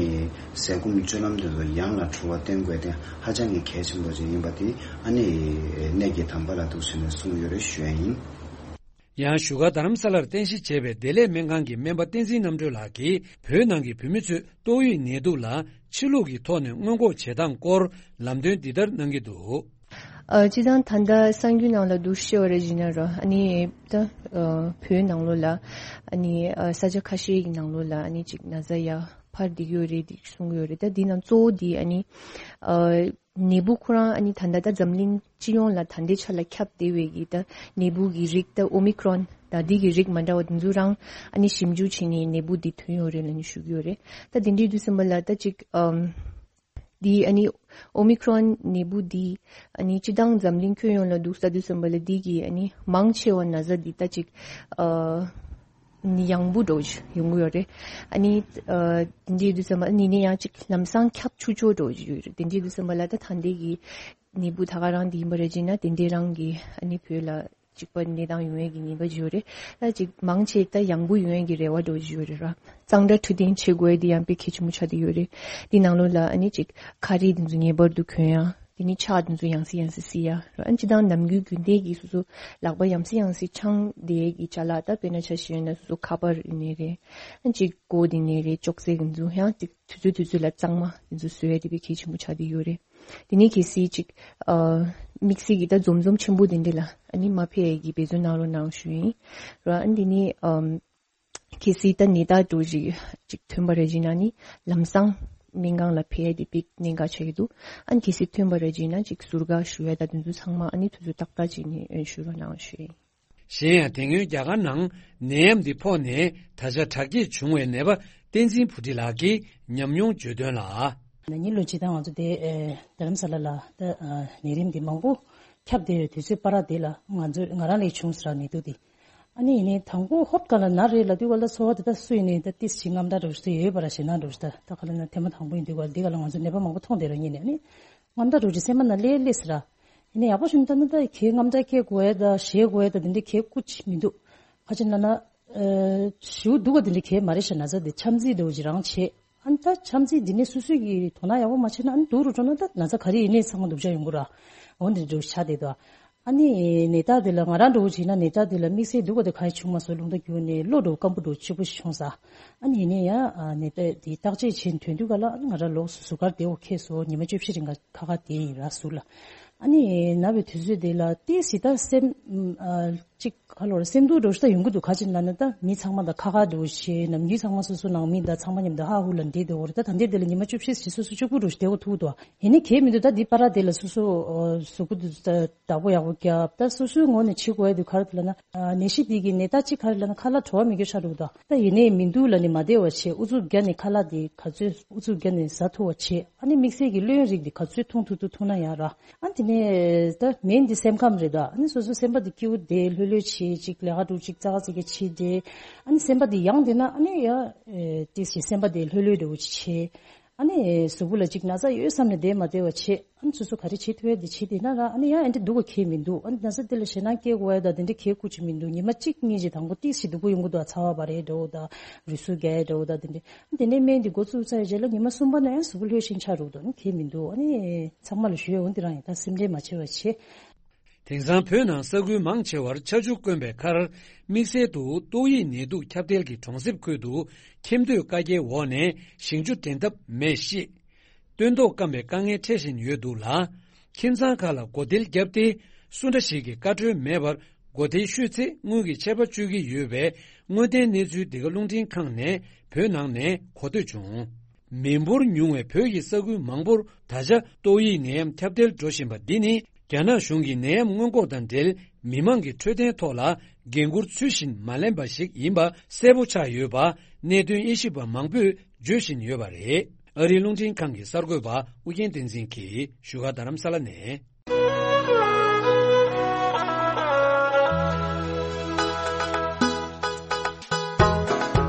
ཟས་སྐོམ་སྤྱོད་ལམ་དེ་ཚོ་ཡང་ལ་འཁྲུལ་བ་བསྟེན་དགོས་དེ་ཧ་ཅང་གི་གལ་ཆེན་པོ་ཅིག་ཡིན་པ་དེ་ཨ་ནི་གནད་ཀྱི་དམ་པ་ལ་འདུག་ཟེར་ནས་གསུངས་ཡོད་རེད་ཞུ་ཡ་ཡིན། ཡང་བཞུགས་སྒར་རྡ་རམ་ས་ལར་རྟེན་གཞི་བྱས་པའི་བདེ་ལེགས་སྨན་ཁང་གི་སྨན་པ་བསྟན་འཛིན་རྣམ་གྲོལ་ལགས་ཀྱིས་བོད་ནང་གི་བོད་མི་ཚོས་ཏོག་དབྱིབས་ནད་དུག་ལ་ཕྱི་ལུགས་ཀྱི་ཐོག་ནས་སྔོན་འགོག་བྱེད་སྟངས་སྐོར་ལམ་སྟོན་འདི་ལྟར་གནང་གི་འདུག་ཨ། སྤྱིར་བཏང་ད་ལྟ་གསར་འགྱུར་ནང་ལ་འདུག་ཤེས་པ་རེད་ཟེར་ན་ར་ཨ་ནི་ད་ཨ་བོད་ནང་ལོགས་ལ་ཨ་ནི་ཨ་ས་ཆ་ཁ་ཤས་ཀྱི་ནང་ལོགས་ལ་ཨ་ནི་ཅིག་ན་ཚ་ཡར་འཕར་བསྡད་ཀྱི་ཡོད་རེད་འདི་གསུང་གི་ཡོད་རེད། ད་འདི་ནང་གཙོ་བོ་འདི་ཨ་ནི་ཨ་ནད་འབུ་ཁོ་རང་ཨ་ནི་ད་ལྟ་ད་འཛམ་གླིང་སྤྱི་ཡོངས་ལ་ད་ལྟའི་ཆ་ལ་ཁྱབ་བསྡད་པའི་གི་ད་ནད་འབུ་གི་རིགས་ད་ཨོ་མི་ཀྲོན་ད་འདི་གི་རིགས་མ་འདྲ་བ་འདི་ཚོ་རང་ཨ་ནི་ཞིབ་འཇུག་བྱས་ནས་ནད་འབུ་འདི་ཐོན་ཡོད་རེད་ལབ་ནས་ཞུ་གི་ཡོད་རེད། ད་དེ་འདྲའི་དུས་ཙམ་པ་ལ་ད་ཅིག་ཨམ། འདི་ཨ་ནི་ཨོ་མི་ཀྲོན་ནད་འབུ་འདི་ཨ་ནི་སྤྱི་བཏང་འཛམ་གླིང་ཁྱོན་ཡོངས་ལ་འདུག་ས་དུས་ཙམ་པ་ལ་འདི་གི་ཨ་ནི་མང་ཆེ་བ་ན་ཚ་འདི་ད་ཅིག་ཨ་ནི་ཡང་བུ་འགྲོ་ཡོང་གི་ཡོད་རེད། ཨ་ནི་ཨ་འདི་དུས་ཙམ་པ་ཨ་ནི་ནི་ཡང་ཅིག་ལམ་སང་ཁྱབ་ཆུང་ཆུང་འགྲོ་ཡོད་རེད། དེ་འདྲའི་དུས་ཙམ་པ་ལ་ད་ད་འདི་གི་ནད་འབུ་ད་ག་རང་འདི་ཡིན་པ་རེད་ཅེ་ན་དེ་འདྲའི་རང་གི་ཨ་ནི་བོད་ལ་གཅིག་པ་གནས་སྟངས་ཡོང་ཡས་ཀྱི་ཉེན་ཁ་ཅིག་ཡོད་རེད། ད་ཅིག་མང་ཆེ་ད་ཡང་བུ་ཡོང་ཡས་ཀྱི་རེ་བ་འདྲ་ཅིག་ཡོད་རེད་ར། གཙང་སྦྲ་འཕྲོད་བསྟེན་བྱེད་དགོས་ཡས་འདི་ཡང་དཔེ་གལ་ཆེན་པོ་ཆགས་བསྡད་ཡོད་རེད། འདི་ནང་ལོགས་ལ་ཨ་ནི་ཅིག་ཁ་རས་འདི་ཚོ་ངེས་པར་དུ་གོན་ཡ། དེ་ནི་ཕྱག་འདི་ཚོ་ཡང་སེ་ཡང་སེ་བསིལ་ཡ་ར། ཨ་ནི་སྤྱིར་བཏང་ནམ་རྒྱུན་རྒྱུན་ལྡན་གྱི་སོ་སོ་ལག་པ་ཡང་སེ་ཡང་སེ་འཆང་བསྡད་ཡས་ཀྱི་ཅ་ལག་ད་དཔེར་ན་ཆ་བཞག་ན་སོ་སོ་ཁ་པར་ཡིན་ནའི་རེད། ཨ་ནི་ཅིག་མགོ་འདི་ནས་རེད་ཅོག་ཙེ་འདི་ཚོ་ཡང་ཅིག་དུས་ཚོད་དུས་ཚོད་ལ་གཙང་མ་འདི་ཚོ་བཟོ་ཡ་དེ་དཔེ་གལ་ཆེན་པོ་ཆགས་བསྡད་ཡོད་རེད། དེ་ནས་གལ་སྲིད་ཅིག་ཨ་དམིགས་བསལ་གྱི་ད་འཛོམས་འཛོམས་ཆེན་པོ་དེ་འདྲ་ལ་ཨ་ནི་མ་ཕེབས་ཡས་ཀྱི་འབད་བརྩོན་གནང་རོགས་གནང་ཞུ་ཡིན། ར་ཨ་ནི་དེ་ནས་ཨམ་གལ་སྲིད་ད་ནད་རྟགས་འདྲ་ཅིག་ཅིག་ཐོན་པ་རེད་ཅེ་ན་ནི་ལམ་སང་སྨན་ཁང་ལ་ཕེབས་ཡས་དེ་དཔེ་གནད་འགག་ཆགས་ཀྱི་འདུག་ཨ་ནི་གལ་སྲིད་ཐོན་པ་རེད་ཅེ་ན་ཅིག་ཟུར་བཀག་ཞུ་ཡས་ད་དེ་ཚོ་ཚང་མ་ཨ་ནི་དུས་ཚོད་ཏག་ཏག་ཅིག་ནས་ཨ་ཞུ་རོགས་གནང་ཞུ་ཡིན། གཞན་ཡང་དེ་སྔོན་རྒྱ་གར་ནང་ནད་ཡམས་འདི་ཕོག་ནས་ད་ཆ་དྲག་སྐྱེད་བྱུང་བའི་ནད་པ་བསྟན་འཛིན་བུ་ཁྲིད་ལགས་ཀྱིས་ཉམས་མྱོང་བརྗོད་དོན་ལ། ན་ནིང་ལོ་སྤྱིར་བཏང་ང་ཚོ་དེ་ཨེ་རྡ་རམ་ས་ལ་ལ་ད་ཨ་ནད་རིམས་འདི་མང་པོ་ཁྱབ་བསྡད་ཡོད་དུས་ཚོད་པ་ར་དེ་ལ་ང་ཚོ་ང་རང་ལ་བྱུང་ཟེར་ནད་དུག་འདི། ཨ་ནི་ཡིན་ནའི་དང་པོ་ཧོབ་ག་ལ་ན་རེད་ལབ་དུས་ག་ལ་ཚོར་བ་དེ་ད་སུ་ཡིན་ནའི་ད་ཏིས་ཅིག་དངངས་སྐྲག་འདྲ་བོ་ཞིག་ཡོད་པ་ར་ཞེད་སྣང་འདྲ་བོ་ཞིག་ད་ད་ག་ལ་ན་ཐེངས་མ་དང་པོ་ཡིན་དུས་ག་ལ་འདི་ག་ལ་ང་ཚོ་ནད་པ་མང་པོ་མཐོང་བསྡད་ར་ཉིན་ནས་ཨ་ནི། དངངས་སྐྲག་འདྲ་བོ་ཅིག་སེམས་པ་ནང་སླེབས་སླེབས་ཟེར་ར། ཡིན་ནའི་ཡག་པོ་ཞིག་མི་འདུག་ད་ནི་ད་གའི་དངངས་སྐྲག་སྐྱེ་དགོས་ཡ་ད་ཞེད་དགོས་ཡ་ད་དེ་འདྲའི་གའི་སྐུ་ཅིག་མི་འདུག་ག་ཅི་ལབ་ན། ཨ་ཞེ་པོ་སྡུག་པ་དེ་འདྲའི་གའི་མ་རེད་ཤག་ན་ཚ་དེ་འཆམ་རྩོད་འདྲ་བོ་ཅིག་རང་བྱེད། ཨ་ནི་ད་འཆམ་རྩོད་འདི་ནས་སོ་སོ་གི་དོ་སྣང་ཡག་པོ་མ་བྱས་ན་ཨ་ནི་སྡུག་རུ་འགྲོ་ན་ད་ན་ཚ་ག་རེ་ཡིན་ནའི་ཚང་མ་སྡུག་ཅག་ཡོང་གི་ར། འོ་འདི་འདྲ་བོ་ཆགས་བསྡད་འདུག་ཨ་ནི་ནད་རྟགས་དེ་ལ་ང་རང་འདྲ་བོ་བྱས་ན་ནད་རྟགས་དེ་ལ་དམིགས་བསལ་སྡུག་པ་དེ་ག་རེ་བྱུང་མ་སོང་ལུང་བསྟན་བརྒྱུད་ནས་གློ་འདྲ་བོ་སྐམ་པོ་འདྲ་བོ་གཅིག་པོ་ཞིག་བྱུང་ས། ཨ་ནི་ཡིན་ནའི་ཡང་ནད་པས་དེ་བརྟག་དཔྱད་བྱེད་ཐོན་དུས་ག་ལ་ཨ་ནི་ང་རང་ལོགས་སུ་ཟུར་བཀག་བསྡད་འོ་ཁེལ་སོང་ཉི་མ་བཅུ་བཞི་རིང་ག་ཁ་ཁ་བསྡད་ཡིན་ར་ཟུར་ལ། ཨ་ནི་ན་བའི་དུས་ཚོད་དེ་ལ་ཏིས་ཅིག་ད་སེམས་ཨ་ཅིག་ག་ལོར་སེམས་སྡུག་འདྲ་བོ་ཞིག་ད་ཡོང་གི་འདུག་ག་ཅི་ལབ་ན་ད་མི་ཚང་མ་དང་ཁ་ཁ་འདྲ་བོ་བྱས་ནམ་རྒྱུན་ཚང་མ་སོ་སོ་ནང་མི་དང་ཚང་མ་མཉམ་དུ་ཧ་ཧུ་ལ་འདྲེས་བསྡད་འོ་རེད། ད་ད་ལྟའི་དེ་ལ་ཉི་མ་བཅུ་བཞི་ཞིག་སོ་སོ་གཅིག་པུ་འདྲ་བོ་ཞིག་བསྡད་འོ་ཐུག་འདུག་ཡིན་ནའི་གལ་མི་འདུག་ད་འདི་པ་ར་དེ་ལ་སོ་སོ་ཨ་གཟུགས་པོ་འདི་ད་བདག་པོ་ཡག་པོ་རྒྱབ། ད་སོ་སོའི་ངོས་ནས་བྱེད་དགོས་ཡ་འདི་ག་རེ་ལབ་ན་ཨ་ནད་གཞི་འདི་གི་ནད་རྟགས་གཅིག་ག་རེ་ལབ་ན་ཁ་ལག་བྲོ་བ་མི་འགྱོ་ཤ་འགྲོ་གི་འདུག་ད་ཡིན་ནའི་མི་འདུག་ལབ་ནས་མ་བསྡད་པ་བྱས། ཨུ་ཚུགས་བརྒྱབ་ནས་ཁ་ལག་འདི་ག་ཚོད་ཨུ་ཚུགས་བརྒྱབ་ནས་ཟ་ཐུབ་པ་བྱས། ཨ་ནི་དམིགས་བསལ་གྱི་གློ་ཡོན་རིགས་འདི་ག་ཚོད་འཐུང་ཐུབ་ཐུབ་འཐུང་ན་ཡག་ར། ཨ་དེ་ནས་ད་མེན་འདི་སེམས་ཁམས་རེད་ད། ཨ་ནི་སོ་སོ་སེམས་པ་འདི་སྐྱིད་པོ་བསྡད་ལྷོད་ལྷོད་བྱས་ཅིག་ལས་ཀ་འདྲ་ཅིག་ཙག་ཙིག་གི་བྱས་བསྡད། ཨ་ནི་སེམས་པ་འདི་ཡང་བསྡད་ན་ཨ་ནི་ཡ་ཨེ་ཏིས་ཅིག་སེམས་པ་འདི་ལྷོད་ལྷོད་འདྲ་བོ་ཅིག་བྱས། ཨ་ནི་གཟུགས་པོ་ལ་ཅིག་ན་ཚ་ཡོད་བསམ་ནས་བསྡད་མ་བསྡད་པ་བྱེད། ཨ་ནི་སོ་སོ་ག་རེ་བྱེད་ཐུབ་ཡ་དེ་བྱེད་དེ་ན་ར། ཨ་ནི་ཡང་ཨེ་འདྲ་སྡུག་ག་ཁེལ་མི་འདུག་ཨ་ནི་ན་ཚ་དེ་ལ་ཞེད་སྣང་སྐྱེ་དགོས་ཡ་ད་དེ་འདྲ་ཁེལ་དགོས་ཀྱི་མི་འདུག་ཉི་མ་གཅིག་གཉིས་ཅིག་དང་པོ་ཏིག་ཞིག་སྡུག་པོ་ཡོང་གི་འདུག་ཚ་བ་བ་རེད་འགྲོ་འོ་ད་རུས་ཟུག་རྒྱག་ཡ་འགྲོ་འོ་ད་དེ་འདྲ། ཨ་ནི་དེ་ནས་སྨན་དེ་འགོ་བཙུགས་ཚར་རྗེས་ལ་ཉི་མ་གསུམ་པ་ན་ཡང་གཟུགས་པོ་ལྷོད་ཤིང་ཆགས་འགྲོ་འདུག་ཨ་ནི་ཁེལ་མི་འདུག་ཨ་ནི་ཚང་མ་ལ་ཞུ་ཡ་འོ་འདི་རང་ཡིན། ད་སེམས་ཁྲལ་མ་བྱེད་པ་བྱེད། དེང་སང་བོད་ནང་ས་ཁུལ་མང་ཆེ་བར་ཆར་ཆུ་དཀོན་པའི་ཁར། དམིགས་བསལ་དུ་ཏོག་དབྱིབས་ནད་དུག་ཁྱབ་གདལ་གྱི་གྲོང་གསེབ་ཁུལ་དུ་ཁྱིམ་སྡོད་བཀའ་རྒྱའི་འོག་ནས་ཞིང་ཆུ་འདྲེན་ཐབས་མེད་གཤིས། སྟོན་ཐོག་སྐམ་པའི་དཀའ་ངལ་འཕྲད་བཞིན་ཡོད་འདུག་ལ། ཁྱིམ་ཚང་ཁག་ལ་སྒོ་སྡེར་བརྒྱབ་སྟེ། སུ་འདྲ་ཞིག་གིས་བཀའ་འཁྲོལ་མེད་པར་སྒོ་སྡེའི་ཤོད་ཚེ་དངུལ་གྱི་ཆད་པ་གཅོད་ཀྱི་ཡོད་པའི་དངོས་བདེན་གནས་ཚུལ་འདི་ག་རླུང་འཕྲིན་ཁང་ནས་བོད་ནང་ནས་གོ་ཐོས་བྱུང་། མི་འབོར་ཉུང་བའི་བོད་ཀྱི་ས་ཁུལ་མང་པོར་ད་ཆ་ཏོག་དབྱིབས་ནད་ཡམས་ཁྱབ་གདལ་འགྲོ་བཞིན་པ་འདི་ནི། རྒྱ་ནག་གཞུང་གིས་ནད་ཡམས་སྔོན་འགོག་དང་འབྲེལ་མི་མང་གི་འཕྲོད་བསྟེན་ཐོག་ལ་འགན་འཁུར་ཚུལ་བཞིན་མ་ལེན་པ་ཞིག་ཡིན་པ་གསལ་པོ་ཆགས་ཡོད་པ་གནད་དོན་དབྱེ་ཞིབ་པ་མང་པོས་བརྗོད་བཞིན་ཡོད་པ་རེད། ཨ་རིའི་རླུང་འཕྲིན་ཁང་གི་གསར་འགོད་པ་ཨུ་རྒྱན་བསྟན་འཛིན་གྱིས་བཞུགས་སྒར་རྡ་རམ་ས་ལ་ནས།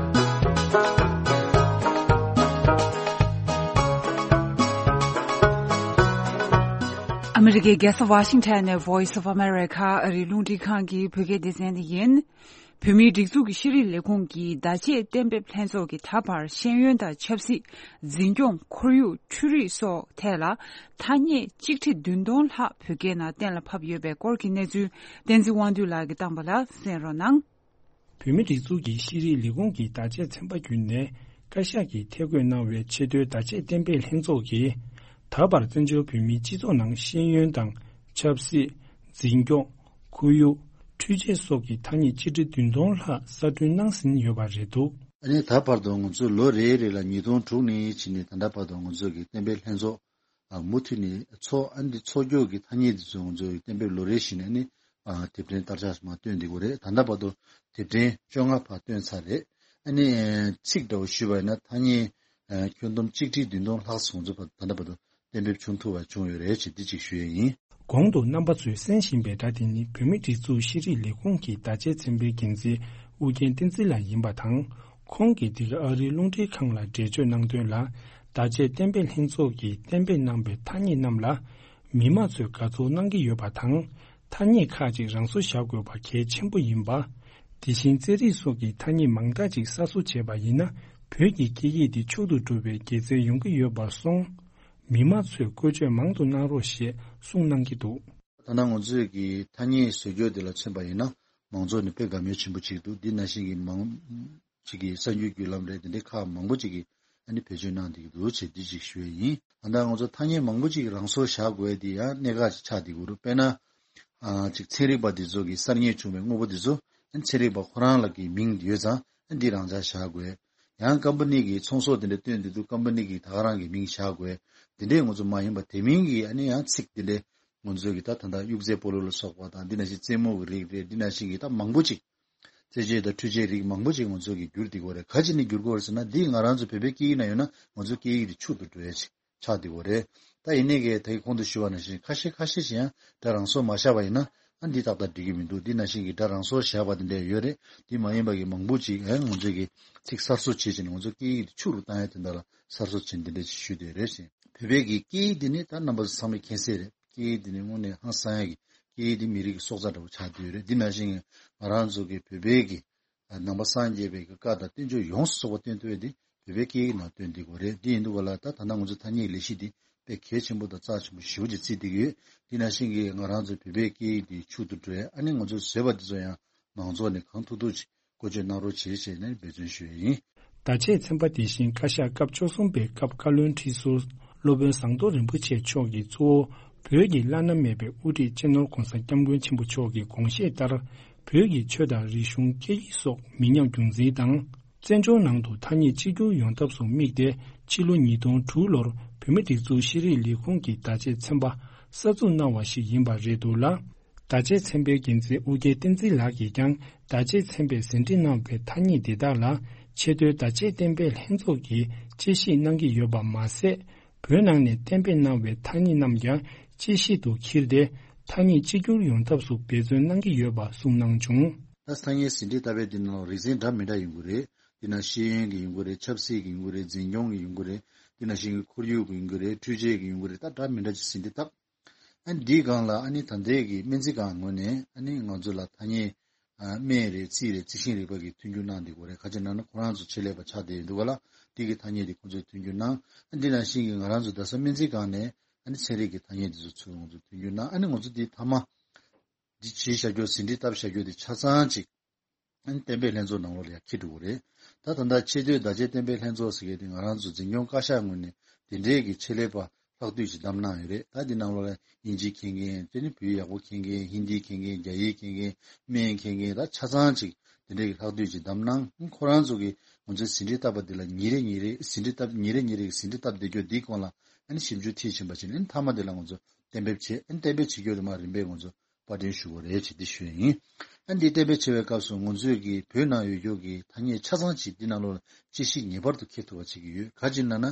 ཨ་མི་རི་ཀའི་རྒྱལ་ས་ཝ་ཤིང་ཊོན་ནས་Voice of America ཨ་རིའི་རླུང་འཕྲིན་ཁང་གི་བོད་སྐད་སྡེ་ཚན་དེ་ཡིན། བོད་མིའི་སྒྲིག་འཛུགས་ཀྱི་ཤེས་རིག་ལས་ཁུངས་ཀྱི་བརྡ་ཆད་གཏན་འབེབས་ལྷན་ཚོགས་ཀྱིས་ད་བར་ཤེས་ཡོན་དང་ཆབ་སྲིད། འཛིན་སྐྱོང་། ཁོར་ཡུག་འཕྲུལ་རིག་སོགས་ཐད་ལ་ཐ་སྙད་གཅིག་ཁྲི་བདུན་སྟོང་ལྷག་བོད་སྐད་ནང་གཏན་ལ་ཕབ་ཡོད་པའི་སྐོར་གྱི་གནས་ཚུལ་བསྟན་འཛིན་དབང་འདུས་ལགས་ཀྱིས་བཏང་པ་ལ་གསན་རོགས་གནང་། བོད་མིའི་སྒྲིག་འཛུགས་ཀྱི་ཤེས་རིག་ལས་ཁུངས་ཀྱི་བརྡ་ཆད་ཚན་པ་བརྒྱུད་ནས་བཀའ་ཤག་གིས་ཐད་བསྐོས་གནང་བའི་ཆེས་མཐོའི་བརྡ་ཆད་གཏན་འབེབས་ལྷན་ཚོགས་ཀྱིས་ད་བར་བཙན་བྱོལ་བོད་མིའི་སྤྱི་ཚོགས་ནང་ཤེས་ཡོན་དང་ཆབ་སྲིད། འཛིན་སྐྱོང་། ཁོར་ཡུག་འཕྲུལ་ཆས་སོགས་ཀྱི་ཐ་སྙད་གཅིག་ཁྲི་བདུན་སྟོང་ལྷག་གསར་སྐྲུན་གནང་ཟིན་ཡོད་པ་རེད་འདུག་ཨ་ནི་ད་བར་དུ་ང་ཚོས་ལོ་རེ་རེ་ལ་ཉིས་སྟོང་དྲུག་ནས་ཕྱིན་ནས་ད་ལྟ་བར་དུ་ང་ཚོས་ཀྱི་གཏན་འབེབས་ལྷན་ཚོགས་ཨ་མུ་མཐུད་ནས་ཚོགས། ཨ་ནི་ཚོགས་རྒྱུ་གི་ཐ་སྙད་དེ་ཚོ་ང་ཚོས་གཏན་འབེབས་ལོ་རེ་བཞིན་ཨ་ནི་ཨ་དེབ་ཕྲེང་བསྟར་ཆགས་མ་བཏོན་བསྡད་ཀྱི་ཡོད་རེད། ད་ལྟ་བར་དུ་དེབ་ཕྲེང་བཅོ་ལྔ་ཕར་བཏོན་ཚར་རེད། ཨ་ནི་ཚིག་འདྲ་བོ་ཞུས་པ་ཡིན་ན་ཐ་སྙད་ཨ་ཁྱོན་བསྡོམས་གཅིག་ཁྲི་བདུན་སྟོང་ལྷག་ཙམ་ང་ཚོ་ད་ལྟ་བར་དུ་གཏན་འབེབས་བྱུང་ཐུབ་པ་བྱུང་ཡོད་རེད་ཅེས་འདི་གཅིག་ཞུ་ཡས་ཡིན། གོང་དུ་རྣམ་པ་ཚོས་གསན་བཞིན་པའི་སྒྲ་དེ་ནི་བོད་མིའི་སྒྲིག་འཛུགས་ཤེས་རིག་ལས་ཁུངས་ཀྱི་བརྡ་ཆད་ཚན་པའི་འགན་འཛིན་ཨུ་རྒྱན་བསྟན་འཛིན་ལགས་ཡིན་པ་དང་། ཁོང་གིས་འདི་ག་ཨ་རིའི་རླུང་འཕྲིན་ཁང་ལ་འགྲེལ་བརྗོད་གནང་དོན་ལ། བརྡ་ཆད་གཏན་འབེབས་ལྷན་ཚོགས་ཀྱིས་གཏན་འབེབས་གནང་པའི་ཐ་སྙད་རྣམས་ལ། མི་མང་ཚོས་དགའ་ཚོར་གནང་གི་ཡོད་པ་དང་། ཐ་སྙད་ཁག་ཅིག་རང་སོར་བཞག་དགོས་པ་གལ་ཆེན་པོ་ཡིན་པ། དེ་བཞིན་རྩེད་རིགས་སོགས་ཀྱི་ཐ་སྙད་མང་དག་ཅིག་གསར་བཟོ་བྱས་པ་ཡིན་ན། བོད་ཀྱི་སྐད་ཡིག་འདི་ཕྱུག་ཏུ་འགྲོ་བའི་དགེ་མཚན་ཡོང་གི་ཡོད་པར་སོང་། མི་མང་ཚོས་བཀོལ་སྤྱོད་མང་དུ་གནང་རོགས་ཞེས་གསུངས་གནང་གི་འདུག་ད་ལྟ་ང་ཚོས་ཀྱི་ཐ་སྙད་བཟོ་བཅོས་འདི་ལ་མཚོན་པ་ཡིན་ན། མང་ཚོགས་ནས་དཔེ་དགའ་མོས་ཆེན་པོ་བྱེད་ཀྱི་འདུག་འདི་ནང་བཞིན་གྱི་མང་ཅིག་གིས་གསར་འགྱུར་བརྒྱུད་ལམ་རེད། དེ་འདྲའི་ཁག་མང་པོ་ཅིག་གིས་ཨ་ནི་བེད་སྤྱོད་གནང་བསྡད་ཀྱི་འདུག་ཅེས་འདི་ཅིག་ཞུ་ཡས་ཡིན། ད་ལྟ་ང་ཚོ་ཐ་སྙད་མང་པོ་ཅིག་རང་སོར་བཞག་དགོས་དེ་ཡང་གནད་འགག་ཅིག་ཆགས་བསྡད་ཀྱི་རེད། དཔེར་ན། ཨ་ཅིག་ཚན་རིག་པ་འདི་ཚོ་གི་གསར་རྙེད་བྱུང་བའི་དངོས་པོ་འདི་ཚོ་ཨ་ནི་ཚན་རིག་པ་ཁོ་རང་ལ་གི་མིང་ཡོད་ཙང་ཨ་འདི་རང་འཇགས་བཞག་དགོས། ཡང་ཀམ་པ་ནི་གི་ཚོང་ཟོག་དེ་འདྲ་བཏོན་དུས་ཀམ་པ་ནི་གི་ད་ག་རང་གི་མིང་བཞག་དགོས། དེ་འདྲའི་ང་ཚོ་མ་ཡིན་པ་དེ་མིན་གྱི་ཨ་ནི་ཡང་ཚིག་དེ་འདྲའི་ང་ཚོ་གི་ད་ད་ལྟ་དབྱུག་རྫས་སྤོ་ལོ་ལ་སོགས་པ་དང་འདི་ནང་བཞིན་རྩེད་མོ་གི་རིགས་རེད། འདི་ནང་བཞིན་གྱི་ད་མང་པོ་ཅིག་རྩེད་ཆས་དང་འཕྲུལ་ཆས་རིགས་མང་པོ་ཅིག་ང་ཚོ་གི་འགྱུར་བསྡད་ཀྱི་ཡོད་རེད། ག་ཅི་ནས་འགྱུར་གྱི་ཡོད་རེད་ཟེར་ན་འདི་ང་རང་ཚོ་བོད་པའི་སྐད་ཡིག་ནང་ཡོད་ན་ང་ཚོ་སྐད་ཡིག་དེ་ཕྱུག་ཏུ་འགྲོ་ཡ་ཅིག་ཆགས་བསྡད་ཡོད་རེད། ད་ཡིན་ནའི་གི་ད་གིན་གོང་དུ་ཞུས་པ་ནང་བཞིན་ཁ་ཤས་ཁ་ཤས་ཤིག་ཡང་སྒྲ་རང་སོར་མ་བཞག་པ་ཡིན་ན་ཨ་འདི་ཏག་ཏག་འགྲིག་གི་མི་འདུག་འདི་ནང་བཞིན་གྱི་སྒྲ་རང་སོར་བཞག་པ་དེ་འདྲ་ཡོད་རེད། འདི་མ་ཡིན་པ་གི་མང་པོ་ཅིག་ཨ་ང་ཚོས་གི་ཚིག་གསར་བཟོ་བྱེད་བྱས་ནས་ང་ཚོ་སྐད་ཡིག་དེ་ཕྱུག་རུ་བཏང་ཡ་དེ་འདྲ་ལ་གསར་བཟོ་བྱས་འདི་འདྲ་ཅིག་ཞུས་བསྡད་ཡོད་རེད་ཅེས། བོད་པའི་གི་སྐད་ཡིག་འདི་ནི་ད་རྣམ་པ་ཚོ་ཚང་མས་མཁྱེན་གསལ་རེད། སྐད་ཡིག་འདི་ནི་དངོས་གནས་ཧང་སང་ཡ་གི་སྐད་ཡིག་འདི་མི་རིགས་ཀྱི་སྲོག་རྩ་འདྲ་བོ་ཆགས་བསྡད་ཡོད་རེད། འདི་ནང་བཞིན་གྱི་ང་རང་ཚོ་གི་བོད་པའི་གི་ནང་པ་སངས་རྒྱས་པའི་གི་བཀའ་དང་བསྟན་བཅོས་ཡོངས་སུ་རྫོགས་པ་བཏོན་ཐུབ་ཡ་དེ་བོད་པའི་སྐད་ཡིག་ནང་བཏོན་བསྡད་ཀྱི་ཡོད་རེད། དེ་ཡིན་དུས་ག་ལ་ད་ད་ལྟ་ང་ཚོ་ཐ་སྙད་ལས་གཞི་འདི་དཔེ་གལ་ཆེན་པོ་དང་རྩ་ཆེན་པོ་ཞེ་པོ་ཅིག་བརྩིས་བསྡད་ཀྱི་ཡོད། དེ་ནང་བཞིན་གྱི་ང་རང་ཚོ་བོད་པའི་སྐད་ཡིག་འདི་ཕྱུག་ཏུ་འགྲོ་ཡ་ཨ་ནི་ང་ཚོ་བཟོས་པ་འདི་ཚོ་ཡང་མང་ཚོགས་ནས་གང་ཐུབ་ཐུབ་ཅིག་བཀོལ་སྤྱོད་གནང་རོགས་བྱེད་ཅེས་ནས་འབད་བརྩོན་ཞུ་ཡ་ཡིན། བརྡ་ཆད་ཚན་པ་དེ་བཞིན་བཀའ་ཤག་སྐབས་བཅུ་གསུམ་པའི་སྐབས་བཀའ་བློན་ཁྲི་ཟུར་སློབ་དཔོན་ཟམ་གདོང་རིན་པོ་ཆེ་མཆོག་གིས་གཙོ་བོ་བོད་ཀྱི་བླ་ན་མེད་པའི་དབུ་ཁྲིད་སྤྱི་ནོར་༸གོང་ས་༸སྐྱབས་མགོན་ཆེན་པོ་མཆོག་གི་དགོངས་བཞེད་ལྟར། བོད་ཀྱི་ཆོས་དང་རིག་གཞུང་སྐད་ཡིག་སོགས་མི་ཉམས་རྒྱུན་འཛིན་དང་། བཙན་བྱོལ་ནང་དུ་ཐ་སྙད་གཅིག་གྱུར་ཡོང་ཐབས་སུ་དམིགས་ཏེ། ཕྱི་ལོ་ཉིས་སྟོང་དྲུག་ལོར་བོད་མིའི་སྒྲིག་འཛུགས་ཤེས་རིག་ལས་ཁུངས་ཀྱིས་བརྡ་ཆད་ཚན་པ་གསར་འཛུགས་གནང་བ་ཞིག་ཡིན་པ་རེད་འདུག་ལ། བརྡ་ཆད་ཚན་པའི་འགན་འཛིན་ཨོ་རྒྱན་བསྟན་འཛིན་ལགས་ཀྱིས་ཀྱང་བརྡ་ཆད་ཚན་པས་ཟིན་བྲིས་གནང་བའི་ཐ་སྙད་འདི་དག་ལ་ཆེས་མཐོའི་བརྡ་ཆད་གཏན་འབེབས་ལྷན་ཚོགས་ཀྱིས་དཔྱད་ཞིབ་གནང་གི་ཡོད་པ་མ་ཟད། བོད་ནང་ནས་གཏན་འབེབས་གནང་བའི་ཐ་སྙད་རྣམས་ཀྱང་དཔྱད་ཞིབ་ཏུ་འཁྱེར་ཏེ། ཐ་སྙད་གཅིག་གྱུར་ཡོང་ཐབས་སུ་འབད་བརྩོན་གནང་གི་ཡོད་པ་གསུངས་གནང་བྱུང་། ད་ཐ་སྙད་ཟིན་བྲིས་ལྟ་བའི་འདི་ནང་རིག་ཚན་འདྲ་མི་འདྲ་ཡོང་གི་རེད། འདི་ན་ཤེས་ཡོན་གྱི་ཡོང་གི་རེད། ཆབ་སྲིད་ཀྱི་ཡོང་གི་རེད། འཛིན་སྐྱོང་གི་ཡོང་གི་རེད། དེ་ནང་བཞིན་གྱི་ཁོར་ཡུག་གི་ཡོང་གི་རེད། འཕྲུལ་ཆས་ཀྱི་ཡོང་གི་རེད། ད་འདྲ་མི་འདྲ་ཅིག་ཟིན་བྲིས་བཏབ། ཨ་ནི་འདིའི་སྒང་ལ་ཨ་ནི་ད་ལྟའི་གི་སྨན་རྩིས་ཁང་ངོས་ནས་ཨ་ནི་ང་ཚོ་ལ་ཐ་སྙད་ཨ་སྨན་རེད། རྩིས་རེད། རྩིས་ཤིང་རིག་པ་གི་མཐུན་འགྱུར་གནང་བསྡད་ཡོད་རེད། ག་ཅི་ན་ན་ཁོ་རང་ཚོ་ཆེད་ལས་པ་ཆགས་བསྡད་ཡོད་འདུག་ག་ལ། འདི་གི་ཐ་སྙད་དེ་ཁོ་ཚོས་མཐུན་འགྱུར་གནང་། ཨ་འདི་ནང་བཞིན་གྱི་ང་རང་ཚོ་རྡ་ས་སྨན་རྩིས་ཁང་ནས་ཨ་ནི་ཚན་རིག་གི་ཐ་སྙད་དེ་ཚོ་ཚུར་ང་ཚོས་མཐུན་འགྱུར་གནང་། ཨ་ནི་ང་ཚོ་འདི་མཐའ་མ་འདི་བྱས་བཞག་རྒྱུ། ཟིན་བྲིས་བཏབ་བཞག་རྒྱུ་དེ་ཆ་ཚང་ཅིག་ཨ་ནི་གཏན་འབེབས་ལྷན་ཚོགས་ནང་ལོགས་ལ་ཡང་འཁྱེར་འགྲོ་གི་རེད། ད་ད་ལྟ་ཆེས་མཐོའི་བརྡ་ཆད་གཏན་འབེབས་ལྷན་ཚོགས་ཟེར་མཁན་དེ་ང་རང་ཚོ་འཛིན་སྐྱོང་བཀའ་ཤག་ངོས་ནས་དེ་འདྲའི་གི་ཆེད་ལས་པ་ལྷག་བསྡུས་ཤིག་བདམས་གནང་ཡོད་རེད། ད་འདི་ནང་ལོགས་ལ་དབྱིན་ཇི་མཁྱེན་མཁན། དེ་ནི་བོད་ཡིག་ཡག་པོ་མཁྱེན་མཁན། ཧིན་དི་མཁྱེན་མཁན། རྒྱ་ཡིག་མཁྱེན་མཁན། སྨན་མཁྱེན་མཁན། ད་ཆ་ཚང་ཅིག་དེ་འདྲའི་གི་ལྷག་བསྡུས་ཤིག་བདམས་གནང་། ཁོ་རང་ཚོ་གིས་ང་ཚོའི་ཟིན་བྲིས་བཏབ་པ་འདི་ལ་ཉིན་རེ་ཉིན་རེ་ཟིན་བྲིས་བཏབ། ཉིན་རེ་ཉིན་རེ་གི་ཟིན་བྲིས་བཏབ་བསྡད་རྒྱུ་འདིའི་སྐོར་ལ་ཨ་ནི་ཞིབ་འཇུག་མཐིལ་ཕྱིན་པ་བྱས་ནས། ཨ་ནི་མཐའ་མ་འདི་ལ་ང་ཚོ་གཏན་འབེབས་བྱས། ཨ་ནི་གཏན་འབེབས་བྱེད་རྒྱུ་དེ་མར་རིམ་པས་ང་ཚོ་པར་སྐྲུན་ཞུ་དགོས་རེད་ཅེས་འདི་ཞུ་ཡ་ཡིན། ཨ་འདི་གཏན་འབེབས་བྱེད་པའི་སྐབས་སུ་ང་ཚོས་ཀྱི་བོད་ནང་ཡོད་རྒྱུ་གི་ཐ་སྙད་ཆ་ཚང་ཅིག་འདི་ནང་ལོགས་ལ་དཔྱད་གཞི་ངེས་པར་དུ་འཁྱེར་ཐུབ་པ་བྱེད་ཀྱི་ཡོད། ག་ཅི་ན་ན་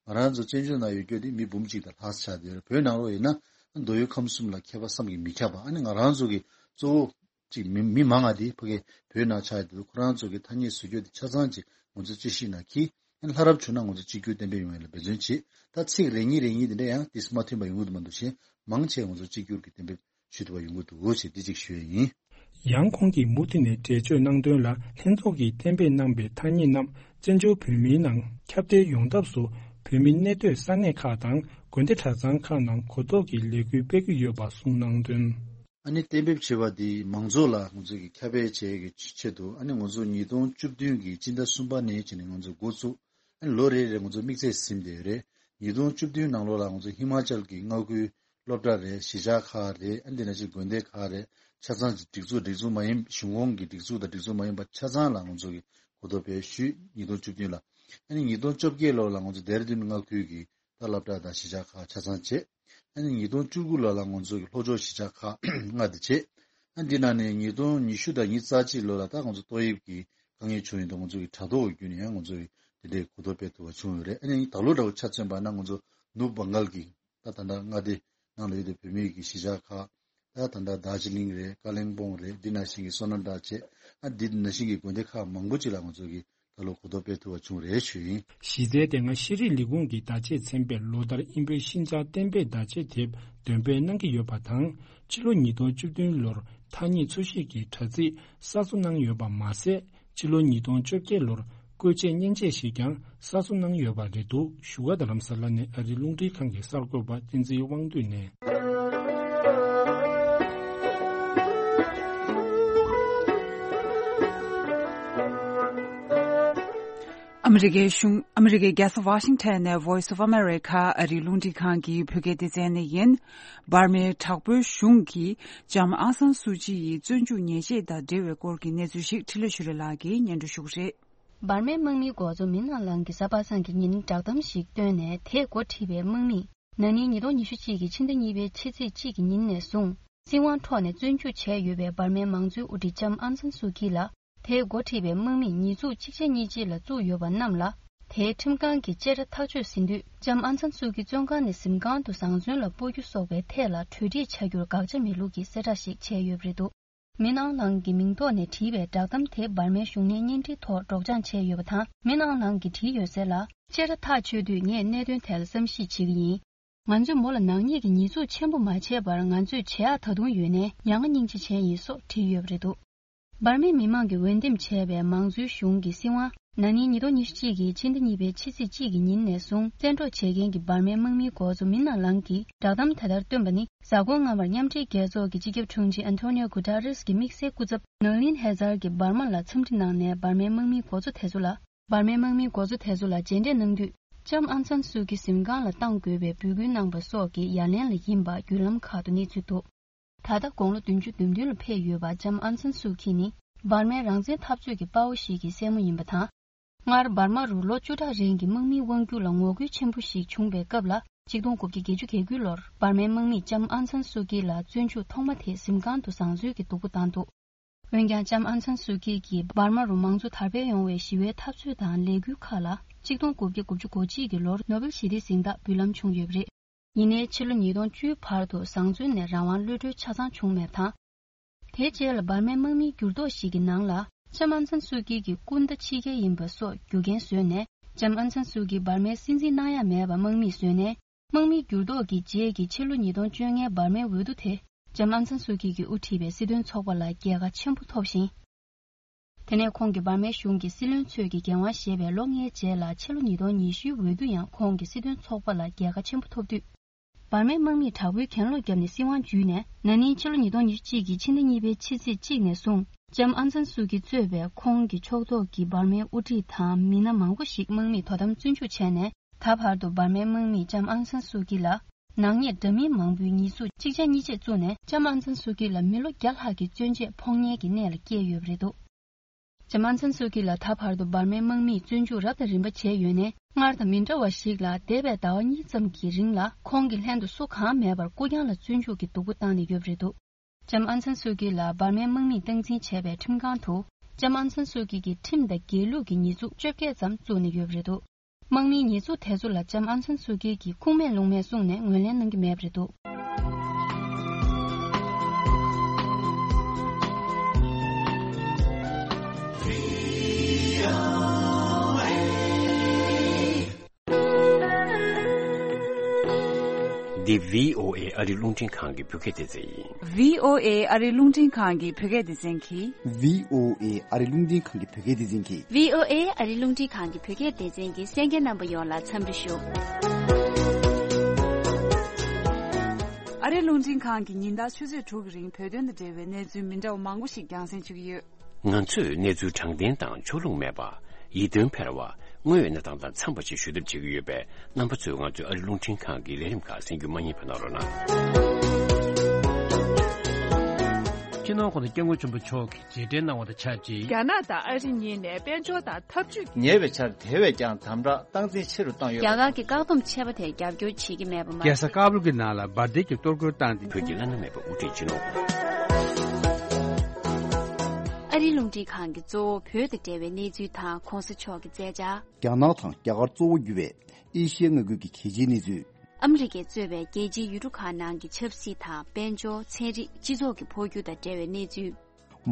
ང་རང་ཚོ་བཙན་བྱོལ་ནང་ཡོད་རྒྱུ་དེ་མི་འབུམ་གཅིག་དང་ལྷག་ཙམ་ཆགས་བསྡད་ཡོད་རེད། བོད་ནང་ལོགས་ཡིན་ན་མདོ་དབུས་ཁམས་གསུམ་ལ་ཁྱད་པར་བསམ་གྱིས་མི་ཁྱབ་པ། ཨ་ནི་ང་རང་ཚོ་གི་གཙོ་བོ་ཅིག་མི་མི་མང་ང་དེ་ཕ་གི་བོད་ནང་ཆགས་ཡོད་དུས། ཁོ་རང་ཚོ་གི་ཐ་སྙད་ཟེར་རྒྱུ་དེ་ཆ་ཚང་ཅིག་ང་ཚོ་དཔྱད་གཞི་ནང་འཁྱེར། ཨ་ནི་ལྷ་རབ་བྱུང་ན་ང་ཚོ་གཅིག་གྱུར་གཏན་འབེབས་ཡོང་ཡ་ལ་འབད་བརྩོན་བྱེད། ད་ཚིག་རེ་གཉིས་རེ་གཉིས་དེ་འདྲ་ཡང་དེ་མ་མཐུན་པ་ཡོང་གི་འདུག་མ་གཏོགས་གཞན་མང་ཆེ་ང་ཚོ་གཅིག་གྱུར་གྱི་གཏན་འབེབས་ཞུ་ཐུབ་པ་ཡོང་གི་འདུག་ཅེས་འདི་གཅིག་ཞུ་ཡ་ཡིན། ཡང་ཁོང་གིས་མུ་མཐུད་ནས་འགྲེལ་བརྗོད་གནང་དོན་ལ། ལྷན་ཚོགས་ཀྱིས་གཏན་འབེབས་གནང་པའི་ཐ་སྙད་རྣམས་བཙན་བྱོལ་བོད་མིའི་ནང་ཁྱབ་གདལ་ཡོང་ཐབས་སུ་བོད་མི་གནས་སྡོད་ས་གནས་ཁག་དང་དགོན་སྡེ་གྲྭ་ཚང་ཁག་ནང་གོ་རྟོགས་ཀྱི་ལས་འགུལ་སྤེལ་གྱི་ཡོད་པ་གསུངས་གནང་དོན། ཨ་ནི་གཏན་འབེབས་བྱས་པ་འདི་མང་ཚོགས་ལ་ང་ཚོས་ཀྱི་ཁྱབ་སྤེལ་བྱེད་ཀྱི་ཆེད་དུ། ཨ་ནི་ང་ཚོ་ཉིས་སྟོང་བཅུ་བདུན་གྱི་སྤྱི་ཟླ་གསུམ་པ་ནས་བྱས་ནས་ང་ཚོ་འགོ་བཙུགས། ཨ་ནི་ལོ་རེ་རེ་ང་ཚོ་དམིགས་ཚད་ཟིན་བསྡད་ཡོད་རེད། ཉིས་སྟོང་བཅུ་བདུན་ནང་ལོགས་ལ་ང་ཚོ་ཧི་མ་ཅལ་གྱི་མངའ་ཁུལ་སློབ་གྲྭ་རེད། གཞིས་ཆགས་ཁག་རེད། ཨ་ནི་དེ་ནང་བཞིན་དགོན་སྡེ་ཁག་རེད། ཆ་ཚང་གི་སྒྲིག་འཛུགས། སྒྲིག་འཛུགས་མ་ཡིན། གཞུང་ཁོངས་ཀྱི་སྒྲིག་འཛུགས་དང་སྒྲིག་འཛུགས་མ་ཡིན་པ་ཆ་ཚང་ལ་ང་ཚོ་གི་གོ་རྟོགས་སྤེལ་ཞུས། ཉིས་སྟོང་བཅུ་བདུན་ལ། ཨ་ནི་ཉིས་སྟོང་བཅོ་བརྒྱད་ལོ་ལ་ང་ཚོ་ལྡེ་ར་ལྡུན་མངའ་ཁུལ་གྱི་ད་སློབ་གྲྭ་དང་གཞིས་ཆགས་ཁག་ཆ་ཚང་བྱས། ཨ་ནི་ཉིས་སྟོང་བཅུ་དགུ་ལོ་ལ་ང་ཚོ་གི་ལྷོ་ཕྱོགས་གཞིས་ཆགས་ཁག་ལྔ་དེ་བྱས། ཨ་འདི་ནང་ནས་ཉིས་སྟོང་ཉི་ཤུ་དང་ཉི་ཤུ་རྩ་གཅིག་ལོ་ལ་ད་ང་ཚོ་ཏོག་དབྱིབས་ཀྱི་དཀའ་ངལ་བྱུང་ཡོད་དུས། ང་ཚོ་གི་དྲ་ཐོག་བརྒྱུད་ནས་ཡང་ང་ཚོ་གི་དེ་འདྲའི་གོ་རྟོགས་སྤེལ་ཐུབ་པ་བྱུང་ཡོད་རེད། ཨ་ནི་ད་ལོ་འདྲ་བོ་ཆ་མཚོན་པ་ན་ང་ཚོ་ནུབ་བང་གལ་གྱི་ད་ད་ལྟ་མངའ་སྡེ་ནང་ལ་ཡོད་པའི་བོད་མིའི་གི་གཞིས་ཆགས་ཁག་ད་ད་ལྟ་རྡོ་རྗེ་གླིང་རེད། ཀ་ལིང་པོང་རེད། འདི་ནང་བཞིན་གྱི་སོ་ན་ཌ་བྱས། ཨ་འདི་ནང་བཞིན་གྱི་དགོན་སྡེ་ཁག་མང་པོ་ཅིག་ལ་ང་ཚོ་གི་ད་ལོ་གོ་རྟོགས་སྤེལ་ཐུབ་པ་བྱུང་རེད་ཞུ་ཡིན། གཞི་རྩའི་དེ་སྔ་ཤེས་རིག་ལས་ཁུངས་ཀྱི་བརྡ་ཆད་ཚན་པས་ལོ་ལྟར་དབྱིན་བོད་ཤིན་ཅང་གཏན་འབེབས་བརྡ་ཆད་དེབ་འདོན་སྤེལ་གནང་གི་ཡོད་པ་དང་། ཕྱི་ལོ་ཉིས་སྟོང་བཅུ་བདུན་ལོར་ཐ་སྙད་འཚོལ་ཞིབ་ཀྱི་དྲ་ཚིགས་གསར་བཟོ་གནང་ཡོད་པ་མ་ཟད། ཕྱི་ལོ་ཉིས་སྟོང་བཅོ་བརྒྱད་ལོར་བཀོལ་ཆས་མཉེན་ཆས་ཤིག་ཀྱང་གསར་བཟོ་གནང་ཡོད་པ་རེད་འདུག་བཞུགས་སྒར་རྡ་རམ་ས་ལ་ནས་ཨ་རིའི་རླུང་འཕྲིན་ཁང་གི་གསར་འགོད་པ་བསྟན་འཛིན་དབང་འདུས་ནས། ཨ་མི་རི་ཀའི་གཞུང་། ཨ་མི་རི་ཀའི་རྒྱལ་ས་ཝ་ཤིང་ཊོན་ནས་Voice of America ཨ་རིའི་རླུང་འཕྲིན་ཁང་གི་བོད་སྐད་སྡེ་ཚན་ནས་ཡིན། འབར་མའི་དྲག་པོའི་གཞུང་གིས་ལྕམ་ཨང་སན་སུའུ་ཅི་ཡི་བཙོན་འཇུག་ཉེས་ཆད་དང་འབྲེལ་བའི་སྐོར་གྱི་གནས་ཚུལ་ཞིག་འཕྲིན་ལས་ཆོས་སྒྲོན་ལགས་ཀྱིས་སྙན་སྒྲོན་ཞུ་གི་རེད། འབར་མའི་དམག་མིའི་འགོ་གཙོ་མིན་ཨང་ལང་གིས་གཟའ་པ་སངས་ཀྱི་ཉིན་བསྒྲགས་གཏམ་ཞིག་བཏོན་ནས། དེས་འགོ་ཁྲིད་པའི་དམག་མིས་ན་ནིང་ཉིས་སྟོང་ཉི་ཤུ་གཅིག་གི་ཕྱི་ཟླ་གཉིས་པའི་ཕྱི་ཚེས་གཅིག་གི་ཉིན་ནས་བཟུང་། སྲིད་དབང་འཕྲོག་ནས་བཙོན་འཇུག་བྱས་ཡོད་པའི་འབར་མའི་མང་གཙོའི་དབུ་ཁྲིད་ལྕམ་ཨང་སན་སུའུ་ཀི་ལ། དེས་འགོ་ཁྲིད་པའི་དམག་མིས་ཉེས་འཛུགས་གཅིག་རྗེས་གཉིས་མཐུད་ལ་བཙུགས་ཡོད་པ་རྣམས་ལ། དེའི་ཁྲིམས་ཁང་གིས་བཅད་ཁྲ་ཐག་གཅོད་ཟིན་དུས། ལྕམ་ཨང་སན་སུའུ་ཀི་བཙོན་ཁང་ནས་གཟིམ་ཁང་དུ་བཟང་བཙོན་ལ་སྤོ་རྒྱུ་སོགས་པའི་ཐད་ལ་གྲོས་འགྲིག་བྱ་རྒྱུར་དགག་བྱ་མེད་ལུགས་ཀྱི་གསལ་བསྒྲགས་ཤིག་བྱས་ཡོད་པ་རེད་འདུག་མིན་ཨང་ལང་གི་མིང་ཐོག་ནས་བྲིས་པའི་བསྒྲགས་གཏམ་དེ་འབར་མའི་གཞུང་ནས་བརྙན་འཕྲིན་ཐོག་སྒྲོག་སྦྱང་བྱས་ཡོད་པ་དང་། མིན་ཨང་ལང་གིས་བྲིས་ཡོད་གསལ་ལ། བཅད་ཁྲ་ཐག་ཆོད་དུས་ངས་གནད་དོན་ཐད་ལ་བསམ་གཞིག་བྱེད་ཀྱི་ཡིན། ང་ཚོས་མོ་ལ་ནག་ཉེས་ཀྱི་ཉེས་འཛུགས་ཆེན་པོ་མ་བྱས་པར་ང་ཚོས་བྱེད་ཡག་ད་དུང་ཡོད་ནའི་མྱ་ངན་སྙིང་རྗེ་བྱས་ཡིན་སོགས་བྲིས་ཡོད་པ་རེད་འདུག་འབར་མའི་མི་མང་གིས་འོས་འདེམས་བྱས་པའི་མང་གཙོའི་གཞུང་གི་སྲིད་དབང་ན་ནིང་ཉིས་སྟོང་ཉི་ཤུ་གཅིག་གི་ཕྱི་ཟླ་གཉིས་པའི་ཕྱི་ཚེས་གཅིག་གི་ཉིན་ནས་བཟུང་བཙན་འཕྲོག་བྱེད་མཁན་གྱི་འབར་མའི་དམག་མིའི་འགོ་གཙོ་མིན་ཨང་ལང་གིས་བསྒྲགས་གཏམ་དེ་ལྟར་བཏོན་པ་ནི། གཟའ་འཁོར་སྔ་མར་མཉམ་འབྲེལ་རྒྱལ་ཚོགས་ཀྱི་སྤྱི་ཁྱབ་དྲུང་ཆེ་ཨན་ཐོ་ནིའོ་གུ་ཏ་རེས་ཀྱིས་དམིགས་བསལ་སྐུ་ཚབ་ནོར་ལིན་ཧེ་ཛར་གྱིས་འབར་མ་ལ་འཚམས་འདྲི་གནང་ནས། འབར་མའི་དམག་མིའི་འགོ་གཙོ་དེ་ཚོ་ལ། འབར་མའི་དམག་མིའི་འགོ་གཙོ་དེ་ཚོ་ལ་མཇལ་འཕྲད་གནང་དུས། ལྕམ་ཨང་སན་སུའུ་ཀི་གཟིམ་ཁང་ལ་གཏང་དགོས་པའི་འབོད་སྐུལ་གནང་པ་སོགས་ཀྱི་ཡ་ལན་ལ་ཡིན་པ་བརྒྱུད་ལམ་ཁག་ཏུ་གནས་ཚུལ་འདུག་ད་ལྟ་དགུང་ལོ་བདུན་ཅུ་དོན་བདུན་ལ་ཕེབས་ཡོད་པ་ལྕམ་ཨང་སན་སུའུ་ཀི་ནི་འབར་མའི་རང་བཙན་འཐབ་རྩོད་ཀྱི་དཔའ་བོ་ཞིག་གི་སྲས་མོ་ཡིན་པ་དང་། སྔར་འབར་མ་རུ་ལོ་བཅུ་ཕྲག་རིང་གི་དམག་མིའི་དབང་སྒྱུར་ལ་ངོ་རྒོལ་ཆེན་པོ་ཞིག་བྱུང་བའི་སྐབས་ལ། ཆིག་སྟོང་དགུ་བརྒྱ་བརྒྱད་ཅུ་གྱ་དགུ་ལོར་འབར་མའི་དམག་མིས་ལྕམ་ཨང་སན་སུའུ་ཀི་ལ་བཙོན་འཇུག་ཐོག་མ་དེ་གཟིམ་ཁང་དུ་བཟང་བཙོན་གྱི་སྡུག་པོ་བཏང་འདུག་འོན་ཀྱང་ལྕམ་ཨང་སན་སུའུ་ཀི་གིས་འབར་མ་རུ་མང་གཙོ་དར་སྤེལ་ཡོང་བའི་ཞི་བའི་འཐབ་རྩོད་དང་ལས་འགུལ་ཁག་ལ་ཆིག་སྟོང་དགུ་བརྒྱ་དགུ་བཅུ་གོ་གཅིག་གི་ལོར་ནོ་བེལ་ཞི་བདེའི་གཟེངས་རྟགས་འབུལ་ལམ་བྱུང་ཡོད་པ་རེད། ཡིན་ནའི་ཕྱི་ལོ་ཉིས་སྟོང་བཅུའི་བར་དུ་བཟང་བཙོན་ནས་རང་དབང་གློད་གྲོལ་ཆ་ཚང་བྱུང་མེད་པ་དང་། དེའི་རྗེས་ལ་འབར་མའི་དམག་མིའི་འགྱུར་ལྡོག་ཞིག་གི་ནང་ལ་ལྕམ་ཨང་སན་སུའུ་ཀི་གི་སྐུ་ཟླ་ཕྱི་རྒྱལ་ཡིན་པ་སོགས་རྒྱུ་རྐྱེན་བཟོས་ནས། ལྕམ་ཨང་སན་སུའུ་ཀི་འབར་མའི་སྲིད་འཛིན་གནང་ཡ་མེད་པར་དམག་མིས་བཟོས་ནས། དམག་མིའི་འགྱུར་ལྡོག་གི་རྗེས་ཀྱི་ཕྱི་ལོ་ཉིས་སྟོང་བཅོ་ལྔའི་འབར་མའི་འོས་བསྡུ་དེ། ལྕམ་ཨང་སན་སུའུ་ཀི་གིས་དབུ་ཁྲིད་པའི་སྲིད་དོན་ཚོགས་པ་ལ་རྒྱལ་ཁ་ཆེན་པོ་ཐོབ་ཤིང་། དེ་ནས་ཁོང་གིས་འབར་མའི་གཞུང་གི་སྲིད་བློན་ཚོས་ཀྱི་འགན་དབང་བཞེས་པའི་ལོ་ལྔའི་རྗེས་ལ་ཕྱི་ལོ་ཉིས་སྟོང་ཉི་ཤུའི་འོས་བསྡུ་ཡང་ཁོང་གི་སྲིད་དོན་ཚོགས་པ་ལ་རྒྱལ་ཁ་ཆེན་པོ་ཐོབ་དུས། འབར་མའི་དམག་མིས་དྲག་པོའི་གྱེན་ལོག་བརྒྱབ་ནས་སྲིད་དབང་བརྒྱུད་ནས། ན་ནིང་ཕྱི་ལོ་ཉིས་སྟོང་ཉི་ཤུ་གཅིག་གི་ཕྱི་ཟླ་གཉིས་པའི་ཕྱི་ཚེས་གཅིག་ནས་བཟུང་། ལྕམ་ཨང་སན་སུའུ་ཀི་གཙོས་པའི་ཁོང་གི་ཕྱོགས་གཏོགས་ཀྱི་འབར་མའི་དབུ་ཁྲིད་དང་མི་སྣ་མང་པོ་ཞིག་དམག་མིས་དོ་དམ་བཙོན་འཇུག་བྱས་ནས། ད་བར་དུ་འབར་མའི་དམག་མིས་ལྕམ་ཨང་སན་སུའུ་ཀི་ལ་ནག་ཉེས་འདྲ་མིན་མང་པོའི་ཉེས་འཛུགས་གཅིག་ཆ་གཉིས་ཆ་བཙུགས་ནས། ལྕམ་ཨང་སན་སུའུ་ཀི་ལ་མི་ལོ་བརྒྱ་ལྷག་གི་བཙོན་འཇལ་ཕོག་ཉེན་གྱི་གནས་ལ་བསྐྱལ་ཡོད་པ་རེད་འདུག་ལྕམ་ཨང་སན་སུའུ་ཀི་ལ་ད་བར་དུ་འབར་མའི་དམག་མིས་བཙོན་འཇུག་རབ་དང་རིམ་པ་བྱས་ཡོད་ནས། སྔར་དང་མི་འདྲ་བ་ཞིག་ལ། འདས་པའི་ཟླ་བ་གཉིས་ཙམ་གྱི་རིང་ལ་ཁོང་གི་ལྷན་དུ་སུ་གང་མེད་པར་སྐུ་རྐྱང་ལ་བཙོན་འཇུག་གི་སྡུག་པོ་བཏང་ནས་ཡོད་པ་རེད་འདུག་ལྕམ་ཨང་སན་སུའུ་ཀི་ལ་འབར་མའི་དམག་མིས་སྟངས་འཛིན་བྱས་པའི་ཁྲིམས་ཁང་དུ། ལྕམ་ཨང་སན་སུའུ་ཀི་གི་ཁྲིམས་དང་སྒེར་ལུགས་ཀྱི་ཉེས་འཛུགས་བཅོ་བརྒྱད་ཙམ་བཙུགས་ནས་ཡོད་པ་རེད་འདུག་དམག་མིའི་ཉེས་འཛུགས་དེ་ཚོ་ལ་ལྕམ་ཨང་སན་སུའུ་ཀི་གིས་ཁུངས་མེད་ལུང་མེད་གསུངས་ནས་ངོས་ལེན་གནང་གི་མེད་པ་རེད་འདུག་འདི་བྷི་ཨོ་ཨེ་ཨ་རིའི་རླུང་འཕྲིན་ཁང་གི་བོད་སྐད་སྡེ་ཚན་ཡིན། བྷི་ཨོ་ཨེ་ཨ་རིའི་རླུང་འཕྲིན་ཁང་གི་བོད་སྐད་སྡེ་ཚན་གྱིས། བྷི་ཨོ་ཨེ་ཨ་རིའི་རླུང་འཕྲིན་ཁང་གི་བོད་སྐད་སྡེ་ཚན་གྱིས། བྷི་ཨོ་ཨེ་ཨ་རིའི་རླུང་འཕྲིན་ཁང་གི་བོད་སྐད་སྡེ་ཚན་གྱི་གསན་མཁན་རྣམ་པ་ཡོངས་ལ་འཚམས་འདྲི་ཞུ། ཨ་རིའི་རླུང་འཕྲིན་ཁང་གིས་ཉིན་ལྟར་ཆུ་ཚོད་དྲུག་གི་རིང་བོད་དོན་དང་འབྲེལ་བའི་གནས་ཚུལ་མི་འདྲ་བ་མང་པོ་ཞིག་རྒྱང་སྲིང་ཞུ་གི་ཡོད། ང་ཚོས་གནས་ཚུལ་དྲང་བདེན་དང་ཕྱོགས་ལྷུང་མེད་པ། ཡིད་རྟོན་འཕེར་བ། དངོས་ཡོད་གནས་སྟངས་དང་འཚམས་པ་ཞིག་ཞུ་ཐབས་བྱེད་ཀྱི་ཡོད་པས། རྣམ་པ་ཚོས་ང་ཚོའི་ཨ་རི་རླུང་འཕྲིན་ཁང་གི་ལས་རིམ་ཁག་གསན་རྒྱུ་མ་བསྙེལ་བ་གནང་རོགས་གནང་། སྤྱི་ནོར་༸གོང་ས་༸སྐྱབས་མགོན་ཆེན་པོ་མཆོག་གིས་རྗེས་དྲན་གནང་བ་དང་ཆབས་ཅིག་རྒྱ་ནག་དང་ཨ་རི་གཉིས་ནས་དཔལ་འབྱོར་དང་འཐབ་ཇུས། ཉེ་བའི་ཆར་དེ་བས་ཀྱང་དམ་དྲག་སྟངས་འཛིན་ཆེ་རུ་བཏང་ཡོད། རྒྱ་གར་གྱི་བཀག་སྡོམ་ཆད་པ་དེར་རྒྱབ་སྐྱོར་བྱེད་ཀྱི་མེད་པ་མ་ཟད། རྒྱལ་ས་ཀ་བུལ་གྱི་ནང་ལ་འབར་མདེལ་གྱི་གཏོར་རྒོལ་བཏང་སྟེ། བོད་ཀྱི་བླ་ན་མེད་པའི་དབུ་ཁྲིད་སྤྱི་ནོར། ཨ་རིའི་རླུང་འཕྲིན་ཁང་གིས་གཙོ་བོ་བོད་དང་འབྲེལ་བའི་གནས་ཚུལ་དང་གོང་ས་མཆོག་གི་མཛད་འཆར། རྒྱ་ནག་དང་རྒྱ་གར་གཙོ་བོ་གྱུར་བའི་ཨེ་ཤི་ཡའི་མངའ་ཁུལ་གྱི་གལ་ཆེའི་གནས་ཚུལ། ཨ་མི་རི་ཀས་གཙོས་པའི་རྒྱལ་སྤྱིའི་ཡུལ་གྲུ་ཁག་ནང་གི་ཆབ་སྲིད་དང་དཔལ་འབྱོར། ཚན་རིག་སྤྱི་ཚོགས་ཀྱི་འཕོ་འགྱུར་དང་འབྲེལ་བའི་གནས་ཚུལ།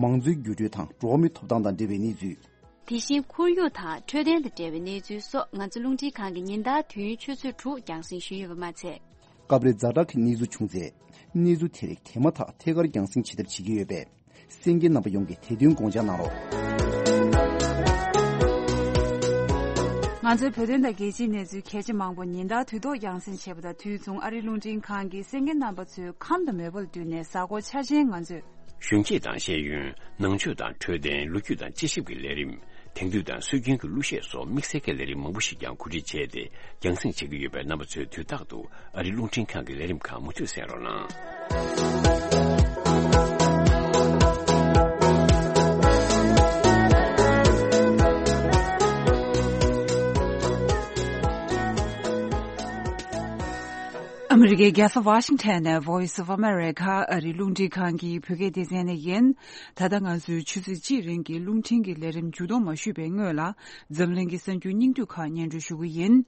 མང་གཙོའི་འགྱུར་འགྲོས་དང་འགྲོ་བ་མིའི་ཐོབ་ཐང་དང་འབྲེལ་བའི་གནས་ཚུལ། དེ་བཞིན་ཁོར་ཡུག་དང་འཕྲོད་བསྟེན་དང་འབྲེལ་བའི་གནས་ཚུལ་སོགས་ང་ཚོ་རླུང་འཕྲིན་ཁང་གིས་ཉིན་ལྟར་དུས་ཡུན་ཆུ་ཚོད་དྲུག་རྒྱང་སྲིང་ཞུས་ཡོད་པ་མ་ཚད། སྐབས་རེ་ཛ་དྲག་གི་གནས་ཚུལ་བྱུང་ཚེ། གནས་ཚུལ་དེ་རིགས་དེ་མ་ཐག་ཐད་ཀར་རྒྱང་སྲིང་བྱེད་ཐབས་བྱེད་ཀྱི་ཡོད་པས། གསན་མཁན་རྣམ་པ་ཡོངས་ཀྱིས་དེ་དོན་དགོངས་འཇགས་གནང་རོགས། ང་ཚོའི་བོད་དོན་དང་རྒྱལ་སྤྱིའི་གནས་ཚུལ་གལ་ཆེ་མང་པོ་ཉིན་ལྟར་དུས་ཐོག་རྒྱང་སྲིང་བྱེད་པ་དང་དུས་མཚུངས་ཨ་རིའི་རླུང་འཕྲིན་ཁང་གིས་གསན་མཁན་རྣམ་པ་ཚོའི་ཁམས་དང་མོས་པ་ལ་བསྟུན་ནས་གཟའ་འཁོར་འཆར་ཅན་ང་ཚོས། གཞོན་སྐྱེས་དང་ཤེས་ཡོན། ནང་ཆོས་དང་འཕྲོད་བསྟེན། ལོ་རྒྱུས་དང་དཔྱད་ཞིབ་ཀྱི་ལས་རིམ། དེང་དུས་དང་སྲོལ་རྒྱུན་གྱི་གླུ་གཞས་སོགས་དམིགས་བསལ་གྱི་ལས་རིམ་མང་པོ་ཞིག་ཀྱང་གོ་སྒྲིག་བྱས་ཏེ་རྒྱང་སྲིང་བྱེད་ཀྱི་ཡོད་པས། རྣམ་པ་ཚོས་དུས་རྟག་ཏུ་ཨ་རིའི་རླུང་འཕྲིན་ཁང་གི་ལས་རིམ་ཁག་མུ་མཐུད་གསན་རོགས་གནང་། ཨ་མི་རི་ཀའི་རྒྱལ་ས་ཝ་ཤིང་ཊོན་ནས་Voice of America ཨ་རིའི་རླུང་འཕྲིན་ཁང་གི་བོད་སྐད་སྡེ་ཚན་ནས་ཡིན། ད་ལྟ་ང་ཚོས་ཆུ་ཚོད་གཅིག་རིང་གི་རླུང་འཕྲིན་གྱི་ལས་རིམ་མཇུག་སྡོམ་མ་ཞུས་པའི་སྔོན་ལ། འཛམ་གླིང་གི་གསར་འགྱུར་སྙིང་བསྡུས་ཁག་སྙན་སྒྲོན་ཞུ་གི་ཡིན།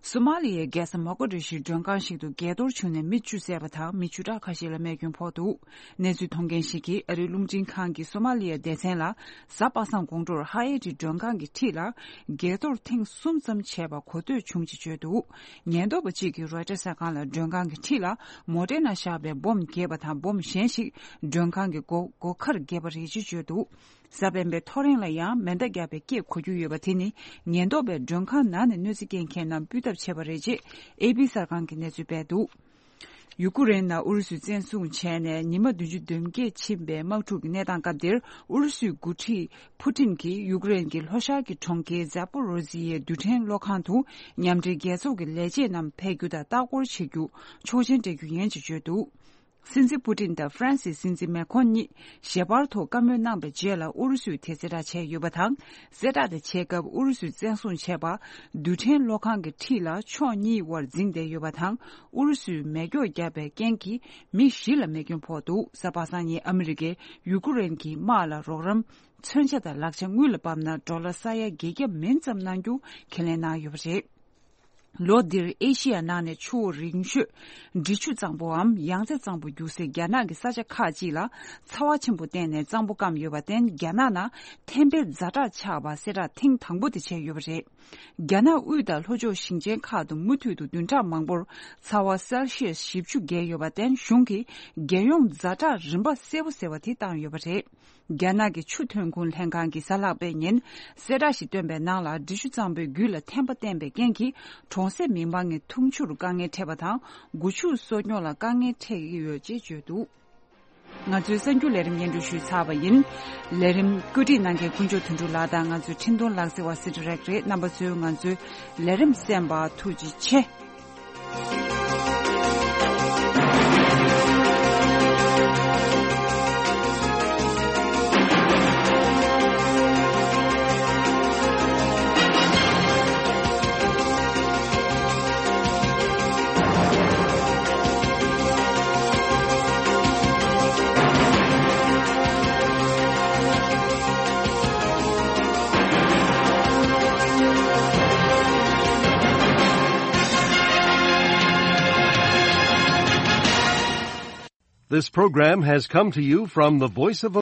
སོ་མ་ལི་ཡའི་རྒྱལ་ས་མོག་ཀ་ཌི་ཤུའི་མགྲོན་ཁང་ཞིག་ཏུ་རྒྱས་གཏོར་བྱུང་ནས་མི་བཅུ་བསད་པ་དང་མི་བཅུ་ཕྲག་ཁ་ཤས་ལ་རྨས་སྐྱོན་ཕོག་འདུག་གནས་ཚུལ་མཐོང་མཁན་ཞིག་གིས་ཨ་རིའི་རླུང་འཕྲིན་ཁང་གིས་སོ་མ་ལི་ཡའི་སྡེ་ཚན་ལ། གཟའ་པ་སངས་དགོང་དྲོར་ཧ་ཨེ་ཏི་མགྲོན་ཁང་གི་འཁྲིས་ལ་རྒྱས་གཏོར་ཐེངས་གསུམ་ཙམ་བྱས་པ་གོ་ཐོས་བྱུང་ཅེས་བརྗོད་འདུག་ཉེན་རྟོག་པ་གཅིག་གིས་Reuters གསར་ཁང་ལ་མགྲོན་ཁང་གི་འཁྲིས་ལ་མོ་ཊའི་ནང་བཞག་པའི་སྦོམ་རྒྱས་པ་དང་སྦོམ་གཞན་ཞིག་མགྲོན་ཁང་གི་སྒོ་སྒོ་ཁར་རྒྱས་པ་རེད་ཅེས་བརྗོད་འདུག་གཟའ་སྤེན་པའི་ཐོ་རེངས་ལ་ཡང་མེ་མདའ་བརྒྱབ་པའི་སྐད་གོ་རྒྱུ་ཡོད་པ་དེ་ནི་ཉེན་རྟོག་པས་མགྲོན་ཁང་ནང་ནས་གནོད་འཚེ་སྐྱེལ་མཁན་རྣམས་སྤུད་ཐབས་བྱས་པ་རེད་ཅེས་ཨེ་པི་གསར་ཁང་གིས་གནས་ཚུལ་སྤེལ་འདུག་ཡུ་ཀུ་རེན་ནང་ཨུ་རུ་སུས་བཙན་བཟུང་བྱས་ནས་ཉི་མ་བདུན་ཅུ་དོན་བརྒྱད་ཕྱིན་པའི་དམག་འཁྲུག་གི་གནས་སྟངས་སྐབས་འདིར་ཨུ་རུ་སུའི་འགོ་ཁྲིད་ཕུ་ཏིན་གྱིས་ཡུ་ཀུ་རེན་གྱི་ལྷོ་ཤར་གྱི་གྲོང་ཁྱེར་ཛ་པོ་རོ་ཟི་ཡའི་རྡུལ་ཕྲན་གློག་ཁང་དུ་མཉམ་འབྲེལ་རྒྱལ་ཚོགས་ཀྱི་ལས་བྱེད་རྣམས་ཕེབས་རྒྱུ་དང་ལྟ་སྐོར་བྱེད་རྒྱུ་ཆོག་མཆན་སྤྲད་རྒྱུ་ཡིན་ཅེས་བརྗོད་འདུག་སྲིད་འཛིན་ཕུ་ཏིན་དང་ཧྥ་རན་སིའི་སྲིད་འཛིན་མེ་ཁོན་གཉིས་ཞལ་པར་ཐོག་བཀའ་མོལ་གནང་བའི་རྗེས་ལ་ཨུ་རུ་སུས་དེ་གསལ་བསྒྲགས་བྱས་ཡོད་པ་དང་། གསལ་བསྒྲགས་དེ་བྱེད་སྐབས་ཨུ་རུ་སུས་བཙན་བཟུང་བྱས་པ་རྡུལ་ཕྲན་གློག་ཁང་གི་འཁྲིས་ལ་ཕྱོགས་གཉིས་དབར་འཛིང་བསྡད་ཡོད་པ་དང་། ཨུ་རུ་སུས་མེ་སྒྱོགས་བརྒྱབ་པའི་རྐྱེན་གྱིས་མི་བཞི་ལ་རྨས་སྐྱོན་ཕོག་འདུག་གཟའ་པ་སངས་ཉིན་ཨ་མི་རི་ཀས་ཡུ་ཀུ་རེན་གྱི་དམག་ལ་རོགས་རམ་མཚོན་ཆ་དང་ལག་ཆ་དངུལ་ལ་བབས་ན་ཌོ་ལར་ས་ཡ་བརྒྱད་བརྒྱ་མིན་ཙམ་གནང་རྒྱུ་ཁས་ལེན་གནང་ཡོད་པ་རེད། ལོ་འདིར་ཨེ་ཤི་ཡ་ནང་ནས་ཆུ་བོ་རིང་ཤོས་འབྲི་ཆུ་གཙང་པོའམ་ཡང་རྩེ་གཙང་པོ་རྒྱུག་སའི་རྒྱ་ནག་གི་ས་ཆ་ཁག་ཅིག་ལ་ཚ་བ་ཆེན་པོ་བརྟེན་ནས་གཙང་པོ་སྐམ་ཡོད་པར་བརྟེན། རྒྱ་ནག་ནང་ཐན་པའི་ཛ་དྲག་ཆགས་པ་གསལ་བསྒྲགས་ཐེངས་དང་པོ་དེ་བྱས་ཡོད་པ་རེད། རྒྱ་ནག་དབུས་དང་ལྷོ་ཕྱོགས་ཞིང་ཆེན་ཁག་ཏུ་མུ་མཐུད་དུ་བདུན་ཕྲག་མང་པོར་ཚ་བ་སེལ་ཤི་ཡས་བཞི་བཅུ་བརྒལ་ཡོད་པར་བརྟེན། གཞུང་གིས་རྒྱལ་ཡོངས་ཛ་དྲག་རིམ་པ་གསལ་པོ་ཟེར་བ་དེ་བཏང་ཡོད་པ་རེད། རྒྱ་ནག་གི་ཆུ་ཐོན་ཁུངས་ལྷན་ཁང་གིས་གཟའ་ལྷག་པའི་ཉིན་གསལ་བསྒྲགས་ཤིག་བཏོན་པའི་ནང་ལ། འབྲི་ཆུ་གཙང་པོའི་རྒྱུད་ལ་ཐན་པ་བསྟན་པའི་རྐྱེན་གྱིས་གྲོང་གསེབ་མི་མང་གི་འཐུང་ཆུར་དཀའ་ངལ་འཕྲད་པ་དང་། སྒོ་ཕྱུགས་གསོ་སྐྱོང་ལ་དཀའ་ངལ་འཕྲད་ཀྱི་ཡོད་ཅེས་བརྗོད་འདུག། ང་ཚོའི་གསར་འགྱུར་ལས་རིམ་སྙན་སྒྲོན་ཞུས་ཚར་བ་ཡིན། ལས་རིམ་བཀོད་སྒྲིག་གནང་མཁན་དཀོན་མཆོག་དོན་གྲུབ་ལགས་དང་ང་ཚོའི་འཕྲིན་གཏོང་ལག་རྩལ་བ་སི་ཏྲི་རེག་རེད། རྣམ་པ་ཚོས་ང་ཚོའི་ལས་རིམ་གསན་པར་ཐུགས་རྗེ་ཆེ། This program has come to you from the Voice of